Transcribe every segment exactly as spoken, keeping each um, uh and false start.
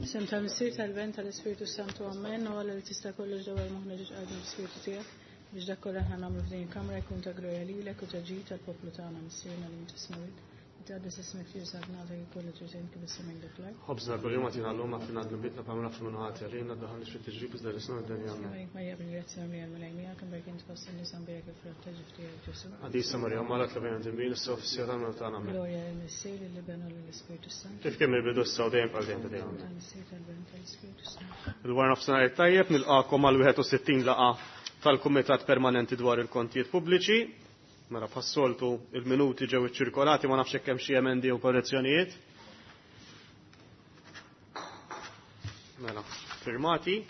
Isem tal-Missier, tal-Iben, tal-Ispirtu Santu, Amen. U Alla li tista' kollox dawwar moħħna ġo qalbna bl-Ispirtu tiegħek biex dak kollha aħna nagħmlu f'din il-kamra jkun ta' glorja lilek u ta' ġid tal-poplu tagħna. Missierna li inti smewit. Titqaddes ismek tiġi saltnatek ikollok triq kif is-sema dak l-art. Ħobżna kuljum agħtina llum, aħfrilna dnubietna bħalma naħfru min hu ħati għalina, ddaħħalniex fit-tiġrib iżda eħlisna mid-deni. Amen. Marija Marija bil-grazzja mimlija l-Mulej miegħek, imbierka int fost in-nisa mbierek il-frott ta' ġuf tiegħek Ġesù. Qaddisa Marija, Omm Alla, itlob għalina midinbin, issa u fis-siegħa tal-mewt tagħna. Amen. Glorja lill-Missier, lill-Iben u lill-Ispirtu Santu. Kif kien mill-bidu issa u dejjem għal dejjem ta' dejjem. Tal-Missier, tal-Iben, tal-Ispirtu Santu. Il-wara nofsinhar it-tajjeb nilqakom għal wieħed u sittin laqgħa tal-Kumitat Permanenti dwar il-Kontijiet Pubbliċi. Mela bħas-soltu il-minuti ġew iċċirkolati, ma nafx hekk hemm xi emendi u korrezzjonijiet. Mela, firmati.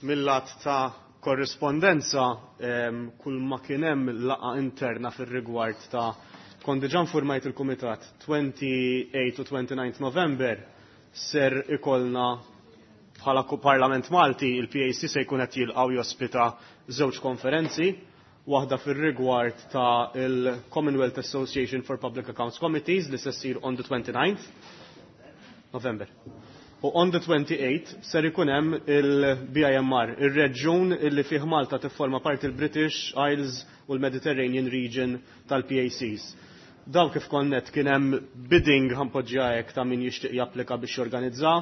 Mill-lat ta' korrispondenza em, kull ma kien hemm laqgħa interna fir-rigward ta' kont diġà informajt il-Kumitat twenty-eight u twenty-nine November ser ikollna bħala Parlament Malti il-P A C se jkun qed jilqgħu jospita żewġ konferenzi, waħda fir-rigward ta' il-Commonwealth Association for Public Accounts Committees li se ssir on the twenty-ninth November. U on the twenty-eighth ser ikun hemm il-B I M R, ir-reġjun illi fih Malta tifforma parti il-British Isles u l-Mediterranean Region tal-P A Cs. Daw kif konnet kien hemm bidding ħa npoġġiha hekk ta' min jixtieq japplika biex jorganizza.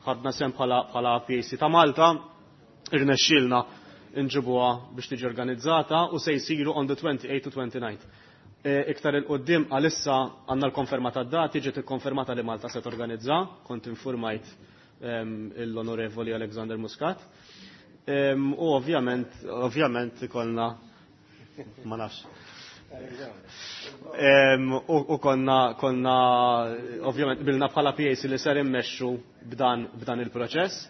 Ħadna sehem bħala bħala P A C ta' Malta, irnexxielna nġibuha biex tiġi organizzata u se jsiru on the twenty-eight to twenty-nine. E, iktar 'il quddiem għalissa għandna l-konferma ta' dati, ġiet ikkonfermata li Malta se torganizza, kont informajt l-Onorevoli Alexander Muscat. U ovvjament, ovvjament ikollna ma nafx. U konna, konna, ovvjament, bilna bħala P A C li ser immexxu b'dan, b'dan il-proċess.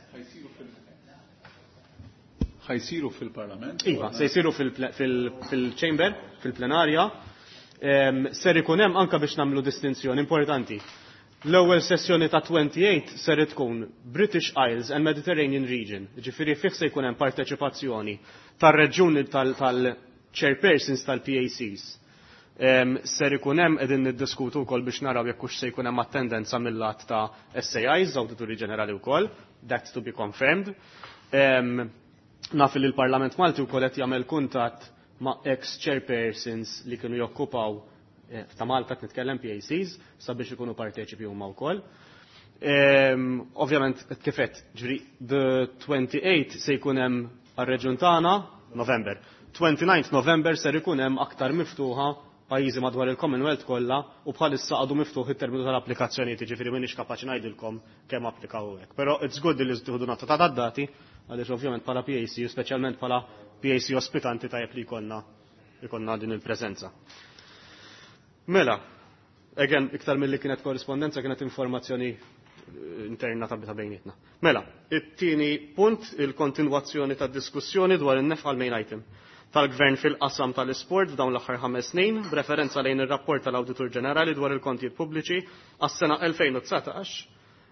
Ħa jsiru fil-Parlament? Iva, se jsiru fil-chamber, fil-plenarja. Ser ikun hemm anka biex nagħmlu distinzjoni importanti. L-ewwel sessjoni ta' twenty-eight ser tkun British Isles and Mediterranean Region, ġifieri fih se jkun hemm parteċipazzjoni tar-reġjuni tal-chairpersons tal-P A Cs. Ser ikun hemm qegħdin niddiskutu wkoll biex naraw jekk hux se jkun hemm attendenza mill-lat ta' S A Is, Awdituri Ġenerali wkoll, that's to be confirmed. Naf li l-Parlament Malti wkoll qed jagħmel kuntatt ma' ex-chairpersons li kienu jokkupaw eh, ta' Malta qed nitkellem P A Cs sabiex ikunu parteċipi huma wkoll. Ovvjament kif għedt, ġifieri the twenty-eight se jkun hemm għar-reġjun tagħna November. twenty-ninth November ser ikun hemm aktar miftuħa pajjiżi madwar il-Commonwealth kollha u bħalissa għadu miftuħ it-terminu tal-applikazzjonijiet, jiġifieri m'iniex kapaċi ngħidilkom kemm applikaw hekk. Però it's good li tieħdu nota ta' dati għaliex ovvjament bħala P A C u speċjalment bħala P A C ospitanti tajjeb li jkollna jkollna din il-preżenza. Mela, again, iktar mill-li kienet korrispondenza kienet informazzjoni interna ta' ta' bejnietna. Mela, it-tieni punt, il-kontinwazzjoni ta' diskussjoni dwar in-nefqa main item tal-Gvern fil-qasam tal-isport f'dawn l-aħħar ħames snin, b'referenza lejn ir-rapport tal-Awditur Ġenerali dwar il-kontijiet pubbliċi għas-sena elfejn u dsatax,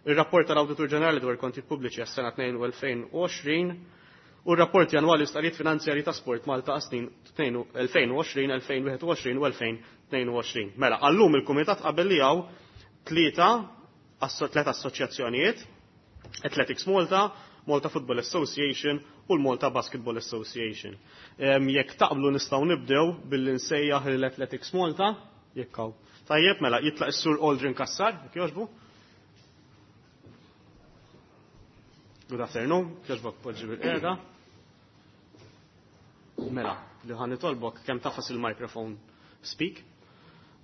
ir-rapport tal-Awditur Ġenerali dwar il-kontijiet pubbliċi għas-sena elfejn u għoxrin u r-rapporti annwali stqarrijiet finanzjari ta' Sport Malta għas-snin elfejn u għoxrin, elfejn u wieħed u għoxrin u elfejn u tnejn u għoxrin. Mela, għallum il-Kumitat qabel li hawn tlieta tliet assoċjazzjonijiet, Athletics Malta, Malta Football Association u l-Malta Basketball Association. Jekk taqblu nistgħu nibdew billi nsejjaħ l-Athletics Malta, jekk hawn. Tajjeb, mela, jitlaq is-Sur Aldrin Kassar, jekk jogħġbu. Good afternoon, jogħġbok poġġi bil-qiegħda. Mela, li ħa nitolbok kemm tagħfas il-microphone speak.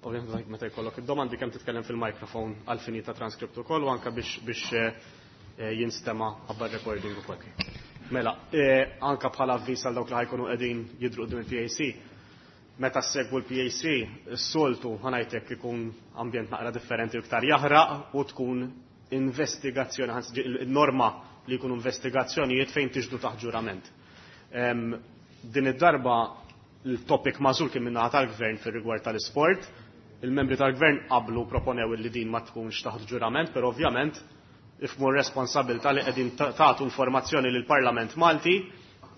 Ovvjament meta jkollok id-domandi kemm titkellem fil-microphone għal fini ta' transkript ukoll u anke biex biex eh, jinstema' qabel recording ukoll. Mela, eh, anka bħala avviż għal dawk li ħa jkunu qegħdin jidhru quddiem il-P A C, meta segwu l-P A C, s-soltu ħa ngħidlek ikun ambjent naqra differenti u iktar jaħraq u tkun investigazzjoni, il-norma li jkunu investigazzjonijiet fejn tixhdu taħt ġurament. Din id-darba il-topic magħżul kien min-naħa tal-gvern fir-rigward tal-isport, il-membri tal-gvern qablu proponew li din ma tkunx taħt ġurament, però ovvjament ifhmu r-responsabbiltà li qegħdin tagħtu informazzjoni lil Parlament Malti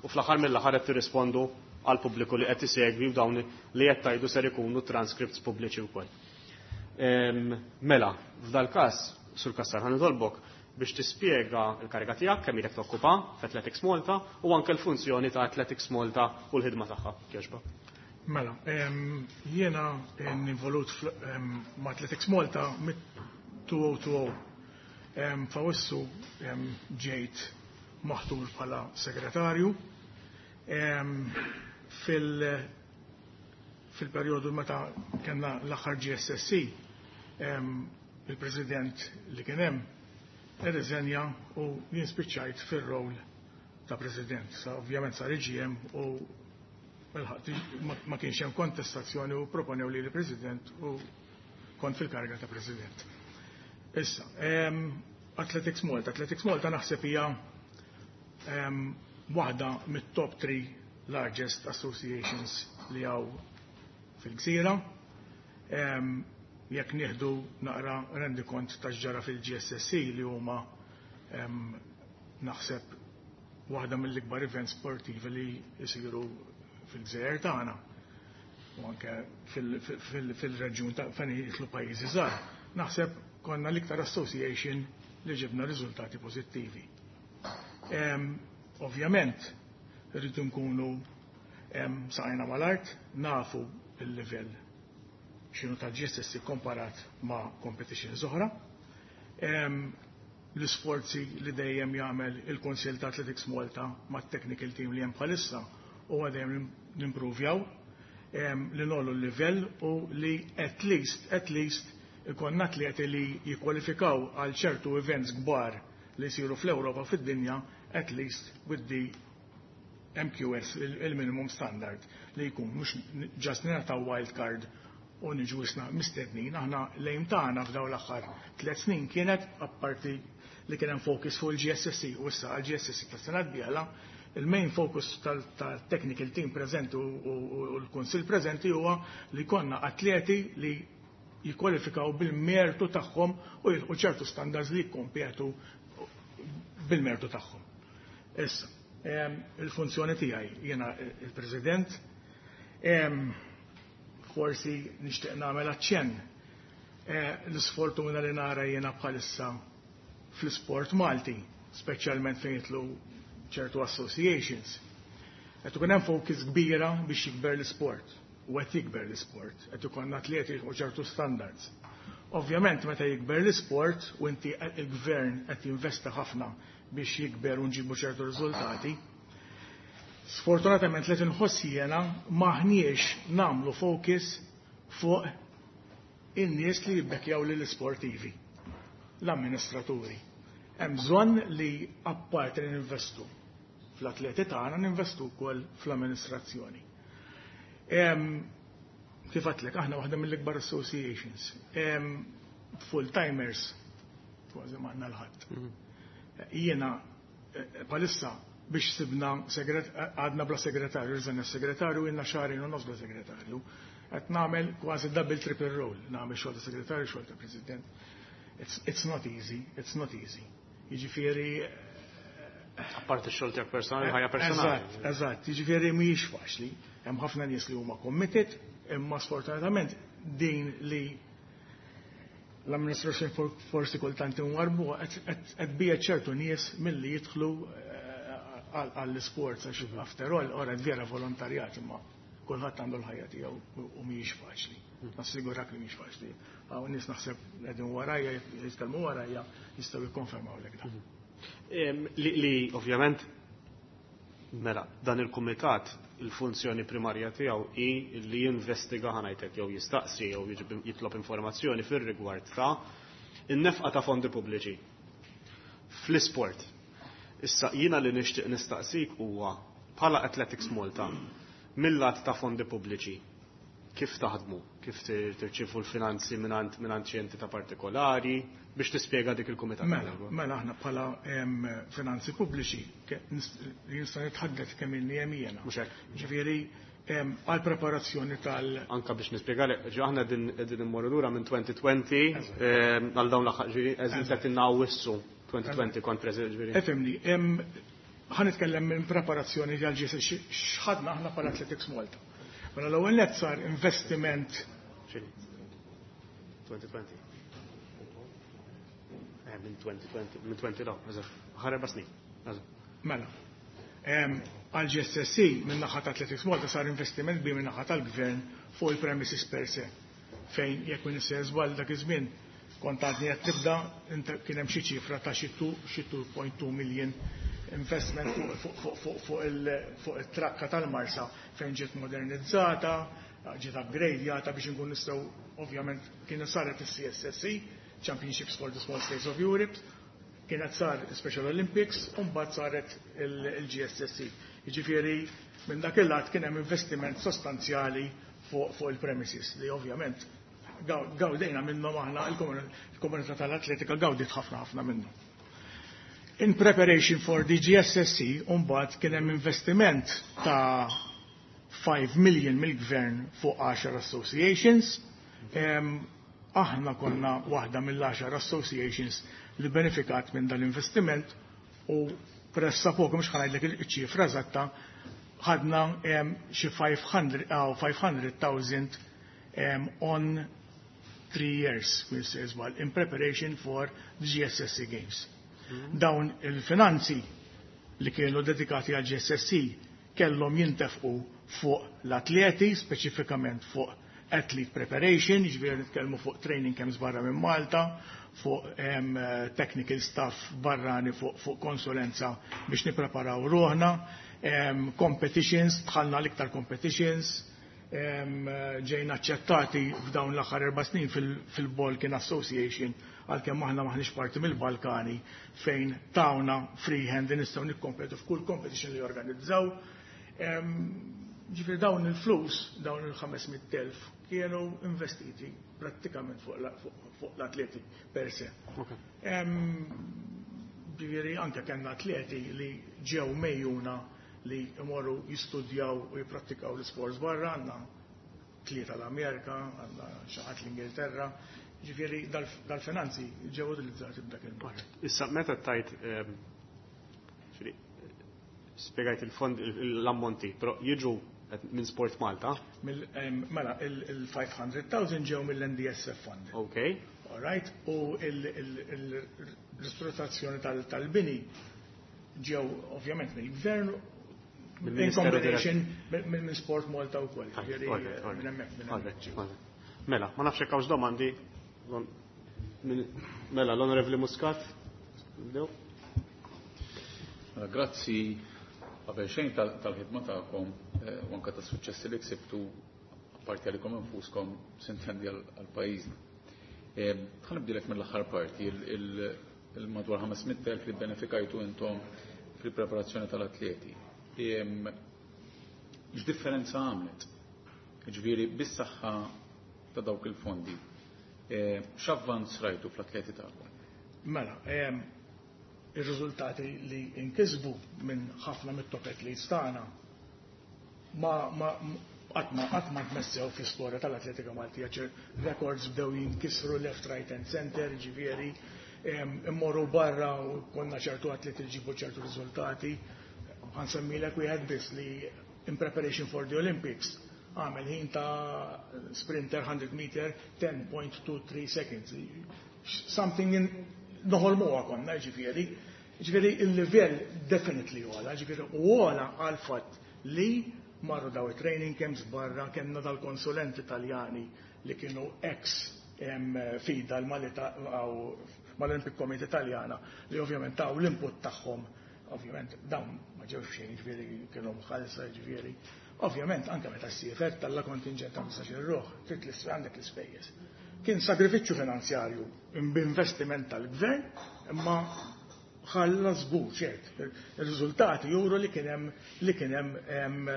u fl-aħħar mill-aħħar qed tirrispondu għal pubbliku li qed isegwi u dawn li qed tgħidu ser ikunu transcripts pubbliċi wkoll. Mela, f'dal każ, Sur Kassar, ħa nitolbok, Biex tispjega l-kariga tiegħek, kemm ilek tokkupa f'Athletics Malta u anke l-funzjoni ta' Athletics Malta u l-ħidma tagħha. Jogħġbok. Mela, jiena involut ma' Athletics Malta mit-elfejn u erbgħa. F'Awwissu ġejt maħtur bħala segretarju. Fil- fil-perjodu meta kellna l-aħħar G S S C, il-president li kien hemm irriżenja u jien spiċċajt fir-rol ta' president. Sa ovvjament sar A G M u ma kienx hemm kontestazzjoni u proponew li l-president u kont fil-kariga ta' president. Issa, Athletics Malta. Athletics Malta naħseb hija waħda mit-top three largest associations li hawn fil-gżira. Jekk nieħdu naqra rendikont ta' ġara fil-G S S C li huma naħseb waħda mill-ikbar events sportivi li jisiru fil-gżejjer tagħna u anke fil-reġjun ta' fejn jidħlu pajjiżi żgħar. Naħseb konna l-iktar association li ġibna riżultati pożittivi. Ovvjament, rridu nkunu saqajna mal-art, nafu il-livell x'inhu tal-G S S C komparat ma' competitions oħra. L-isforzi li dejjem jagħmel il-Kunsill ta' Athletics Malta ma' technical team li hemm bħalissa huwa dejjem nimprovjaw li ngħollu l-livell u li at least, at least ikonna atleti li jikkwalifikaw għal ċertu events kbar li jsiru fl-Ewropa, fid-dinja, at least with the M Q S, il-minimum standard li jkun mhux just nagħtaw wild card u niġu isna mistednin. Aħna l-aim tagħna f'daw l-aħħar tliet snin kienet, apparti li kien hemm focus fuq il-G S S C u issa għal-G S S C tas-sena d-dieħla, il-main focus tal-technical team preżenti u l-kunsill preżenti huwa li konna atleti li jikkwalifikaw bil-mertu tagħhom u jilħqu ċertu standards li jikkompetu bil-mertu tagħhom. Issa, il-funzjoni tiegħi, jiena il-President, forsi nixtieq nagħmel aċċenn eh, l-isfortuna li nara jiena bħalissa fl-sport Malti, speċjalment fejn jidħlu ċertu associations. Qed ikun hemm focus kbira biex jikber l-sport u qed jikber l-sport, qed ikun atleti u ċertu standards. Ovvjament, meta jikber l-sport u inti il-gvern qed jinvesta ħafna biex jikber u nġibu ċertu riżultati, sfortunatament li tinħoss jiena maħniex nagħmlu focus fuq in-nies li jibbekjaw lill-sportivi, l-amministraturi. Hemm bżonn li apparti li ninvestu fl-atleti tagħna, ninvestu wkoll fl-amministrazzjoni. Kif għedtlek, aħna waħda mill-ikbar associations. Full-timers, kważi m'għandna 'l ħadd. Mhm. Jiena eh, bħalissa biex sibna għadna bla segretarju, rriżenja segretarju, ilna xahrejn u nofs bla segretarju. Qed nagħmel kważi double, triple role, nagħmel xogħol ta' segretarju, xogħol ta' president. It's, it's not easy, it's not easy. Jiġifieri Apparti x-xogħol tiegħek personali, ħajja personali. Eżatt, eżatt, jiġifieri mhijiex faċli. Hemm ħafna nies li huma committed, imma sfortunatament din li l-amministrazzjoni forsi kultant inwarbu qed bija ċertu nies milli jidħlu eh, għall-sports għax mhm. after all ora vera volontarjat, imma kulħadd għandu l-ħajja tiegħu u mhijiex faċli. Mhm. Nassigurak li mhijiex faċli. Hawn nies naħseb qegħdin warajja, jitkellmu warajja, jistgħu jikkonfermaw lek dan. Mhm. Li, li ovvjament mela dan il-kumitat il-funzjoni primarja tiegħu hi li jinvestiga, ħa ngħidlek, jew jistaqsi jew jitlob informazzjoni fir-rigward ta' in-nefqa ta' fondi pubbliċi fl-isport. Issa jiena li nixtieq nistaqsik huwa, bħala Athletics Malta, mill-lat ta' fondi pubbliċi, kif taħdmu, kif tirċifu l-finanzi mingħand mingħand xi entità partikolari, biex tispjega dik il-kumitat. Mela, mela aħna bħala finanzi pubbliċi nista' nitħaddet kemm ilni hemm jiena. Mhux hekk. Ġifieri għal preparazzjoni tal Anka biex nispjegali, ġi aħna din din immorru lura minn elfejn u għoxrin għal dawn l-aħħar, ġifieri eżin qed innawissu elfejn u għoxrin kont preżent, ġifieri. Ifhimni, ħa nitkellem minn preparazzjoni tal-G S S C x'ħadna aħna bħala Athletics Malta. Mela l-ewwel net sar investiment elfejn u għoxrin. Eh, minn twenty twenty, minn twenty daw, ħar erba' snin. Mela. Għal G S S E minn naħa ta' Athletics Malta sar investiment bi minn naħa tal-gvern fuq il-premises per se. Fejn jekk minn żball dak iż-żmien kont għadni qed tibda, kien hemm xi ċifra ta' xi two point two million investment fuq it-trakka tal-Marsa fejn ġiet modernizzata, ġiet upgradjata biex nkun nistgħu, ovvjament kien saret il-C S S E, Championships for the Small States of Europe, kienet sar Special Olympics u mbagħad saret il-G S S E. Jiġifieri minn dak il-lat kien hemm investiment sostanzjali fuq il-premises li ovvjament gawdejna minnhom aħna, il-komunità tal-atletika gawdiet ħafna ħafna minnhom. In preparation for the G S S E, mbagħad kien hemm investiment ta' five million mill-gvern fuq ten associations. Aħna konna waħda mill-għaxar associations li benefikat minn dal-investiment u pressappoku, mhux ħa ngħidlek il-ċifra eżatta, ħadna xi five hundred thousand on three years, in preparation for the G S S E Games. Mm-hmm. Dawn il-finanzi li kienu dedikati għal G S S E kellhom jintefqu fuq l-atleti, speċifikament fuq athlete preparation, ġifieri nitkellmu fuq training camps barra minn Malta, fuq um, technical staff barrani, fuq, fuq konsulenza biex nipreparaw ruħna, um, competitions, dħalna l-iktar competitions, um, ġejna aċċettati f'dawn l-aħħar erba' snin fil-Balkan Association, għalkemm aħna maħniex parti mill-Balkani, fejn tawna free hand li nistgħu nikkompetu f'kull competition li jorganizzaw. Ġifieri dawn il-flus, dawn il-ħames mitt elf kienu investiti prattikament fuq l-atleti per se. Ġifieri anke kellna atleti li ġew megħjuna li imorru jistudjaw u jiprattikaw l-sports barra, għandna tlieta l-Amerika, għandna xi ħadd l-Ingilterra, ġifieri dal-finanzi ġew utilizzati b'dak il-mod. Issa meta tajt, spiegajt il-fond, l-ammonti, però jiġu minn Sport Malta? Mela, il-five hundred thousand ġew mill-N D S F Fund. Ok. All right, u il-ristrutturazzjoni tal-bini ġew ovvjament mill-gvern in combination minn Sport Malta u koll. Mela, ma nafx hekk domandi. Mela, l-Onorevoli Muscat. Mela, grazzi qabel xejn tal-ħidma tagħkom eh, u anke tas-suċċessi li ksibtu, apparti għalikom infuskom, sintendi għal pajjiżna. Eh, ħa nibdilek mill-aħħar parti, il-madwar ħames mitt elf li benefikajtu intom fil-preparazzjoni tal-atleti. X'differenza għamlet? Ġifieri, bis-saħħa ta' dawk il-fondi, eh, x'avvanz rajtu fl-atleti tagħkom? Mela, ir-riżultati li inkisbu minn ħafna mit-top athletes tagħna ma ma qatt ma qatt ma tmessew fl-istorja tal-atletika Maltija. Ċer records bdew jinkisru left, right and center, ġifieri immorru barra u konna ċertu atleti li ġibu ċertu riżultati. Ħa nsemmilek wieħed biss li in preparation for the Olympics għamel ħin ta' sprinter one hundred meter ten point two three seconds. Something in noħolmuha konna, ġifieri. Ġifieri il-livell definitely għola, ġifieri u għola għal fatt li marru daw training camps barra, kellna dal-konsulenti Italjani li kienu ex FIDA mal-Olympic Committee Italjana li ovvjament taw l-input tagħhom. Ovvjament dawn ma ġewx xejn, ġifieri kienu mħallsa, ġifieri. Ovvjament anke meta ssiefer tella' kontingent ta' ħmistax-il ruħ, trid għandek l-ispejjeż. Kien sagrifiċċju finanzjarju b'investiment tal-gvern, imma ħalla żgur ċert. Ir-riżultati juru li kien hemm li kien hemm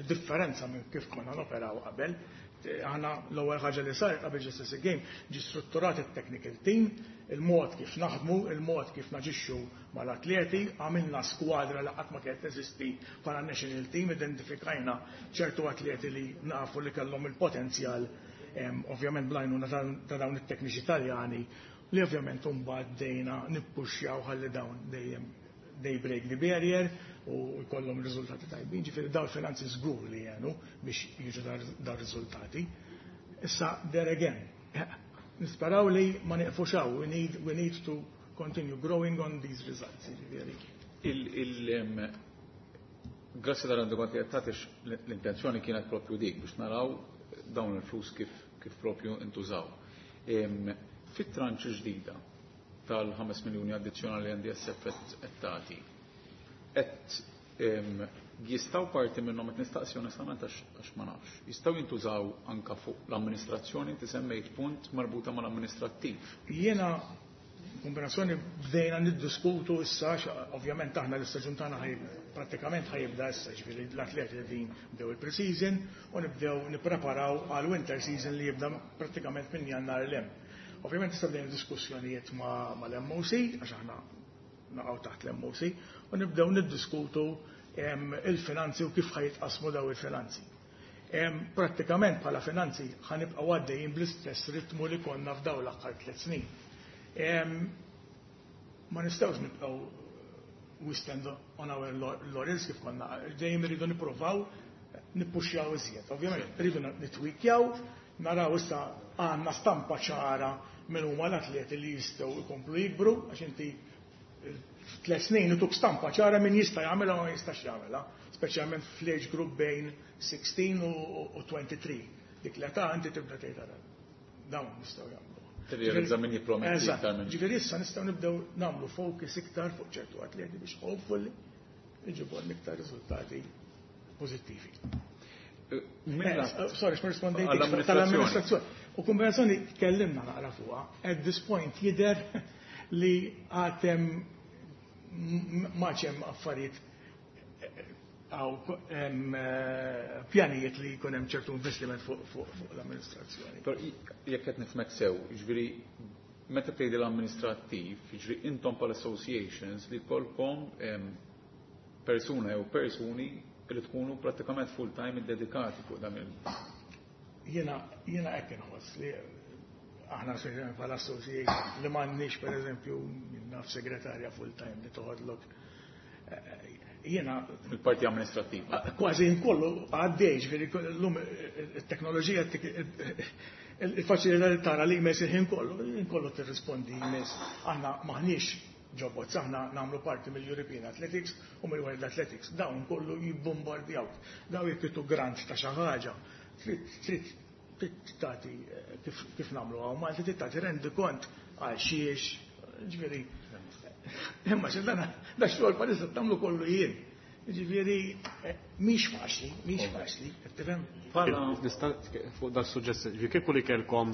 differenza minn kif konna noperaw qabel. Aħna l-ewwel ħaġa li saret qabel G S S E Game, ġi strutturat it-technical team, il-mod kif naħdmu, il-mod kif naġixxu mal-atleti, għamilna skwadra li qatt ma kienet teżisti bħala national team, identifikajna ċertu atleti li nafu li kellhom il-potenzjal, ovvjament bl-għajnuna ta' dawn it-tekniċi Taljani li ovvjament mbagħad bdejna nippuxjaw ħalli dawn dejjem they break the barrier u jkollhom riżultati tajbin, ġifieri dawn il-finanzi żgur li jenu biex jiġu dar riżultati. Issa, there again, nisperaw li ma nieqfux hawn, we need, we need to continue growing on these results. Jiġifieri. Grazzi tal-rendikont li għattatix, l-intenzjoni kienet propju dik biex naraw dawn il-flus kif, kif propju intużaw. Fit-tranche ġdida tal-ħames miljoni addizzjonali N D S F qed tagħti, qed jistgħu parti minnhom, qed nistaqsi onestament għax ma nafx, jistgħu jintużaw anka fuq l-amministrazzjoni? Inti semmejt punt marbuta mal-amministrattiv. Jiena kombinazzjoni bdejna niddiskutu issa, ovvjament aħna l-istaġun tagħna prattikament ħa jibda issa, ġifieri l-atleti din bdew il-pre-season u nibdew nippreparaw għal winter season li jibda prattikament minn Jannar 'l hemm. Ovvjament issa bdejna diskussjonijiet mal-M O C, għax aħna naqgħu taħt l-M O C, u nibdew niddiskutu il-finanzi u kif ħa jitqasmu daw il-finanzi. Prattikament bħala finanzi ħa nibqgħu għaddejjin bl-istess ritmu li konna f'daw l-aħħar tliet snin. Ma nistgħux nibqgħu we stand on our laurels kif konna, dejjem irridu nippruvaw nippuxjaw iżjed. Ovvjament rridu nitwikjaw, naraw issa għandna stampa ċara minn huma l-atleti li jistgħu jkomplu jikbru, għax inti tliet snin ituk stampa ċara min jista' jagħmilha u ma jistax jagħmilha, speċjalment fl-age group bejn sittax u tlieta u għoxrin. Dik l-età inti tibda tgħid dawn nistgħu jagħmlu. Tirrealizza min jipprometti iktar minn. Ġifieri issa nistgħu nibdew nagħmlu focus iktar fuq ċertu atleti biex hopefully iġibu iktar riżultati pożittivi. Eh, eh, sorry, x'ma rispondejt tal-amministrazzjoni. U kombinazzjoni tkellimna naqra fuqha. At this point jidher li għad hemm affarijiet għaw eh, pjanijiet li jkun hemm ċertu investiment fuq l-amministrazzjoni. Però jekk qed nifhmek sew, jiġifieri meta tgħidi l-amministrattiv, jiġifieri intom pal associations li jkollkom persuna jew persuni li tkunu prattikament full time dedikati fuq dan il- Jiena jiena hekk inħoss li aħna bħala association li m'għandniex, pereżempju, naf, segretarja full time li toħodlok eh, jiena Il-parti amministrativa. Kważi nkollu għaddej, ġifieri l-lum il-teknoloġija, il-faċilità li tara li emails il-ħin kollu, kollu tirrispondi emails. Aħna maħniex robots, aħna nagħmlu parti mill-European Athletics u mill-World Athletics. Dawn kollu jibbombardjaw. Dawn jekk grant ta' xi ħaġa, trid tagħti eh, kif nagħmlu hawn, ma trid tagħti rendikont għal xiex, ġifieri. Imma xe dan da xogħol palissa tagħmlu kollu jien. Ġifieri eh, mhix faċli, mhix faċli, qed tifhem? Nista' fuq dal suġġett, ġifieri kieku li kellkom,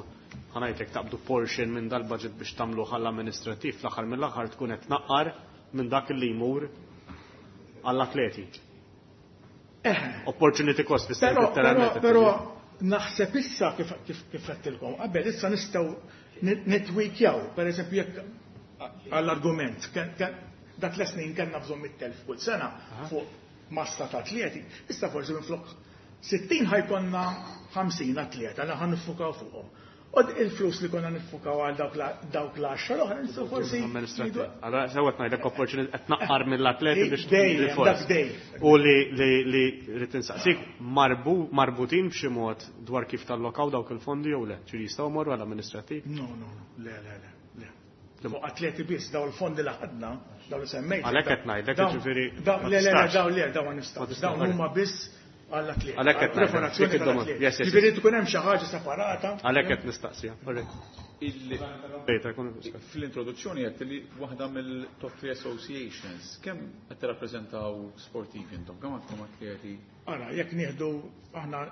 ħa ngħidlek, taqbdu portion minn dal-budget biex tagħmlu ħall amministrattiv, fl-aħħar mill-aħħar tkun qed tnaqqar minn dak li jmur għall-atleti. Eh. Opportunity cost fisser letteralment. Però naħseb issa kif kif għedtilkom, qabel issa nistgħu nitwikjaw, per eżempju jekk għall-argument, dak l-snin kellna bżonn mitt elf kull sena fuq massa ta' atleti, issa forsi minn flok sittin ħa jkollna ħamsin atleta li ħa niffukaw fuqhom. U il-flus li konna niffukaw għal dawk l-għaxra l-oħra nistgħu forsi. Allora sewwa ngħidlek opportunity qed naqqar mill-atleti biex Dejjem, dejjem. U li li li rrid insaqsik, marbutin b'xi mod dwar kif tallokaw dawk il-fondi jew le? Ġifieri jistgħu morru għall-amministrattiv? No, no, no, le, le, le. Fuq atleti biss, daw il-fondi li ħadna, daw li semmejt. Għalhekk qed ngħidlek, ġifieri. Le, le, le, daw le, daw ma nistgħux. Dawn huma biss għall-atleti. Għalhekk qed Preparazzjoni tal-atleti. Ġifieri tkun hemm xi ħaġa separata. Għalhekk qed nistaqsija. Fl-introduzzjoni għedt li waħda mill-top three associations, kemm qed tirrappreżentaw sportivi intom, kemm għandkom atleti? Ara, jekk nieħdu aħna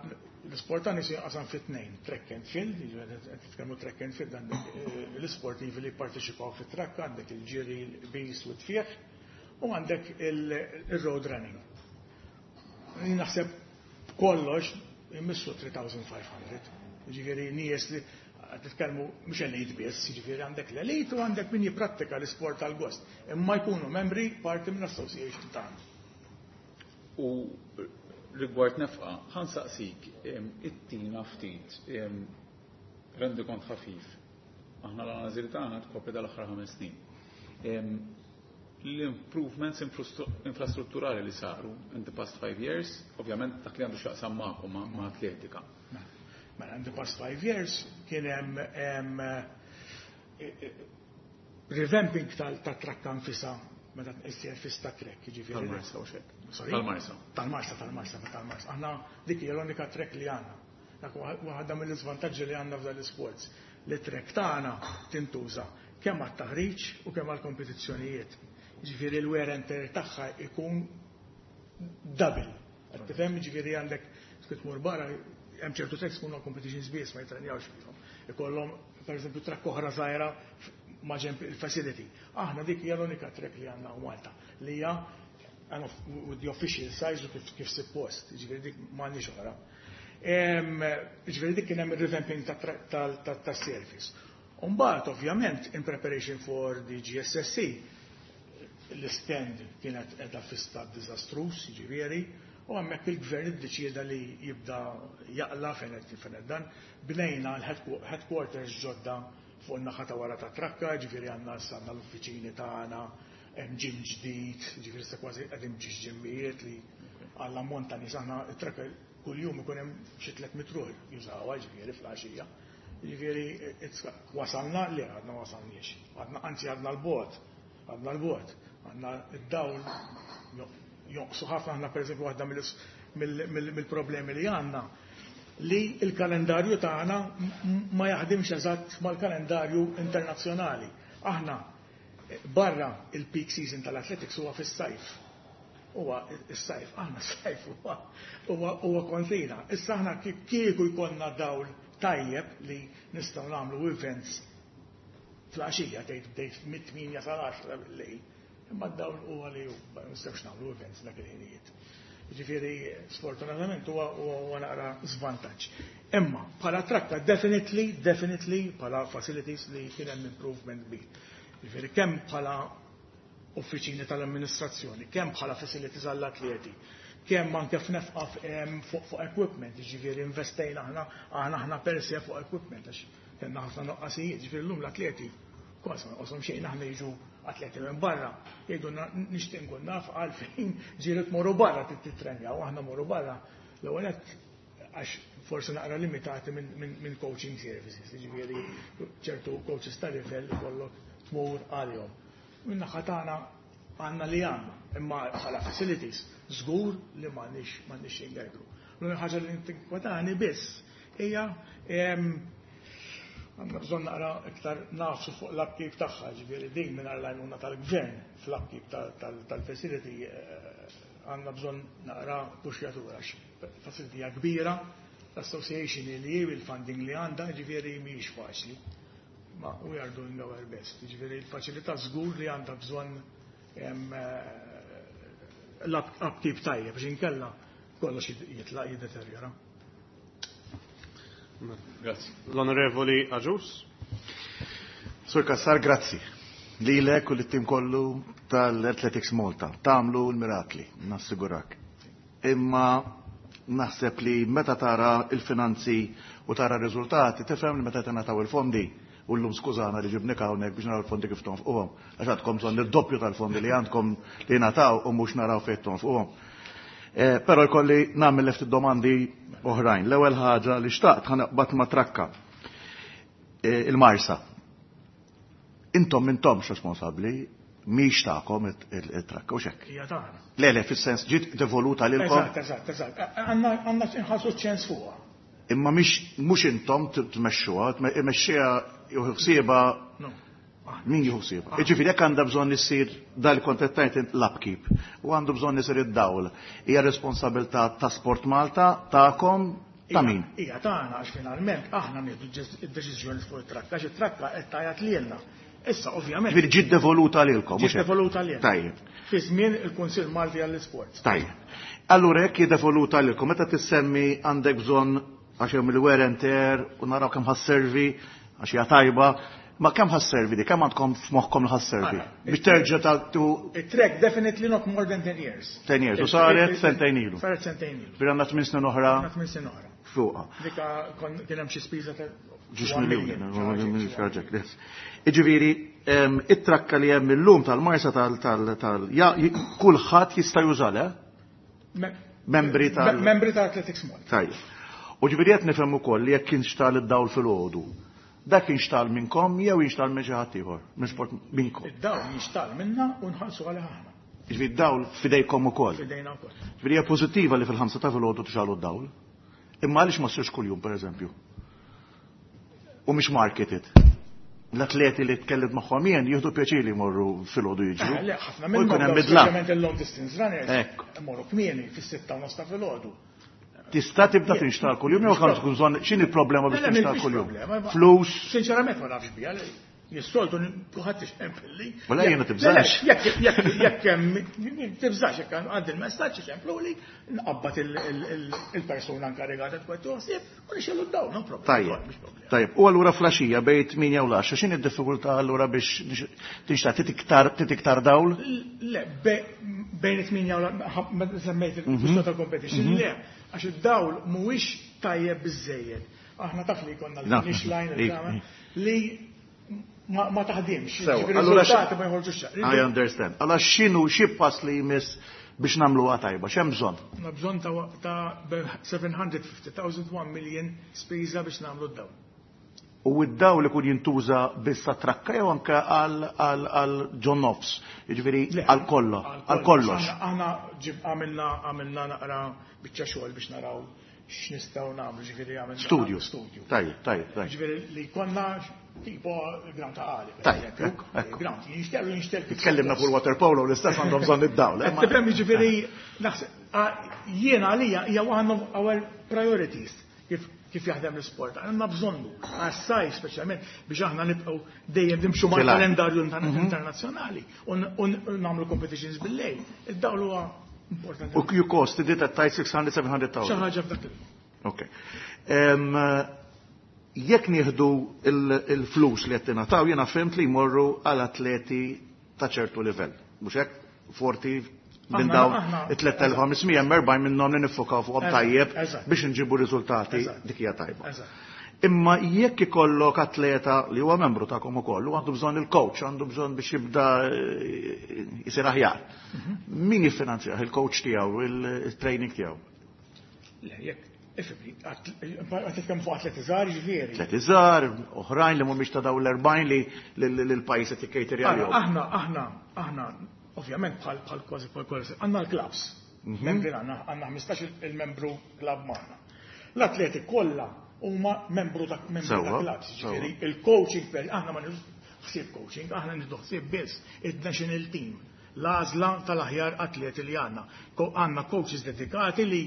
l-sport għan qasam fit tnejn, track and field, qed titkellmu track and field, għandek eh, l-sportivi li parteċipaw fit trakk, għandek il-ġiri, il-bis u t-tfieħ, u għandek il-road running. Naħseb kollox immissu tliet elef u ħames mija. Ġifieri nies li titkellmu mhux elite biss, jiġifieri għandek l-elite u għandek min jipprattika l-isport tal-gost. Imma jkunu membri parti minn association tagħna. U rigward nefqa, ħa nsaqsik, ittina ftit, rendikont ħafif. Aħna l-analiżi tagħna tkopri dal-aħħar ħames snin. L-improvements infrastrutturali li saru in the past five years, ovvjament dak li għandu x'jaqsam magħkom ma' atletika. Mela, in the past five years kien hemm eh, eh, Revamping tal-trakka nfisha meta is-surface ta' track, jiġifieri. Tal-Marsa u xek. Tal-Marsa. Tal-Marsa, tal-Marsa, tal-Marsa. Aħna dik hija l-unika track li għandna. Dak waħda mill-iżvantaġġi li għandna f'dan l-isports. Li track tagħna tintuża kemm għat-taħriġ u kemm għall-kompetizzjonijiet. Jiġifieri l-wear and tear tagħha ikun double. Qed tifhem, jiġifieri għandek tmur barra hemm ċertu tracks ikunu competitions biss ma jitrenjawx fihom. Ikollhom pereżempju track oħra żgħira ma' ġenb il-facility. Aħna dik hija l-unika track li għandna Malta li hija with the official size u kif, kif suppost, jiġifieri dik m'għandniex oħra. Jiġifieri dik kien hemm ir-revamping tas-surface. Umbagħad ovvjament in preparation for the G S S C l-stand kienet qiegħda fi stat diżastruż, jiġifieri, u hemmhekk il-gvern iddeċieda li jibda jaqla fejn qed dan, bnejna l-headquarters ġodda fuq in-naħa ta' wara ta' trakka, ġifieri għandna għandna l-uffiċini tagħna, hemm gym ġdid, ġifieri sa kważi qegħdin ġiex ġimmijiet li għall ammont ta' nies aħna t-trakka kuljum ikun hemm xi tliet mitt ruħ jużawha ġifieri fl-għaxija. Ġifieri wasalna li għadna wasalniex. Għadna anzi għadna l-bogħod, għadna l-bogħod, għandna id-dawl jonqsu ħafna. Aħna pereżempju waħda mill-problemi li għandna li il-kalendarju tagħna ma jaħdimx eżatt mal-kalendarju internazzjonali. Aħna barra il-peak season tal-athletics huwa fis-sajf. Huwa is-sajf, aħna s-sajf huwa huwa kontrina. Issa aħna kieku jkollna dawl tajjeb li nistgħu nagħmlu events fl-għaxija, tgħid bdejt mit-tmienja sal-għaxra bil-lejl. Imma d-dawl huwa li ma nistgħux nagħmlu events dak il-ħinijiet. Ġifieri, sfortunatament huwa huwa naqra żvantaġġ. Imma bħala trakka definitely, definitely bħala facilities li kien hemm improvement kbir. Ġifieri kemm bħala uffiċini tal-amministrazzjoni, kemm bħala facilities għall-atleti, kemm anke f'nefqa fuq fuq equipment, ġifieri investejna aħna aħna aħna per se fuq equipment għax kellna ħafna noqqasijiet, ġifieri llum l-atleti kważi ma nqoshom xejn. Aħna jiġu atleti minn barra, jgħidu nixtieq nkun naf għalfejn ġieli tmorru barra titrenjaw, aħna morru barra l-ewwel għax forsi naqra limitati minn min coaching services, ġifieri ċertu coaches ta' livell ikollok tmur għalihom. Minn naħa tagħna għandna li għandna, imma bħala facilities żgur li m'għandniex m'għandniex xejn. L-unika ħaġa li tinkwetani biss hija għandna bżonn naqra iktar nagħfsu fuq l-upkeep tagħha, ġifieri din mingħajr l-għajnuna tal-gvern fl-upkeep tal-facility għandna bżonn naqra puxjatura. Facility hija kbira, l-association li hi il-funding li għandha, ġifieri mhijiex faċli. Ma we are doing our best. Ġifieri l-faċilità żgur li għandha bżonn l-upkeep tajjeb biex inkella kollox jitlaq jiddeterjora. Grazzi. L-Onorevoli Agius. Sur Cassar, grazzi. Lilek u l-tim kollu tal-Athletics Malta. Tagħmlu l-mirakli, nassigurak. Imma naħseb li meta tara il-finanzi u tara r-riżultati, tifhem li meta tingħataw il-fondi, u llum skużana li ġibnik hawnhekk biex naraw il-fondi kif tonfquhom. Għax għandkom bżonn id-doppju tal-fondi li għandkom li nataw u mhux naraw fejn tonfquhom. Eh, però jkolli nagħmel ftit domandi oħrajn. L-ewwel ħaġa li xtaqt ħa naqbad ma' trakka. Eh, il-Marsa. Intom intomx responsabbli, mhix tagħkom it-trakka u xek. Hija tagħna. Le, le, fis-sens ġiet devoluta lilkom. Eżatt, eżatt, eżatt. Għandna għandna nħallsu ċens fuqha. Imma mhix mhux intom tmexxuha, tmexxiha jieħu ħsiebha No. min jieħu ħsiebha? Jiġifieri jekk għandha bżonn issir dal kontettajt l-upkeep u għandu bżonn isir id-dawl, hija responsabilità ta' Sport Malta, tagħkom, ta' min? Hija tagħna għax finalment aħna nieħdu id-deċiżjoni fuq it-trakka, għax it-trakka qed tgħajjat lilna. Issa ovvjament Ġifieri ġiet devoluta lilkom. Ġiet devoluta lilna. Tajjeb. Fi żmien il-Kunsill Malti għall-Isport. Tajjeb. Allura jekk hi devoluta lilkom, meta tissemmi għandek bżonn għax hemm il-wear and tear u naraw kemm ħa sservi għax hija tajba, ma kemm ħa sservi di, kemm għandkom f'moħħkom li ħa sservi? Biex terġa' tagħtu It-track definitely not more than ten years. ten years, u saret sentejn ilu. Saret sentejn ilu. Bir għandna tmien snin oħra Għandna tmien snin oħra. fuqha. Dika kien hemm xi spiża ta' Ġiex miljuni, Iġifieri, it-trakka li hemm illum tal-Marsa tal tal tal kulħadd jista' juża, le? Membri tal Membri tal Athletics Malta. Tajjeb. U ġifieri qed nifhem ukoll li jekk kienx tal id-dawl fil-għodu Dak jinxtagħal minnkom jew jinxtagħal minn xi ħadd ieħor, minn sport minnkom. Id-dawl jinxtagħal minna u nħallsu għalih aħna. Jiġifieri d-dawl f'idejkom ukoll. F'idejna wkoll. Jiġifieri hija pożittiva li fil-ħamsa ta' filgħodu tixgħalu d-dawl. Imma għaliex ma ssirx kuljum pereżempju? U mhix marketed. L-atleti li tkellimt magħhom jien jieħdu pjaċir li jmorru filgħodu jiġru. Eh, le, ħafna U minnhom jkun hemm dawn bidla. speċjalment il-long distance runners. Ekku. Imorru kmieni fis-sitta u nofs ta' filgħodu. Tista' tibda tinxtagħal kuljum jew kan tkun bżonn x'inhi l-problema biex Le, le, tinxtagħal mhix kuljum? problema, ma- Flus, Sinċerament ma nafx biha, le. Jistoltu kulħadd ixempilli. Wala jiena tibżax. Jekk jekk jekk hemm tibżax jekk għandi il-messaġġ ixempluli, nqabbad il-persuna inkarigata tkun toħsib u nixxellu d-dawl, no problem. Tajjeb, Mhix problema. tajjeb. U allura flaxija bejn tmienja u l-għaxra, x'inhi d-diffikultà allura biex tinxtagħal tit iktar tit iktar dawl? Le, be- bejn it-tmienja u la- meta semmejt il-kwistjoni tal-competition, le, għax id-dawl mhuwiex tajjeb biżejjed. Aħna taf li jkollna Naf, l-finish line, ik- il-kama, li ma ma taħdimx. Sewa, Ġifieri allura riżultati ma jħorġux. I understand. Allora x'inhu xi pass li jmiss biex nagħmluha tajba, x'hemm bżonn? Għandna bżonn ta' ta' seven hundred fifty thousand, one million spiża biex nagħmlu d-dawl. U id-dawl ikun jintuża biss trakka jew anke għal għal għal ġo nofs, jiġifieri Le, għal kollo, għal kollox. Aħna aħna ġib għamilna għamilna naqra biċċa xogħol biex naraw x'nistgħu nagħmlu, ġifieri għamilna Studio. Studju. Tajjeb, tajjeb, tajjeb. Ġifieri li konna tipo ground ta' għali. per Tajjeb, eżempju. ekku, ekku. Ground jinxtel u jinxtel kif Tkellimna fuq suppost. il-water polo l-istess għandhom bżonn id-dawl. eh, ma- Tifhem, ġifieri naħseb ah, jiena għalija hija one of our priorities kif kif jaħdem l-sport. Għandna bżonnu għas-sajf speċjalment biex aħna nibqgħu dejjem nimxu mal-kalendarju internazzjonali u n- u n- nagħmlu competitions bil-lejl. Id-dawl huwa importanti. U you cost it at tajt sitt mija seba' mija elf. Xi ħaġa f'dak il Ok. Em, Jekk nieħdu il- il-flus li qed tingħataw, jiena fhimt li jmorru għal atleti ta' ċertu livell. Mhux hekk? forty minn Aħna- dawn aħna- it-tliet elef u ħames mija hemm erbgħin minnhom li niffokaw fuqhom Eżatt, tajjeb eżatt. biex nġibu riżultati, Eżatt. dik hija tajba. Eżatt. Imma jekk ikollok atleta li huwa membru tagħkom ukoll u għandu bżonn il-coach, għandu bżonn biex jibda eh, jisir aħjar. Mhm. Min jiffinanzjah il-coach tiegħu, il-training tiegħu? Le, jekk ifhimni, qed titkellem fuq atleti żgħar ġifieri. Atleti żgħar, oħrajn li mhumiex ta' dawn l-erbgħin li li l-pajjiż qed jikkejterja Aħna, għalihom. aħna, aħna, aħna, ovvjament bħal bħal kważi bħal kważi, għandna l-clubs. Membri għandna għandna ħmistax il-membru club magħna. L-atleti kollha huma membru ta' membru ta' Sewwa, clubs, sewwa. ġifieri il-coaching per aħna ma nieħdux ħsieb coaching, aħna nieħdu ħsieb biss id-national team. L-għażla tal-aħjar atleti li għandna. Ko- Għandna coaches dedikati li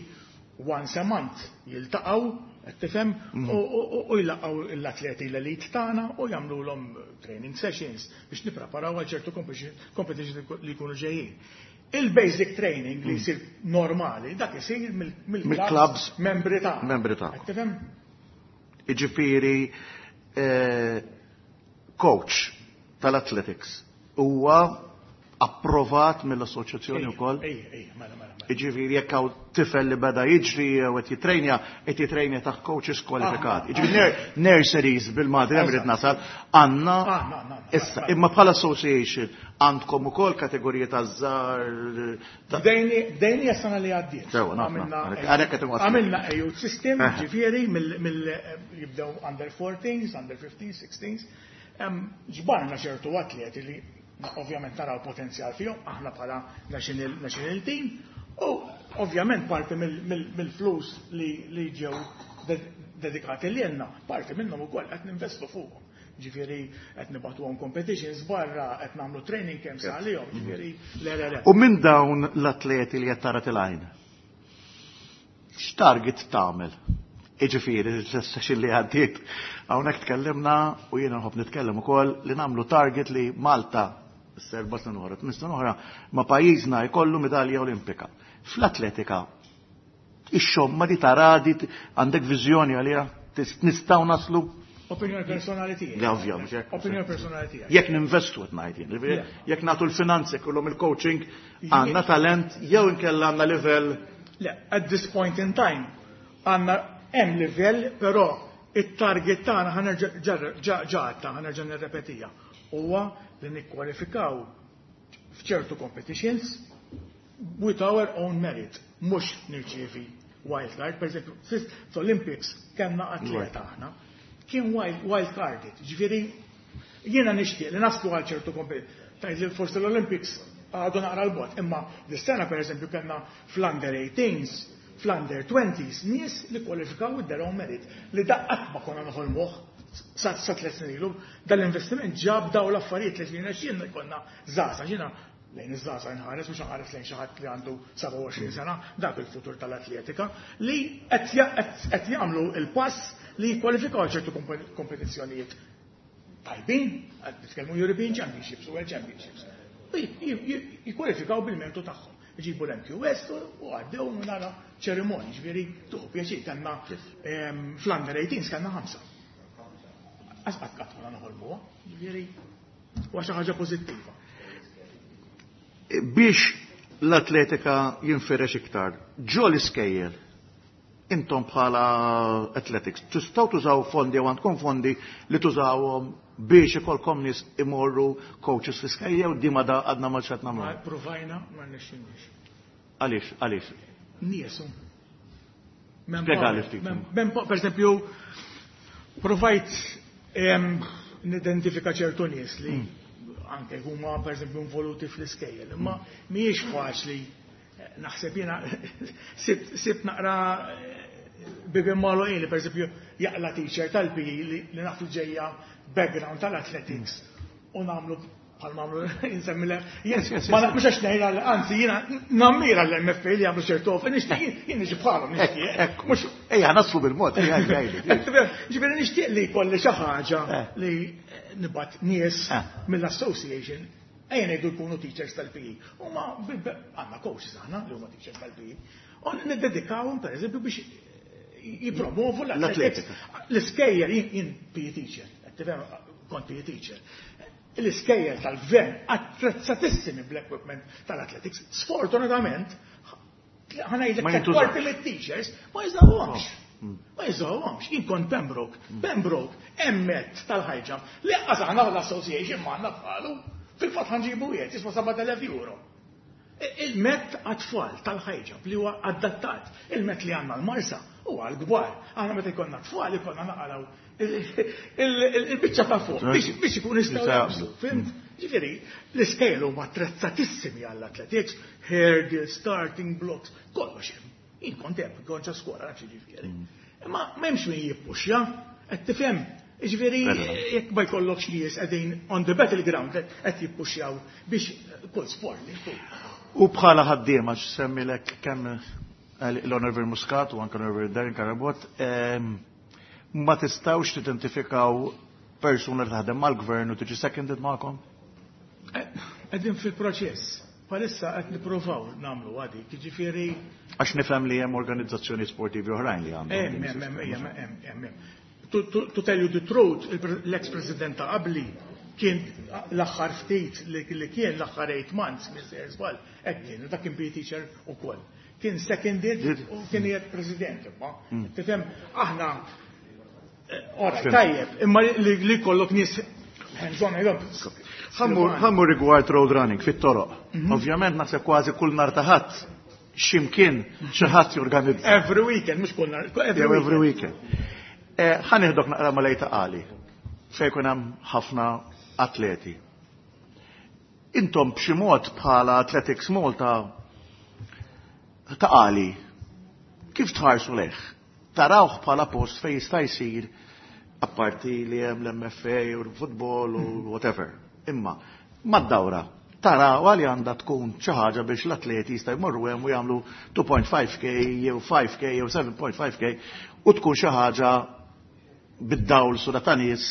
once a month jiltaqgħu, qed tifhem, u- u u jlaqgħu l-atleti l-elite tagħna u jagħmluhom training sessions biex nippreparaw għal ċertu competition competition li jkunu ġejjin. Il-basic training li jsir normali, dak isir mill- Mill-clubs mill-clubs membri tagħna. Membri tagħna. Qed tifhem? Iġifieri eh, coach tal-athletics huwa approvat mill-assoċjazzjoni wkoll. Ejja, ejja, mela, mela, mela. Iġifieri jekk hawn tifel li beda jiġri jew qed jitrejnja, qed jitrejnja taħt coaches kwalifikati. Iġifieri nurseries bil-Malti hemm irid nasal għandna Aħna, għandna, għandna. issa imma bħala association għandkom ukoll kategoriji ta' żgħar ta' Bdejni bdejni s-sena li għaddiet. Sewa, naf, Għamilna- naf. Għalhekk qed inwassal. Għamilna a youth system, Eh. ġifieri, mill mill- jibdew under fourteens, under fifteens, sixteens. Em, Ġbarna ċertu atleti li ovvjament naraw potenzjal fihom, aħna bħala national, national team, u ovvjament parti mill- mill- mill-flus li, li ġew ded- dedikati li jenna, parti minnhom ukoll qed ninvestu fuqhom. Ġifieri qed nibagħtuhom competitions barra, qed nagħmlu training camps għalihom, ġifieri le le le. U minn dawn l-atleti li qed tara tilgħin, x'target tagħmel? Iġifieri, l-session li għaddiet, hawnhekk tkellimna u jiena nħobb nitkellem ukoll li nagħmlu target li Malta s-serba sena oħra, tmien sena oħra, ma pajjiżna jkollu medalja olimpika. Fl-atletika, ix-xomma di taradi, għandek viżjoni għalija, tis- nistgħu naslu? Opinjoni personali tiegħi. Le, ovvja, mhux hekk. Opinjoni personali tiegħi. Jekk ninvestu qed ngħid jien, ġifieri, jekk nagħtu l-finanzi kollhom il-coaching, għandna talent jew inkella għandna livell? Le, at this point in time, għandna hemm livell, però it-target tagħna ħa nerġa' ġa ġa ħa nerġa' nirrepetija. Huwa li nikkwalifikaw f'ċertu competitions with our own merit, mhux nirċievi wild card. Per eżempju, fl-Olympics kellna atleta aħna. Kien wild carded, ġifieri jiena nixtieq li naslu għal ċertu tgħid li forsi l-Olympics għadu naqra 'l bogħod, imma dis-sena per eżempju kellna fl-under eighteens, fl-under twenties, nies li kwalifikaw with their own merit, li qatt ma konna noħolmuh sa tliet snin ilu. Dal-investiment ġab daw l-affarijiet li ġina xinna jkollna żgħażagħ, ġina lejn iż-żgħażagħ nħares, mhux nħares lejn xi ħadd li għandu sebgħa u għoxrin sena, dak il-futur tal-atletika, li qed jagħmlu il-pass li jikkwalifikaw ċertu kompetizzjonijiet tajbin, qed nitkellmu European Championships u World Championships. Jikkwalifikaw bil-mertu tagħhom. Iġibu l-M Q S u għaddew nara ċerimonji, ġifieri tuħu pjaċir, kellna fl-under eighteen kellna ħamsa. Qatt qatt ma noħolmuha, ġifieri huwa xi ħaġa pożittiva. Biex l-atletika jinfirex iktar, ġo l-iskejjel, intom bħala athletics, tistgħu tużaw fondi u għandkom fondi li tużawhom biex ikolkom nies imorru coaches fl-iskejjel u dima da għadna ma xat nagħmlu? Provajna, ma rnexxinniex. Għaliex, għaliex? Niesu. Spjegali ftit. Per esempio, provajt nidentifika ċertu nies li anke huma per esempio involuti fl-iskejjel, imma mhijiex faċli. Naħseb jiena sibt naqra bibien magħluqin li per esempio jaqla teacher tal-P E li nafu ġejja background tal-athletics u nagħmlu bħal mamlu insemmile. Ma mhux għax ngħid, anzi jiena nammira l-M F A li jagħmlu ċertu offer, nixtieq jien niġi bħalhom, nixtieq. Mhux ejja naslu bil-mod, ejja. Ġifieri nixtieq li jkolli xi ħaġa li nibgħat nies mill-association, ejja ngħidu jkunu teachers tal-P E. Huma għandna coaches aħna li huma teachers tal-P E. U niddedikawhom per eżempju biex jipromovu l-athletics. L-iskejjel, jien P E teacher, kont P E teacher. L-iskejjel tal-gvern attrezzatissimi bl-equipment tal-athletics, sfortunatament, ħa ngħidlek, kwarti mit-teachers ma jużawhomx. Ma jużawhomx. Jien kont Pembroke. Pembroke, hemm mat tal-high jump li aħna l-association ma għandna bħalu. Fil-fatt ħa nġibu jiet, jiswa sebat elef euro. Il-mat għat-tfal tal-high jump li huwa adattat. Il-mat li għandna l-Marsa huwa għal-kbar. Aħna meta jkollna tfal jkollna naqalaw il-biċċa ta' fuq biex ikun jistgħu. Fhimt? Ġifieri, l-iskejjel huma attrezzatissimi għall-athletics, hurdle, starting blocks, kollox hemm. Jien kont hemm, kont ġo skola, nafx ġifieri. Imma m'hemmx min jippuxja, qed tifhem? Ġifieri, jekk ma jkollokx nies qegħdin on the battleground qed jippuxjaw biex kull sport li U bħala ħaddiema, semmilek kemm l-Honorable Muscat u anke l-Honorable Darren Carabott, ma tistawx tidentifikaw persuna li taħdem mal-gvern u tiġi seconded magħkom? Qegħdin fil-proċess. Bħalissa qed nippruvaw nagħmlu għadi, jiġifieri. Għax nifhem li hemm organizzazzjoni sportivi oħrajn li għandhom. Hemm, hemm, hemm, hemm, hemm. To tell you the truth, l-ex-president ta' qabli kien l-aħħar ftit li kien l-aħħar eight months, Mister Żball, hekk kien, dak kien P E teacher ukoll. Kien seconded u kien jgħid president, imma. Tifhem, aħna ora, tajjeb, imma li kollok nies hands-on. Ħa mmur rigward road running fit-toroq. Ovvjament naħseb kważi kull nhar ta' Ħadd ximkien xi ħadd jorganizza. Every weekend, mhux kull nhar. Every weekend. Ħa nieħdok naqra ma' Ta' Qali fejn jkun hemm ħafna atleti. Intom b'xi mod bħala Athletics Malta, Ta' Qali, kif tħarsu lejh? Tarawh bħala post fejn jista' jsir, apparti li hemm l-M F A u l-futbol u whatever. Imma mad-dawra taraw għali għandha tkun xi ħaġa biex l-atleti jista' jmorru hemm u jagħmlu two point five K jew five K jew seven point five K u tkun xi ħaġa bid-dawl sura ta' nies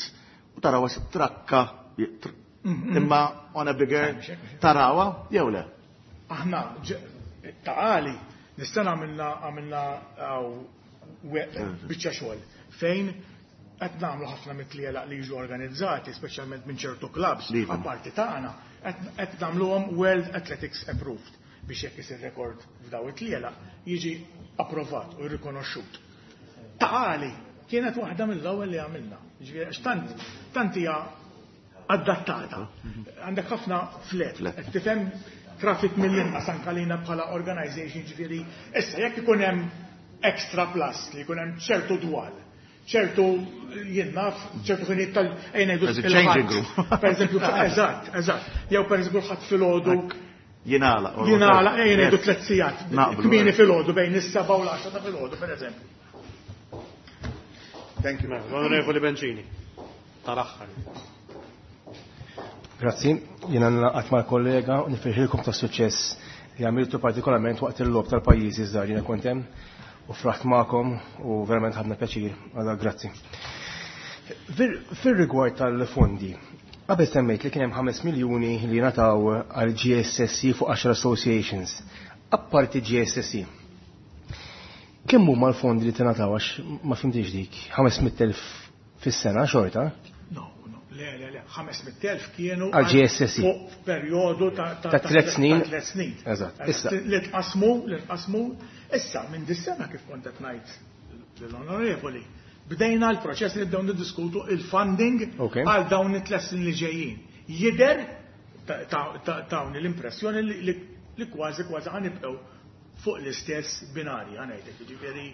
u taraw trakka imma on a bigger tarawha jew le? Aħna Ta' Qali nistana għamilna għamilna biċċa xogħol fejn qed nagħmlu ħafna mit-tlielaq li jiġu organizzati, speċjalment minn ċertu clubs, apparti tagħna, qed nagħmluhom World Athletics Approved biex jekk isir rekord f'daw it-tlielaq jiġi approvat u rikonoxxut. Ta' Qali kienet waħda mill-ewwel li għamilna. Ġifieri tant tant hija adattata. Għandek ħafna flat, qed tifhem, traffic mill-inqas anke lina bħala organization, ġifieri issa jekk ikun hemm extra plus li jkun hemm ċertu dwal ċertu jien naf, ċertu ħinijiet tal ejja ngħidu There's a changing room. Per eżempju, eżatt, eżatt. Jew per eżempju ħadd filgħodu Jingħalaq. or jingħalaq whatever. ejja ngħidu Yes. tliet sigħat. Naqblu, Kmieni eh. filgħodu bejn is-seba' u l-għaxra ta' filgħodu, per eżempju. Thank you. Mela, L-Onorevoli Bencini. Tal-aħħar. Grazzi, jiena naqgħod mal-kollega u nifirħilkom ta' suċċess li għamiltu partikolarment waqt il-logħob tal-pajjiżi żgħar jiena kont hemm u fraħt magħkom u verament ħadna pjaċir, għala grazzi. Fir- Fir-rigward tal-fondi, qabel semmejt li kien hemm ħames miljuni li ngħataw għal G S S E fuq għaxar associations. Apparti G S S E, kemm huma l-fondi li tingħataw, għax ma fhimtix dik? ħames mitt elf fis-sena xorta? No, no, le, le, le, ħames mitt elf kienu għal G S S E. fuq perjodu ta' Ta' tliet snin. Ta' tliet snin. Eżatt. Issa. Li tqasmu, li tqasmu, issa minn dis-sena, kif kont qed ngħid lill-onorevoli, bdejna l-proċess li nibdew niddiskutu il-funding Ok. għal dawn it-tliet snin li ġejjin. Jidher ta' ta' ta' tawni l-impressjoni li, li, li kważi kważi ħa nibqgħu fuq l-istess binarji, ħa ngħidlek, jiġifieri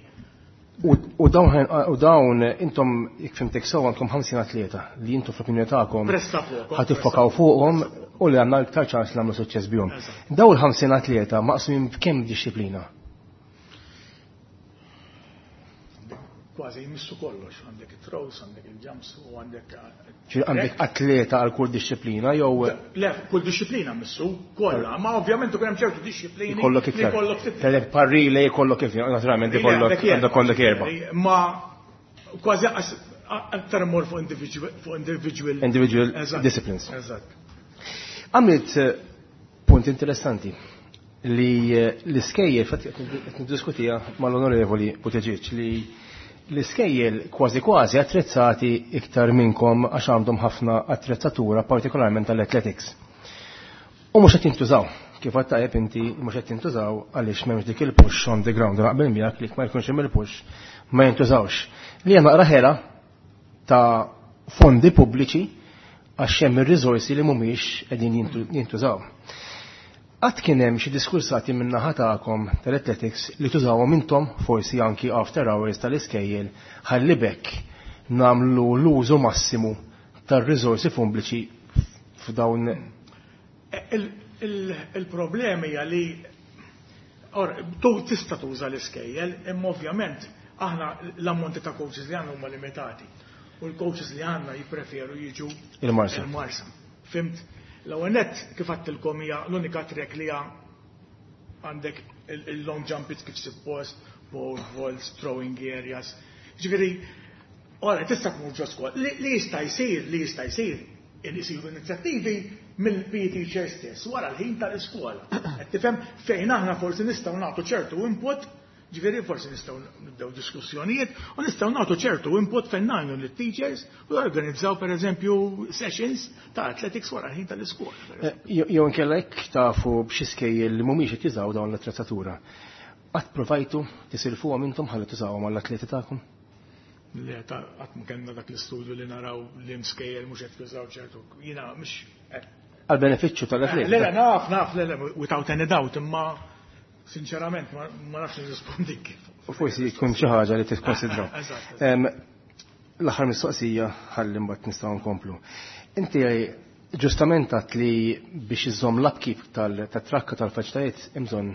U u dawn u dawn intom, jekk fhimtek sew, għandkom ħamsin atleta li intom fl-opinjoni tagħkom Pressa fuqhom. ħa tiffokaw fuqhom u li għandna iktar ċans li nagħmlu suċċess bihom. Eżatt. Dawn il-ħamsin atleta maqsumin b'kemm dixxiplina? Kważi jmissu kollox, għandek it-throws, għandek il-jumps u għandek Ġifieri għandek atleta għal kull dixxiplina jew Le, kull dixxiplina missu, kollha, ma ovvjament ikun hemm ċertu dixxiplini jkollok li iktar? jkollok ftit. Telek parrile jkollok iktar, naturalment ikollok għandek kollok erba'. Ma kważi qas- aktar mor fuq individual fuq individual Individual Eżatt. disciplines. Eżatt. Għamilt eh, punt interessanti li eh, l-iskejjel, fatt qed niddiskutija mal-Onorevoli Buttigieg, li l-iskejjel kważi kważi attrezzati iktar minnkom għax għandhom ħafna attrezzatura, partikolarment tal-athletics. U mhux qed jintużaw. Kif għedt tajjeb inti, mhux qed jintużaw għaliex m'hemmx dik il-push on the ground. Naqbel miegħek li ma jkunx hemm il-push ma jintużawx. Li hija naqra ħela ta' fondi pubbliċi għax hemm ir-riżorsi li mhumiex qegħdin jintu- jintużaw. Qatt kien hemm xi diskursati minn naħa tagħkom tal-athletics li tużawhom intom forsi anki after hours tal-iskejjel ħalli bekk nagħmlu l-użu massimu tar-riżorsi pubbliċi f'dawn? Il- il- Il-problemi hija li or, tu tista' tuża l-iskejjel, imma ovvjament aħna l-ammonti ta' coaches li għandna huma limitati. U l-coaches li għandna jippreferu jiġu Il-Marsa. Il-Marsa. Fhimt? L-ewwel nett, kif għedtilkom, hija l-unika track li hija għandek il- il-long jump pits kif suppost, pole vaults, throwing areas. Ġifieri, ora tista' tmur ġo skola. Li li jista' jsir, li jista' jsir, isiru inizjattivi mill-P E teacher stess wara l-ħin tal-iskola. Qed tifhem, fejn aħna forsi nistgħu nagħtu ċertu input, ġifieri forsi nistgħu nibdew diskussjonijiet u nistgħu nagħtu ċertu input fejn ngħinu lit-teachers u jorganizzaw pereżempju sessions ta' athletics wara l-ħin tal-iskola, per eżempju. Eh, Jew inkella jekk tafu b'xi skejjel li mhumiex qed jużaw dawn l-attrezzatura. Qatt provajtu tisilfuhom intom ħalli tużawhom għall-atleti tagħkom? Le, ta' qatt ma kellna dak l-istudju li naraw li mskejjel mhux qed jużaw ċertu. Jiena mhux eh, Għal benefiċċju tal-atleti. Le, le, naf, naf, le, le, without any doubt, imma sinċerament ma ma nafx nirrispondi kif. U forsi tkun xi ħaġa li tikkonsidraw. Eżatt, eżatt. Em, L-aħħar mistoqsija ħalli mbagħad nistgħu nkomplu. Inti ġustament għedt li biex iżomm l-upkeep tal-trakka tal-faċilitajiet hemm bżonn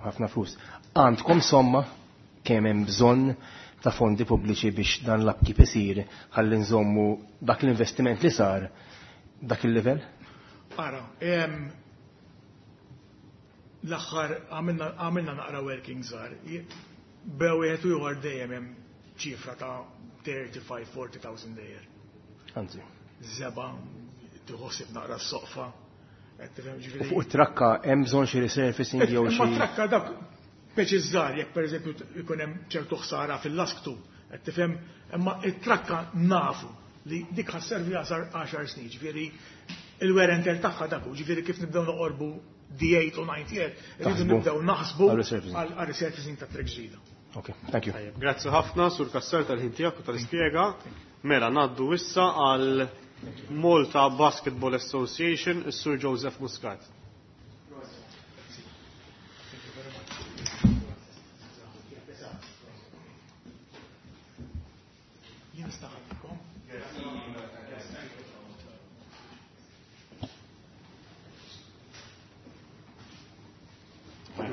ħafna flus. Għandkom somma kemm hemm bżonn ta' fondi pubbliċi biex dan l-upkeep isir ħalli nżommu dak l-investiment li sar dak il-livell? Ara, em, l-aħħar għamilna għamilna naqra working żgħar. Bejn wieħed u ieħor dejjem hemm ċifra ta' thirty-five forty thousand dejjer. Anzi. Żebgħa, tħossib naqra s-soqfa. Qed tifhem, U ġifieri. fuq it-trakka hemm bżonn xi resurfacing jew Imma xi trakka dak peċi żgħar, jekk pereżempju ikun hemm ċertu ħsara fil-lasktu, qed tifhem, imma it-trakka nafu li dik ħa sservi għaxar snin, ġifieri il-wear and tear tagħha dak hu, ġifieri kif nibdew noqorbu D eight u nine year, irridu Taħsbu nibdew naħsbu għal resurfacing. għal resurfacing ta' track ġdida. Ok, thank you. Tajjeb, grazzi ħafna, Sur Kassar, tal-ħin tiegħek u tal-ispjega. Mela, ngħaddu issa għal Malta Basketball Association, is-Sur Joseph Muscat. Nista' nħallikom.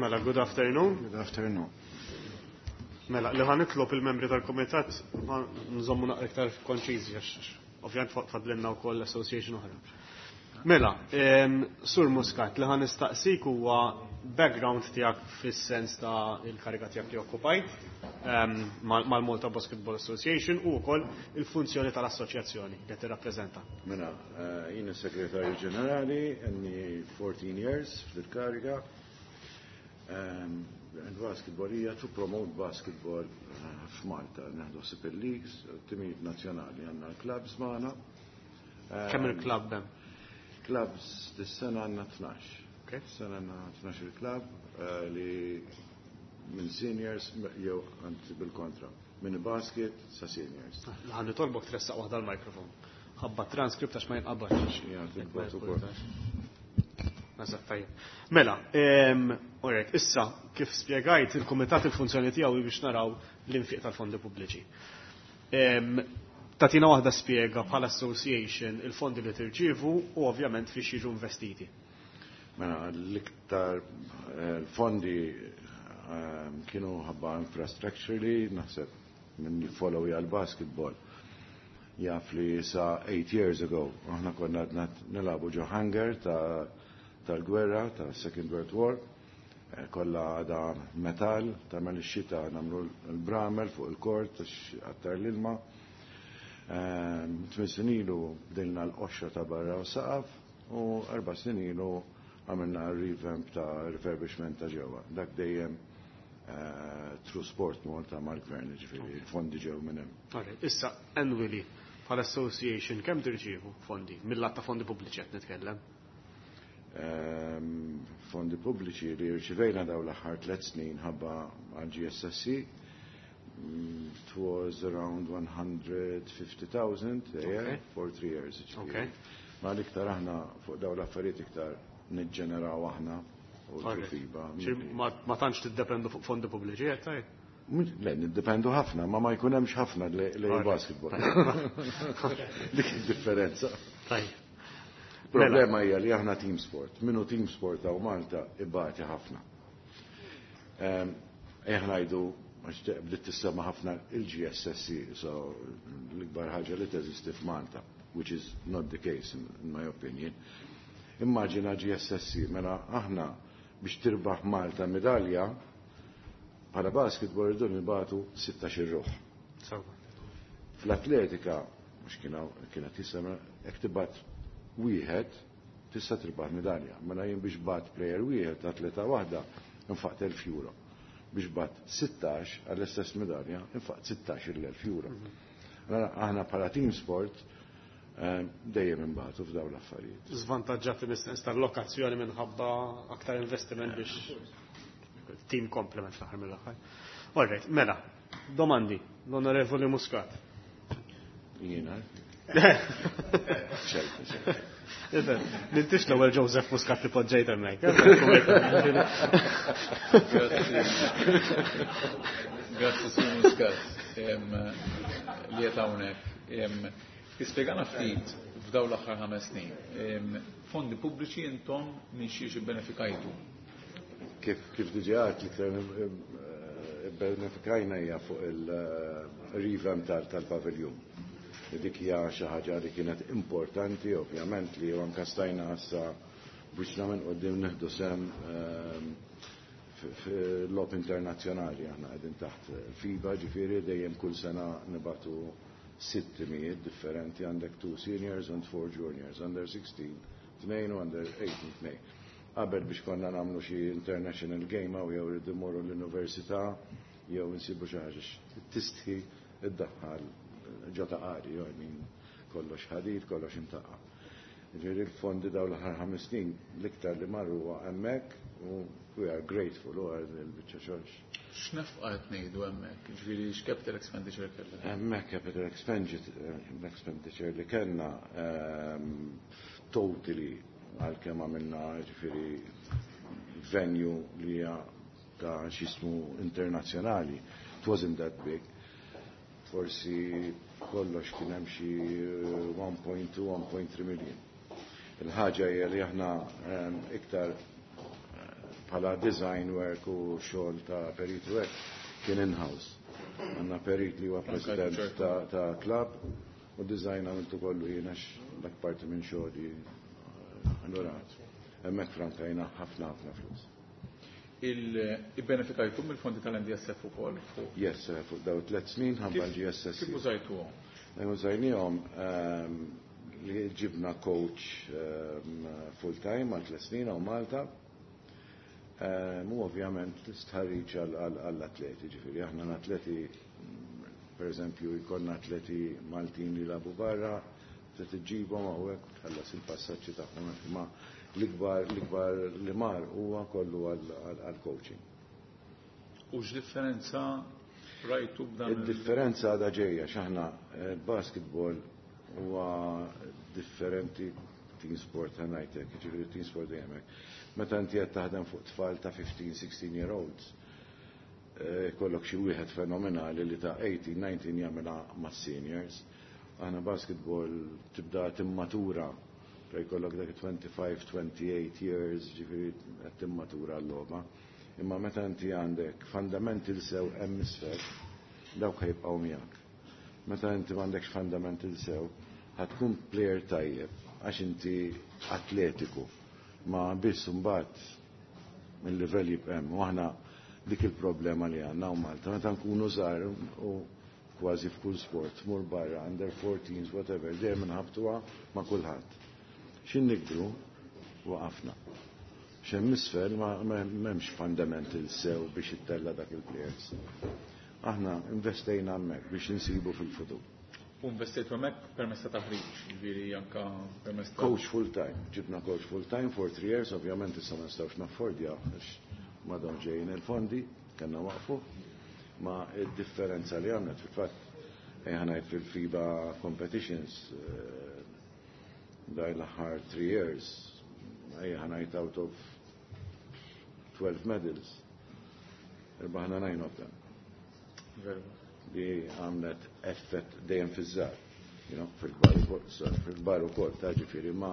Mela, good afternoon. Good afternoon. Mela, li ħa nitlob il-membri tal-komitat ma nżommu naqra iktar konċiżi għax ovvjament fadlinna wkoll association oħra. Mela, em, Sur Muscat, li ħa nistaqsik huwa background tiegħek fis-sens ta' il-kariga tiegħek li okkupajt em, mal- mal-Malta Basketball Association u wkoll il-funzjoni tal-assoċjazzjoni li tirrappreżenta. Mela, eh, jien is-Segretarju Ġenerali, għandi fourteen years fil-kariga. Um, and basketball hija to promote basketball eh, f'Malta. Nieħdu ħsieb il-leagues, timijiet nazzjonali, għandna l-clubs magħna. Kemm il-club hemm? Clubs dis-sena għandna tnax. Okay. Sena għandna tnax il-club eh, li minn seniors jew anzi bil-kontra, minn basket sa seniors. Ħa nitolbok tressaq waħda l-mikrofon. Ħabba transcript għax ma jinqabadx. Ja, tilbot ukoll. Eżatt, tajjeb. Mela, em, alright, issa kif spjegajt il-kumitat il-funzjoni tiegħu biex naraw l-infiq tal-fondi pubbliċi. Em, Tatina waħda spjega bħala association il-fondi li tirċievu u ovvjament fiex jiġu investiti. Mela, l-iktar eh, l-fondi eh, kienu ħabba infrastructure li naħseb minn follow għal basketball. Jaf li sa eight years ago, aħna konna għadna nilagħbu ġo hangar ta' tal-gwerra, ta' Second World War, eh, kollha għada metal, tagħmel ix-xita nagħmlu l-bramel fuq il-kort għax għattar l-ilma. Ehm, Tmien snin ilu bdilna l-qoxra ta' barra u saqaf u erba' snin ilu għamilna revamp ta' refurbishment ta' ġewwa. Dak dejjem eh, through Sport Malta mal-gvern, ġifieri, il-fondi ġew minn hemm. Alright, issa annually bħala association kemm tirċievu fondi? Mill-lat ta' fondi pubbliċi qed nitkellem. Ehm, fondi pubbliċi li rċivejna daw l-aħħar tliet snin ħabba għal G S S C, mm, it was around one hundred fifty thousand a year Okay. for three years, ġifieri. Okay. Ma l-iktar aħna fuq daw l-affarijiet iktar niġġeneraw aħna u Alright. FIBA. Ċi Ma ma tantx tiddependu fuq fondi pubbliċi, qed tgħid? Le, niddependu ħafna, ma ma jkun hemmx ħafna li li Alright. basketball. Dik id-differenza. Tajjeb. Problema hija li aħna team sport. Minu team sport hawn Malta ibati ħafna. Ehm, Aħna ngħidu għax bdiet tissemma ħafna il-G S S C, so l-ikbar ħaġa li teżisti f'Malta, which is not the case in, in my opinion. Immaġina G S S C, mela aħna biex tirbaħ Malta medalja bħala basketball irridu nibagħtu sittax-il ruħ. Sewwa. Fl-atletika, mhux kienet jisema, jekk tibgħat wieħed, tista' tirbaħ medalja. Mela jien biex bgħatt player wieħed, atleta waħda, infaqt elf euro. Biex bgħatt sittax għall-istess medalja, infaqt sittax-il elf euro. Mela aħna bħala team sport eh, dejjem imbagħtu f'dawn l-affarijiet. Żvantaġġati mis-sens tal-lokazzjoni minħabba aktar investiment biex team complement fl-aħħar mill-aħħar. Alright, mela, domandi, l-Onorevoli Muscat. Jiena. Ċertu, ċertu. M'intix l-ewwel Joseph Muscat li poġġejt hemmhekk. Grazzi. Grazzi, Sur Muscat, em, li qed hawnhekk. Em, Tispjegana ftit f'dawn l-aħħar ħames snin. Em, Fondi pubbliċi intom minn xiex ibbenefikajtu? Kif kif diġà għedt, l-iktar benefikajna hija fuq il-revamp tal-paviljun. Dik hija xi ħaġa li kienet importanti, ovvjament, li anke stajna issa biex minn quddiem nieħdu sehem ehm, fil-logħob internazzjonali. Aħna qegħdin taħt FIBA, ġifieri dejjem kull sena nibagħtu sitt timijiet differenti, għandek two seniors and four juniors, under sixteen, tnejn u under eighteen, tnejn. Qabel biex konna nagħmlu xi international game jew jew rridu mmorru l-università jew insibu xi ħaġa tistħi iddaħħal ġo Ta' Qali, jew I mean, kollox ħadid, kollox imtaqqa. Ġifieri l-fondi dawn l-aħħar ħames snin l-iktar li marru huwa hemmhekk u we are grateful u għal il-biċċa xogħol. X'nefqa qed ngħidu hemmhekk? Ġifieri x'capital expenditure kellha? Hemmhekk capital expenditure, expenditure li kellna ehm, totally, għalkemm għamilna ġifieri venue li hija ta' xismu internazzjonali, it wasn't that big. Forsi B'kollox kien hemm xi one point two, one point three million. Il-ħaġa hija li aħna iktar bħala design work u xogħol ta' perit work kien in-house. Għandna perit li huwa president ta' club u design għamiltu kollu jiena dak parti minn xogħli. Allura hemmhekk frankajna ħafna ħafna flus. Il-benefikajtu mill-fondi tal-N D S F ukoll fuq? Yes, fuq daw tliet snin ħabba l-G S S C. Kif użajtuhom? Użajnihom li ġibna coach full time għal tliet snin hawn Malta. Mu ovvjament l-istħarriġ għall-atleti, ġifieri aħna l-atleti, per eżempju, jkollna atleti Maltin li labu barra, se tiġibhom hawnhekk tħallas il-passaġġi tagħhom, imma l-ikbar, l-ikbar li mar huwa kollu għall-coaching. U x'differenza rajtu b'dan il- Id-differenza għadha ġejja, x'aħna basketball huwa differenti team sport ħanajtek, ġifieri team sport dejjem hekk. Meta inti qed taħdem fuq tfal ta' fifteen, sixteen year olds, kollok xi wieħed fenomenali li ta' eighteen, nineteen jagħmilha mas-seniors. Aħna basketball tibda timmatura, fej kollok dak twenty-five, twenty-eight years, ġifieri qed timmatura l-logħba. Imma meta inti għandek fundamental sew hemm isfel, dawk ħajbqgħu miegħek. Meta inti m'għandekx fundamental sew, ħatkun player tajjeb għax inti atletiku, ma biss imbagħad il-livell jibqa' hemm. U aħna dik il-problema li għandna u Malta, meta nkunu żgħar u kważi f'kull sport, tmur barra, under fourteens, whatever, dejjem inħabtuha ma' kulħadd. X'in nikbru waqafna. X'hemm isfel ma m'hemmx fundamental sew biex ittella' dak il-players. Aħna investejna hemmhekk biex insibu fil-futur. U investejtu hemmhekk permezz ta' taħriġ, jiġifieri anke permezz ta' Coach full time. Ġibna coach full time for three years, ovvjament issa ma nistgħux naffordja għax ma dawn ġejjin il-fondi, kellna waqfu. Ma id-differenza li għamlet fil-fatt ejja ngħid fil-FIBA competitions, eh, daj l-aħħar three years, ejja ngħid out of twelve medals, irbaħna nine of them. Very Li għamlet effett dejjem fiż-żgħar, you know, fil-kbar ukoll, fil-kbar ukoll, ta' ġifieri, ma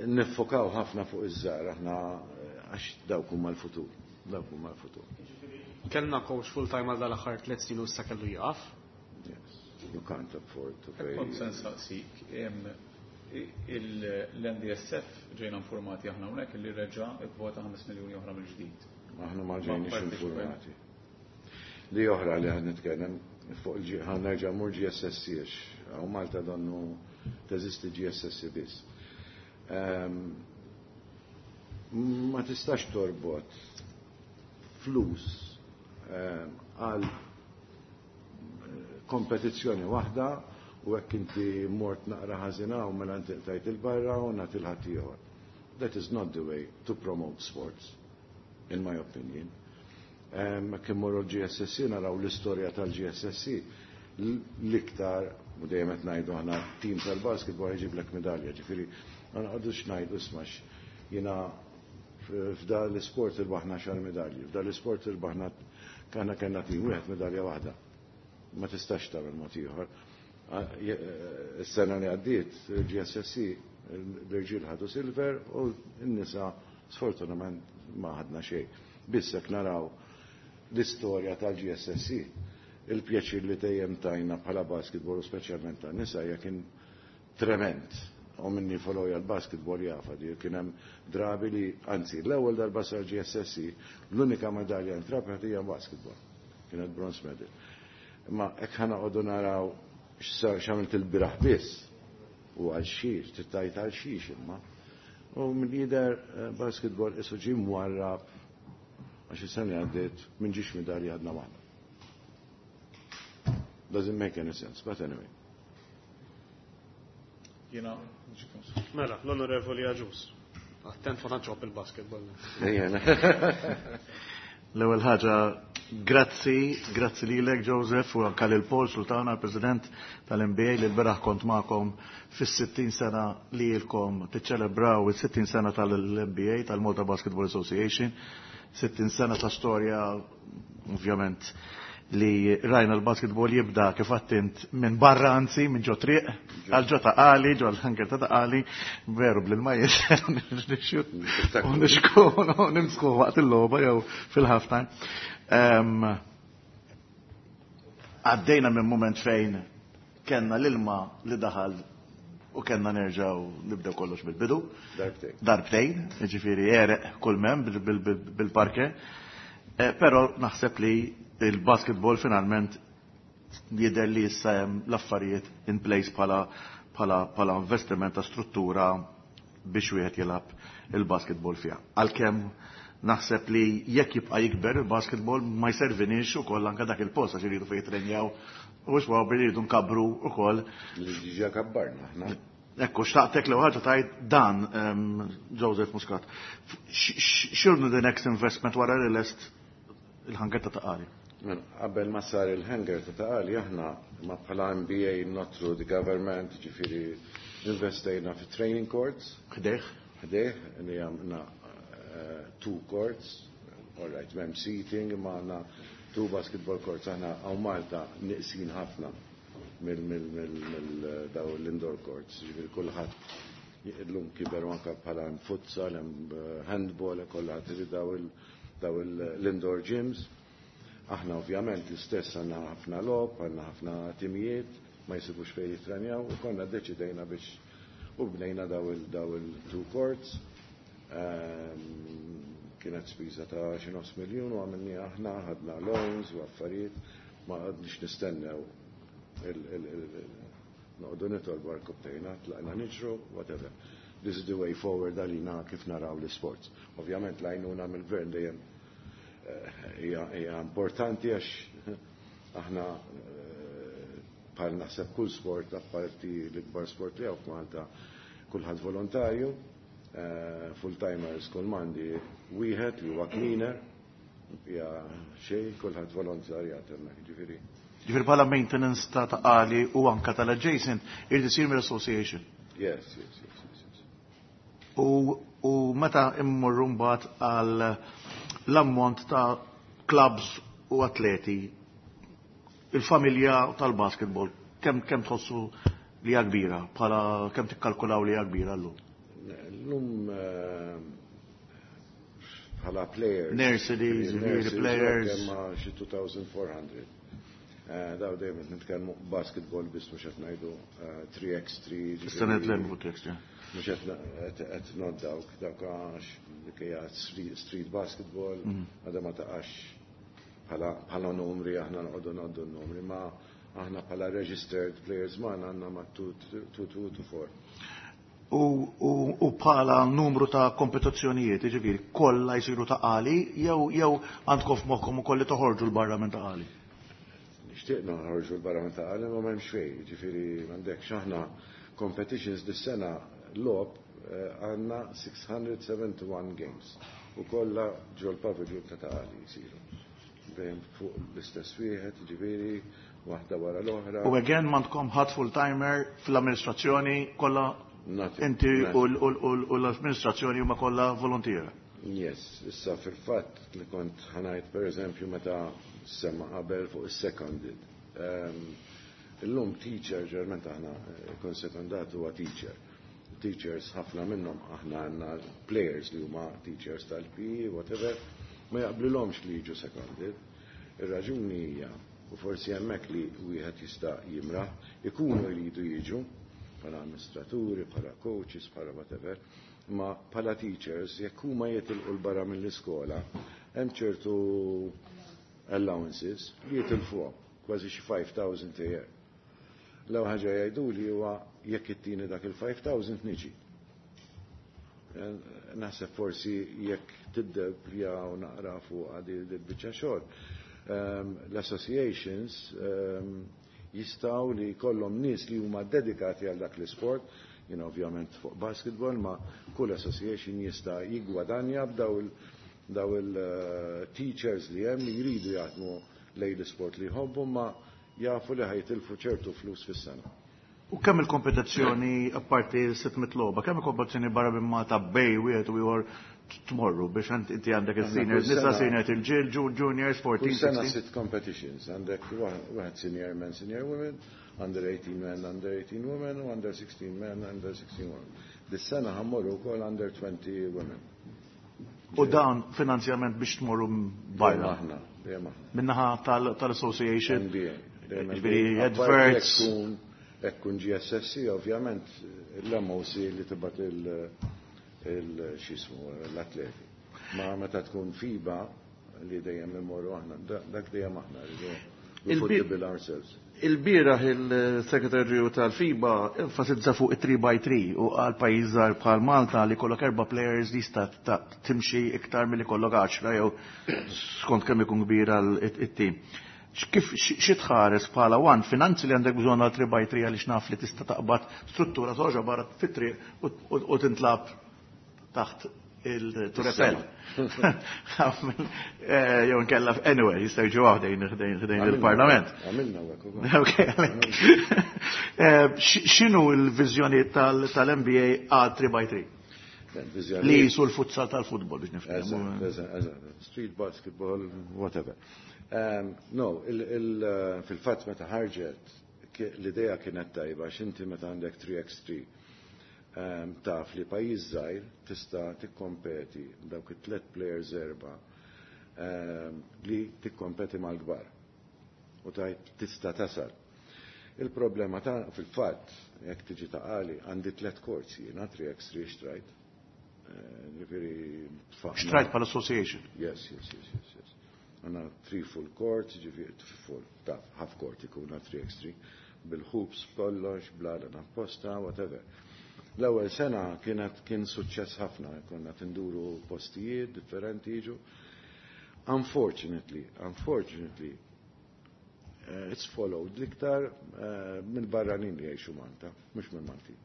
niffokaw ħafna fuq iż-żgħar aħna għax dawk huma l-futur, dawk huma l-futur. Kellna coach full time għal dal-aħħar tliet snin u issa kellu jaqaf? Yes, you can't afford to pay. Kont se nsaqsik, l-N D S F ġejna informati aħna hawnhekk li reġa' ivvota ħames miljuni oħra mill-ġdid. Aħna ma ġejniex Ma parteċipajna. informati. Li oħra li għad nitkellem fuq il-G, ħan nerġa' mmur G S S C għax hawn Malta donnu teżisti G S S C biss. Ehm, ma tistax torbot flus, ehm, għal kompetizzjoni waħda u hekk inti mort naqra ħażina u mela inti qtajt il-barra u nagħti l-ħadd ieħor. That is not the way to promote sports, in my opinion. Ehm, kien morru l-G S S C naraw l-istorja tal-G S S C, l-iktar, u dejjem qed ngħidu aħna tim tal-basketball jġiblek medalja, ġifieri ma nqogħdux ngħidu ismax jiena f'da l-isport irbaħna xar medalji, f'da l-isport irbaħna kana kellna tim wieħed medalja waħda. Ma tistax tagħmel mod ieħor. Is-sena li għaddiet il-G S S C l-irġiel ħadu silver u n-nisa sfortunatament ma ħadna xejn. Biss hekk naraw l-istorja tal-G S S C, il-pjaċir li dejjem tajna bħala basketball u speċjalment tan-nisa hija kien trement. U minni follow l-basketball jafa di kien hemm drabi li, anzi, l-ewwel darba sar G S S C, l-unika medalja ntrabħet hija basketball. Kienet bronze medal. Imma hekk ħa noqogħdu naraw x'sar x'għamilt il-biraħ biss u għal xiex, tittajt għal xiex imma. U minn jidher, eh, basketball isu ġie mwarrab għax is-sena li għaddiet minn ġiex medalja għadna waħda. Doesn't make any sense, but anyway. Jiena Mela, l-Onorevoli Agius. Attent ma tantx il-basketball. Ejja. L-ewwel ħaġa, grazzi, grazzi lilek Joseph u anke lil Paul Sultana, President tal-N B A, li l-beraħ kont magħkom fis-sittin sena li ilkom tiċċelebraw is-sittin sena tal-N B A, tal-Malta Basketball Association, sittin sena ta' storja ovvjament li rajna l-basketball jibda kif għedt int minn barra, anzi minn ġo triq għal ġo Ta' Qali, ġo l-hangar ta' Ta' Qali, veru bl-ilmajiet u nixku nimsku waqt il-logħba jew fil-halftime. Għaddejna minn moment fejn kellna l-ilma li daħal u kellna nerġaw nibdew kollox bil-bidu. Darbtejn. Darbtejn, ġifieri għereq kull mem bil-parke. Eh, però naħseb li il-basketball finalment jidher li issa hemm l-affarijiet in place bħala bħala bħala investiment ta' struttura biex wieħed jilgħab il-basketball fiha. Għalkemm naħseb li jekk jibqa' jikber il-basketball ma jservinix ukoll anke dak il-post għax iridu fejn jitrenjaw u xwaw iridu nkabru ukoll. Li diġà kabbarna aħna. Ekku, xtaqtek l ħaġa tajt dan, Joseph Muscat. X'inhu the next investment wara li lest il-hangar ta' Ta' Qali? Qabel ma sar il-hangar ta' Ta' Qali, aħna ma bħala M B A, not through the government, ġifieri investejna fi training courts. Ħdejh? Ħdejh, li għamna uh, two courts, all right, m'hemm seating, ma għandna two basketball courts. Aħna hawn Malta neqsin ħafna mill mill mill mill daw l-indoor courts, ġifieri kulħadd illum kiber anka bħala futsal, handball, kollha trid daw daw l-indoor gyms. Aħna ovvjament l-istess għandna ħafna logħob, għandna ħafna timijiet, ma jsibux fejn jitrenjaw, u konna deċidejna biex u bnejna daw il-two courts. Ehm, kienet spiża ta' xi nofs miljun u għamilni aħna, ħadna loans u affarijiet, ma għadniex nistennew noqogħdu nitolbu għarkopptejna, tlaqna niġru, whatever. This is the way forward għalina kif naraw l-sports. Ovvjament l-għajnuna mill-gvern dejjem eh, hija importanti għax aħna eh, bħal naħseb kull sport, apparti l-ikbar sport li hawn f'Malta, kulħadd volontarju, eh, full-timers kull m'għandi wieħed li huwa cleaner, hija xejn, kulħadd volontarjat hemmhekk, ġifieri. Ġifieri bħala maintenance ta' Ta' Qali u anka tal-adjacent irid isir mill-association. Yes, yes, yes, yes. yes. U, u meta immorru mbagħad għal l-ammont ta' clubs u atleti, il-familja tal-basketball, kemm kemm tħossu li hija kbira, bħala kemm tikkalkulaw li hija kbira llum? Llum eh, bħala players. Nurseries, Nurseries, players. Kemm xi elfejn u erba' mija. Eh, daw dejjem qed nitkellmu basketball biss, mhux qed ngħidu eh, three by three. Issa nitkellmu fuq three by three. Mhux qed qed not dawk dawk għax dik hija street, street basketball, Mhm. għadha ma taqax bħala bħala numri, aħna noqogħdu ngħoddu n-numri, ma aħna bħala registered players ma għandna ma two two two four. U, u, u bħala numru ta' kompetizzjonijiet, ġifieri, kollha jsiru Ta' Qali, jew jew għandkom f'moħħkom ukoll li toħorġu 'l barra minn Ta' Qali? Nixtieq noħorġu 'l barra minn Ta' Qali, ma m'hemmx fejn, ġifieri m'għandekx aħna competitions dis-sena logħob eh, għandna sitt mija u wieħed u sebgħin games u kollha ġol pavilion ta' Ta' Qali jsiru. Dejjem fuq l-istess wieħed, ġifieri waħda wara l-oħra. U again m'għandkom ħadd full-timer fl-amministrazzjoni, kollha Nothing. inti u Nothing. l- u l- u l-amministrazzjoni huma kollha volontiera? Yes, issa fil-fatt li kont ħa ngħid, per eżempju, meta semma qabel fuq is-seconded. Um, illum teacher, ġerment aħna eh, kun sekondat huwa teacher. Teachers ħafna minnhom, aħna għandna players li huma teachers tal-P E, whatever, ma jaqblilhomx li jiġu seconded. Ir-raġuni hija, u forsi hemmhekk li wieħed jista' jimraħ, ikunu jridu jiġu bħala amministraturi, bħala coaches, bħala whatever, ma bħala teachers, jekk huma jitilqu 'l barra mill-iskola, hemm ċertu allowances li jitilfuhom, kważi xi five thousand a year. L-ewwel ħaġa jgħidu li huwa jekk ittini dak il-five thousand niġi. Eh, Naħseb forsi jekk tiddebja u naqra fuq għadi il-biċċa xogħol. Um, L-associations um, jistgħu li kollhom nies li huma dedikati għal dak l-isport, you know, ovvjament fuq basketball, ma kull association jista' jiggwadanja b'daw il daw il-teachers li hemm li jridu jaħdmu lejn l-isport li jħobbu, ma jafu li ħa jitilfu ċertu flus fis-sena. U kemm il-kompetizzjoni, apparti sitt mitt logħba, kemm il-kompetizzjoni barra minn Malta bejn wieħed u ieħor tmorru biex inti għandek il-seniors, nisa senior il-ġil, juniors, fourteen, sena sitt competitions, għandek wieħed senior men, senior women, under eighteen men, under eighteen women, u under sixteen men, under sixteen women. Dis-sena ħammorru wkoll under twenty women. U dan finanzjament biex tmorru barra? Aħna, dejjem aħna. Minnaħa tal-association? N B A. Ġifieri adverts. Ekkun G S S C, ovvjament, l-M O C li tibgħat il-xismu, l-atleti. Ma meta tkun FIBA li dejjem immorru aħna, dak dejjem aħna, we put the bill ourselves. Il-bieraħ il-segretarju tal-FIBA enfasizza fuq it-three by three u għal pajjiż żgħar bħal Malta li kollok erba' players li jista' timxi iktar milli kollok għaxra jew skont kemm ikun kbir għal it-tim. Kif xi tħares bħala one finanzi li għandek bżonn għal three by three għaliex naf li tista' taqbad struttura toġa barra fit-triq u tintlab taħt il-Turepel. Jew nkella anyway, jistgħu jiġu ħdejn ħdejn il-Parlament. Għamilna hekk ukoll. X'inhu l-viżjoni tal-N B A għal three by three? Li jisu l-futsal tal-futbol biex nifhmu. Eżatt, eżatt, eżatt. Street basketball, whatever. No, fil-fatt meta ħarġet l-idea kienet tajba x'inti meta għandek three x three taf li pajjiż żgħir tista' tikkompeti dawk it-tliet players erba' li tikkompeti mal-kbar u tajt tista' tasal. Il-problema ta' fil-fatt jekk tiġi ta' qali għandi tliet courts jiena three x three xtrajt. Ġifieri tfaqna. Xtrajt bħal association? Yes, yes, yes, yes, yes. Għandna three full courts, ġifieri full, taf, half court ikun three x three bil-hoops kollox, bla apposta, whatever. L-ewwel sena kienet kien suċċess ħafna, konna tinduru postijiet differenti jiġu. Unfortunately, unfortunately, uh, it's followed l-iktar uh, minn barranin li jgħixu Malta, mhux minn Maltin.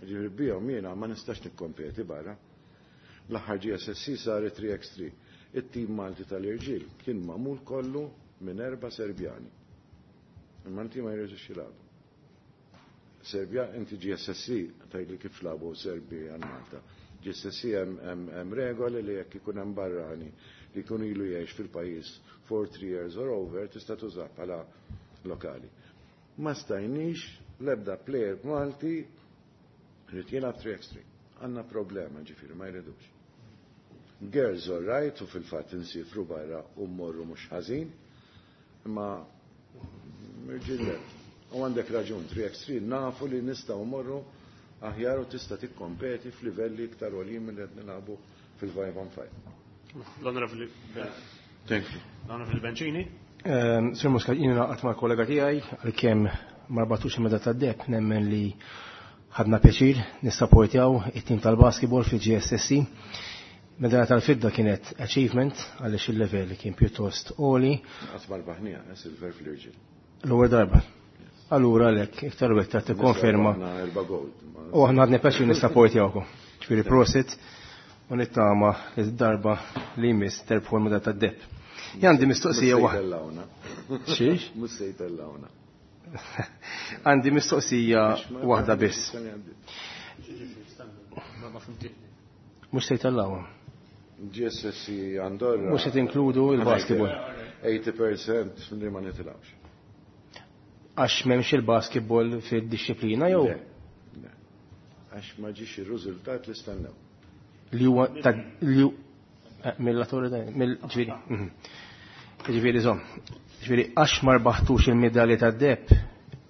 Ġifieri bihom jiena ma nistax nikkompeti barra. L-aħħar G S S C saret three x three. It-tim Malti tal-irġiel kien magħmul kollu minn erba' Serbjani. Il-Malti ma jridux jilagħbu. Serbja, inti G S S C, tgħidli kif labu Serbi għal Malta. G S S C hemm regoli li jekk ikun hemm barrani li jkun ilu jgħix fil-pajjiż for three years or over tista' tużah bħala lokali. Ma stajniex l-ebda player Malti rrid jilgħab three x three. Għandna problema ġifieri ma jridux. Girls all right u fil-fatt insifru barra u mmorru mhux ħażin, imma irġiel le. U għandek raġun, three x three nafu li nistgħu mmorru aħjar u tista' tikkompeti f'livelli iktar għoljin milli qed nilagħbu fil-five on five. L-Onorevoli Thank you. L-Onorevoli Bencini. Sir Muscat, jiena naqgħod mal-kollega tiegħi għalkemm ma rbatux il-meda tad-deb, nemmen li ħadna pjaċir nissapportjaw it-tim tal-basketball fil-G S S C. Medalja tal-fidda kienet achievement għaliex il-level kien pjuttost għoli. Qatt ma rbaħniha, eh, silver fl-irġiel. L-ewwel darba. Allura għalhekk iktar u iktar tikkonferma. Aħna erba' gold. U aħna ħadna pjaċir nissapportjawkom. Ġifieri prosit u nittama li d-darba li jmiss terbħu l-medalja tad-deb. Jien għandi mistoqsija Mhux se waħda. jtellgħuna. Xiex? Mhux se jtellgħuna. Għandi mistoqsija waħda biss. Mhux se jtellgħuna. G S S C Andorra. Mhux se tinkludu il-basketball. eighty percent li ma nitilgħux. Għax m'hemmx il-basketball fid-disciplina jew? Le, le. Għax ma ġiex ir-riżultat li stennew. Li huwa ta' li hu, eh, mill-laturi da, mill-, ġifieri, mhm. Ġifieri żomm. Ġifieri għax ma rbaħtux il-medalja tad-deb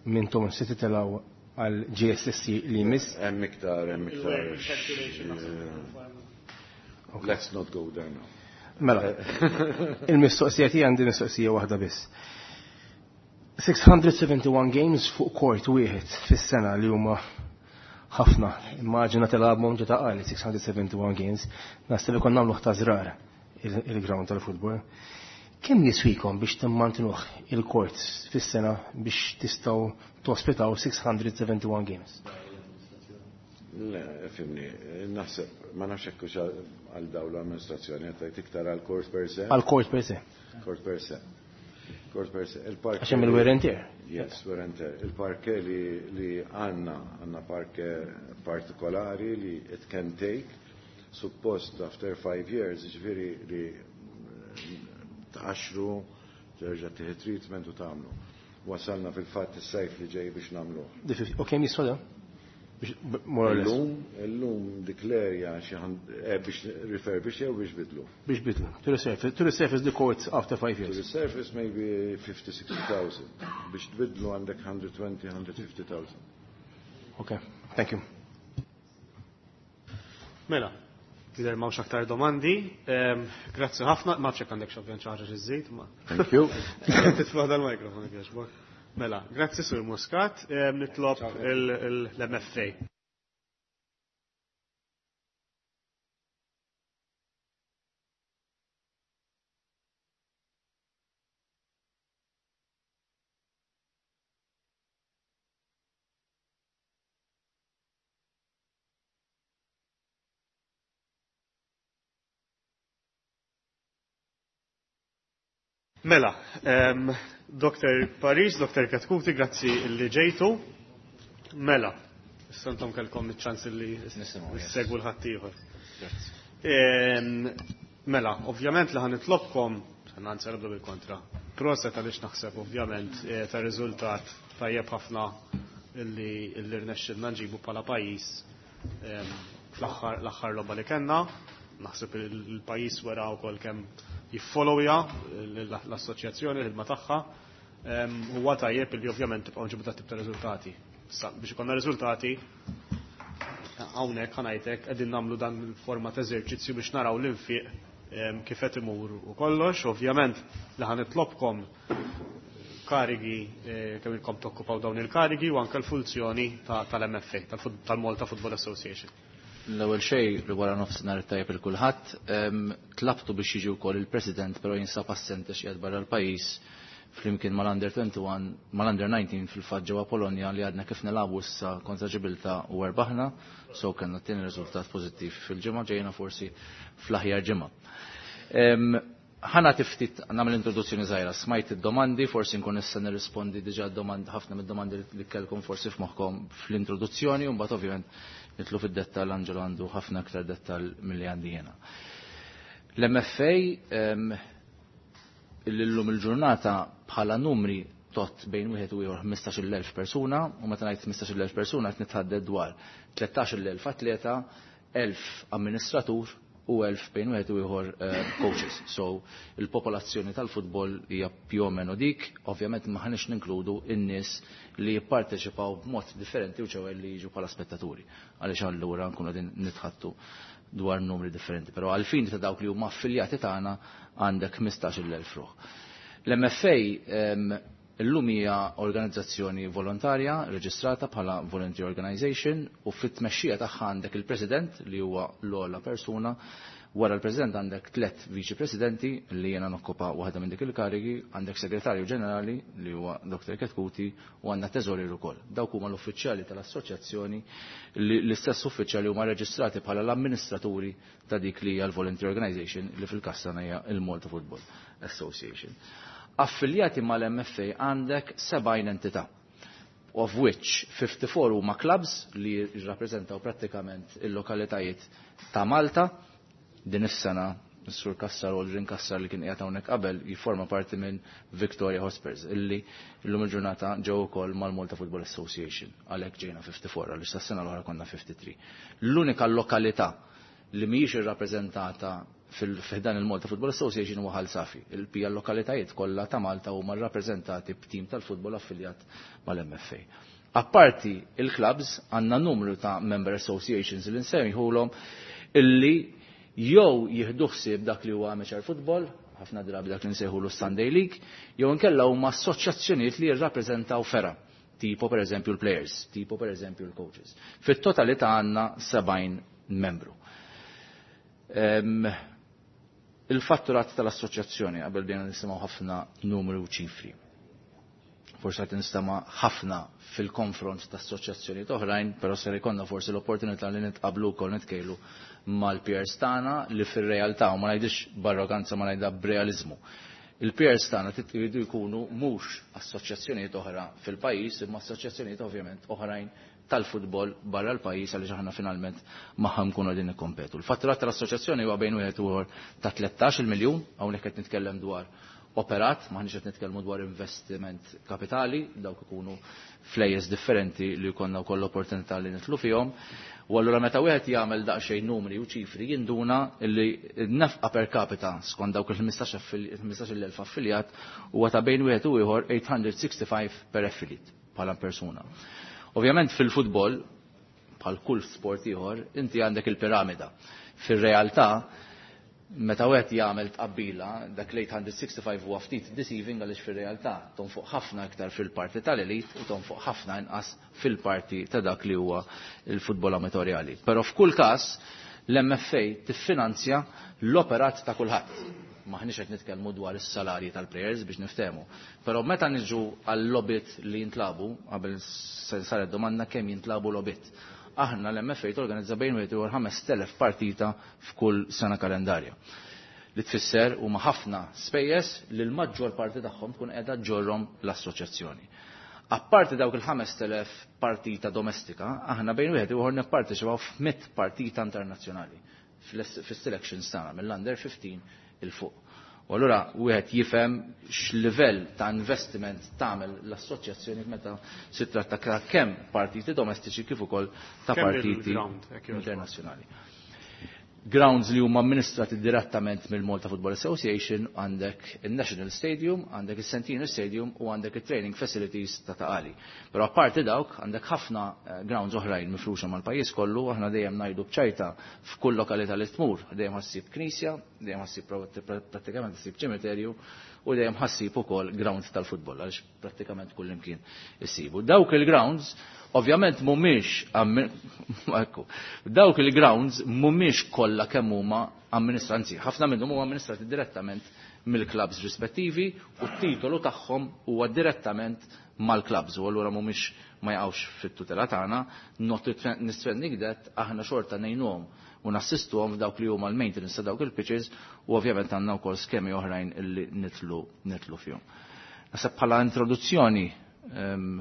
minnhom se titilgħu għal G S S C li jmiss. Hemm iktar, hemm iktar. Let's not go there now. Mela, il-mistoqsija tiegħi għandi mistoqsija waħda biss. six hundred seventy-one games fuq court wieħed fis-sena li huma ħafna. Immaġina tilgħabhom ġo ta' qali six hundred seventy-one games. Naħseb ikun nagħmlu ta' żrar il-ground tal-futbol. Kemm jiswikom biex timmantinuh il-court fis-sena biex tistgħu tospitaw six hundred seventy-one games? Le, fimni, naħseb, ma nafx hekk hux għal dawn l-amministrazzjoni, qed tgħid iktar għal court per se. Għal court per se. Court per se. Court per se. Il-parke Għax hemm il-wear and tear. Yes, wear and tear. Il-parke li, li għandna, għandna parke partikolari li it can take, Suppost after five years, ġifieri li tqaxxru, terġa' tieħu treatment u tagħmlu. Wasalna fil-fatt is-sajf li ġej biex nagħmluh. U kemm jiswa da? Biex more or less. Illum, illum dik l-area xi eh, biex refurbish jew biex bidlu. Biex bidlu. To resurface, to resurface the courts after five To years. resurface maybe fifty, sixty thousand. Biex tbidlu għandek hundred twenty, hundred fifty thousand. Okay, thank you. Mela, jidher m'hawnx aktar domandi. Ehm, grazzi ħafna, ma nafx jekk għandek xi ovvjament xi ħaġa xi żżid, ma. Thank you. Titfa' dal-mikrofon jekk jogħġbok. Mela, grazzi Sur Muscat, ehm, nitlob l-M F A. Mela, um, Doktor Paris, Doktor Chetcuti, grazzi li ġejtu. Mela, issa intom kellkom iċ-ċans li Nisimgħu, yes. ssegwu l-ħaddieħor. Grazzi. Em, mela, ovvjament li ħanitlobkom, ħananzi nibdu bil-kontra. Proset għaliex naħseb ovvjament, eh, ta' riżultat tajjeb ħafna illi, illi rnexxilna nġibu bħala pajjiż, em, fl-aħħar, l-aħħar logħba li kellna. Naħseb il-pajjiż wera wkoll kemm jiffollowja l-assoċjazzjoni, l-ħidma tagħha. Em, huwa tajjeb illi ovvjament tibqgħu nġibu dat tip ta' riżultati. Issa biex ikollna riżultati hawnhekk ħanajtek qegħdin nagħmlu dan il-forma ta' eżerċizzju biex naraw l-infiq, em, kif qed imur u kollox. Ovvjament li ħanitlobkom karigi, eh, kemm ilkom tokkupaw dawn il-karigi u anke l-funzjoni ta-, tal-M F A, tal-Fut-, tal-Malta Football Association. L-ewwel xejn li wara nofsinhar tajjeb il kulħadd, em, tlabtu biex jiġi wkoll il-President, però jinsab assente xi qiegħed barra l-pajjiż flimkien mal-Under twenty-one, mal-Under nineteen fil-fatt ġewwa Polonja li għadna kif nilagħbu issa kontra Ġibilta u erbaħna, so kellna t-tieni riżultat pożittiv fil-ġimgħa, ġejna forsi fl-aħjar ġimgħa. Em, ħana tiftit nagħmel introduzzjoni żgħira, smajt id-domandi, forsi nkun issa nirrispondi diġà domand, ħafna mid-domandi li kellkom forsi f'moħħkom fl-introduzzjoni, u mbagħad ovvjament nitlu fid-dettall, Angelo għandu ħafna aktar dettall milli għandi jiena. L-M F A, em, illum il-ġurnata bħala numri tot bejn wieħed u ieħor ħmistax-il elf persuna, u meta ngħid ħmistax-il elf persuna qed nitħadded dwar tlettax-il elf atleta, elf amministratur u elf bejn wieħed u ieħor, eh, coaches. So il-popolazzjoni tal-futbol hija più o meno dik, ovvjament ma ħanix ninkludu n-nies li jipparteċipaw b'mod differenti u ċewel li jiġu bħala spettaturi, għaliex allura nkunu qegħdin nitħattu dwar numri differenti. Però għalfin ta' dawk li huma affiljati tagħna għandek ħmistax-il elf ruħ. L-M F A, ehm, illum hija organizzazzjoni volontarja reġistrata bħala Volunteer Organization, u fit-tmexxija tagħha għandek il-President li huwa l-ogħla persuna, wara l-President għandek tliet Viċi Presidenti li jiena nokkupa waħda minn dik il-karigi, għandek Segretarju Ġenerali li huwa Doktor Chetcuti u għandna Teżorier ukoll. Dawk huma l-uffiċjali tal-assoċjazzjoni li l-istess uffiċjali huma reġistrati bħala l-amministraturi ta' dik li hija l-Volunteer Organization li fil-każ tagħna hija il-Malta Football Association. Affiljati mal-M F A għandek sebgħin entità, of which fifty-four huma clubs li jirrappreżentaw prattikament il-lokalitajiet ta' Malta. Din is-sena s-Sur Cassar u Aldrin Cassar li kien qiegħed hawnhekk qabel jifforma parti minn Victoria Hotspurs illi llum il-ġurnata ġew ukoll mal-Malta Football Association, għalhekk ġejna fifty-four għaliex tas-sena l-oħra konna fifty-three. L-unika lokalità li mhijiex irrappreżentata fil-ħdan il-Malta Football Association huwa Ħal Safi. Il-pija l-lokalitajiet kollha ta' Malta huma rrappreżentati b'tim tal-futbol affiljat mal-M F A. Apparti il-clubs għandna numru ta' member associations li nsemmihulhom illi jew jieħdu ħsieb dak li huwa amateur football, ħafna drabi dak li nsejħulu Sunday League, jew inkella huma assoċjazzjonijiet li jirrappreżentaw fergħa, tipo per eżempju l-players, tipo per eżempju l-coaches. Fit-totalità għandna sebgħin membru. Em, il-fatturat tal-assoċjazzjoni, qabel bdejna nisimgħu ħafna numri u ċifri. Forsi qed nistama' ħafna fil-konfront ta' assoċjazzjonijiet oħrajn, però ser ikollna forsi l-opportunità li nitqablu wkoll nitkejlu mal-peers tagħna li fir-realtà, u ma ngħidix b'arroganza, ma ngħidha b'realiżmu. Il-peers tagħna jridu jkunu mhux assoċjazzjonijiet oħra fil-pajjiż, imma assoċjazzjonijiet ovvjament oħrajn tal-futbol barra l-pajjiż għaliex aħna finalment magħha nkunu qegħdin nikkompetu. Il-fatturat tal-assoċjazzjoni huwa bejn wieħed u ieħor ta' tlettax-il miljun, hawnhekk qed nitkellem dwar operat, maħniex qed nitkellmu dwar investiment kapitali, dawk ikunu flejjes differenti li jkollna wkoll l-opportunità li nitlu fihom. U allura meta wieħed jagħmel daqsxejn numri u ċifri jinduna li n-nefqa per capita skont dawk il-ħmistax-il elf affiljat huwa ta' bejn wieħed u ieħor eight hundred sixty-five per affiliate bħala persuna. Ovvjament fil-futbol, bħal kull sport ieħor, inti għandek il-piramida. Fir-realtà, meta wieħed jagħmel tqabbila, dak l-eight hundred sixty-five huwa ftit deceiving għaliex fir-realtà tonfoq ħafna iktar fil-parti tal-elit u tonfoq ħafna inqas fil-parti ta' dak li huwa l-futbol amatorjali. Però f'kull każ l-M F A tiffinanzja l-operat ta' kulħadd. Maħniex qed nitkellmu dwar is-salarji tal-players biex niftehmu. Però meta niġu għall-lobit li jintlabu, qabel saret domanda kemm jintlabu lobit. Aħna l-M F A torganizza bejn wieħed u ħamest elef partita f'kull sena kalendarja. Li tfisser huma ħafna spejjeż li l-maġġor parti tagħhom tkun qiegħda ġorhom l-assoċjazzjoni. Apparti dawk il-ħamest elef partita domestika, aħna bejn wieħed u ieħor nipparteċipaw f'mitt partita internazzjonali fis-selections tagħna mill-under fifteen il fuq. U allura wieħed jifhem x'livell ta' investiment tagħmel l-assoċjazzjoni meta si tratta ta' kemm partiti domestiċi kif ukoll ta' Kemm partiti il-ground, hekk jogħġbok? internazzjonali. Grounds li huma amministrati direttament mill-Malta Football Association, għandek il-National Stadium, għandek il-Centenary Stadium u għandek il-Training Facilities ta' Ta' Qali. Però apparti dawk għandek ħafna, eh, grounds oħrajn mifruxa mal-pajjiż kollu, aħna dejjem ngħidu b'ċajta f'kull lokalità li tmur, dejjem ħassib knisja, dejjem ħassib pro-, prattikament ħassib ċimiterju u dejjem ħassib ukoll grounds tal-futbol għaliex prattikament kull imkien issibu. Dawk il-grounds ovvjament mhumiex ammi-, ekku, dawk il-grounds mhumiex kollha kemm huma amministrati, anzi, ħafna minnhom huma amministrati direttament mill-clubs rispettivi u t-titolu tagħhom huwa direttament mal-clubs u allura mhumiex ma jaqgħux fit-tutela tagħna, notwithstanding that aħna xorta ngħinuhom u nassistuhom f'dawk li huma l-maintenance ta' dawk il-pitches u ovvjament għandna wkoll skemi oħrajn illi nitlu, nitlu fihom. Naħseb bħala introduzzjoni, ehm,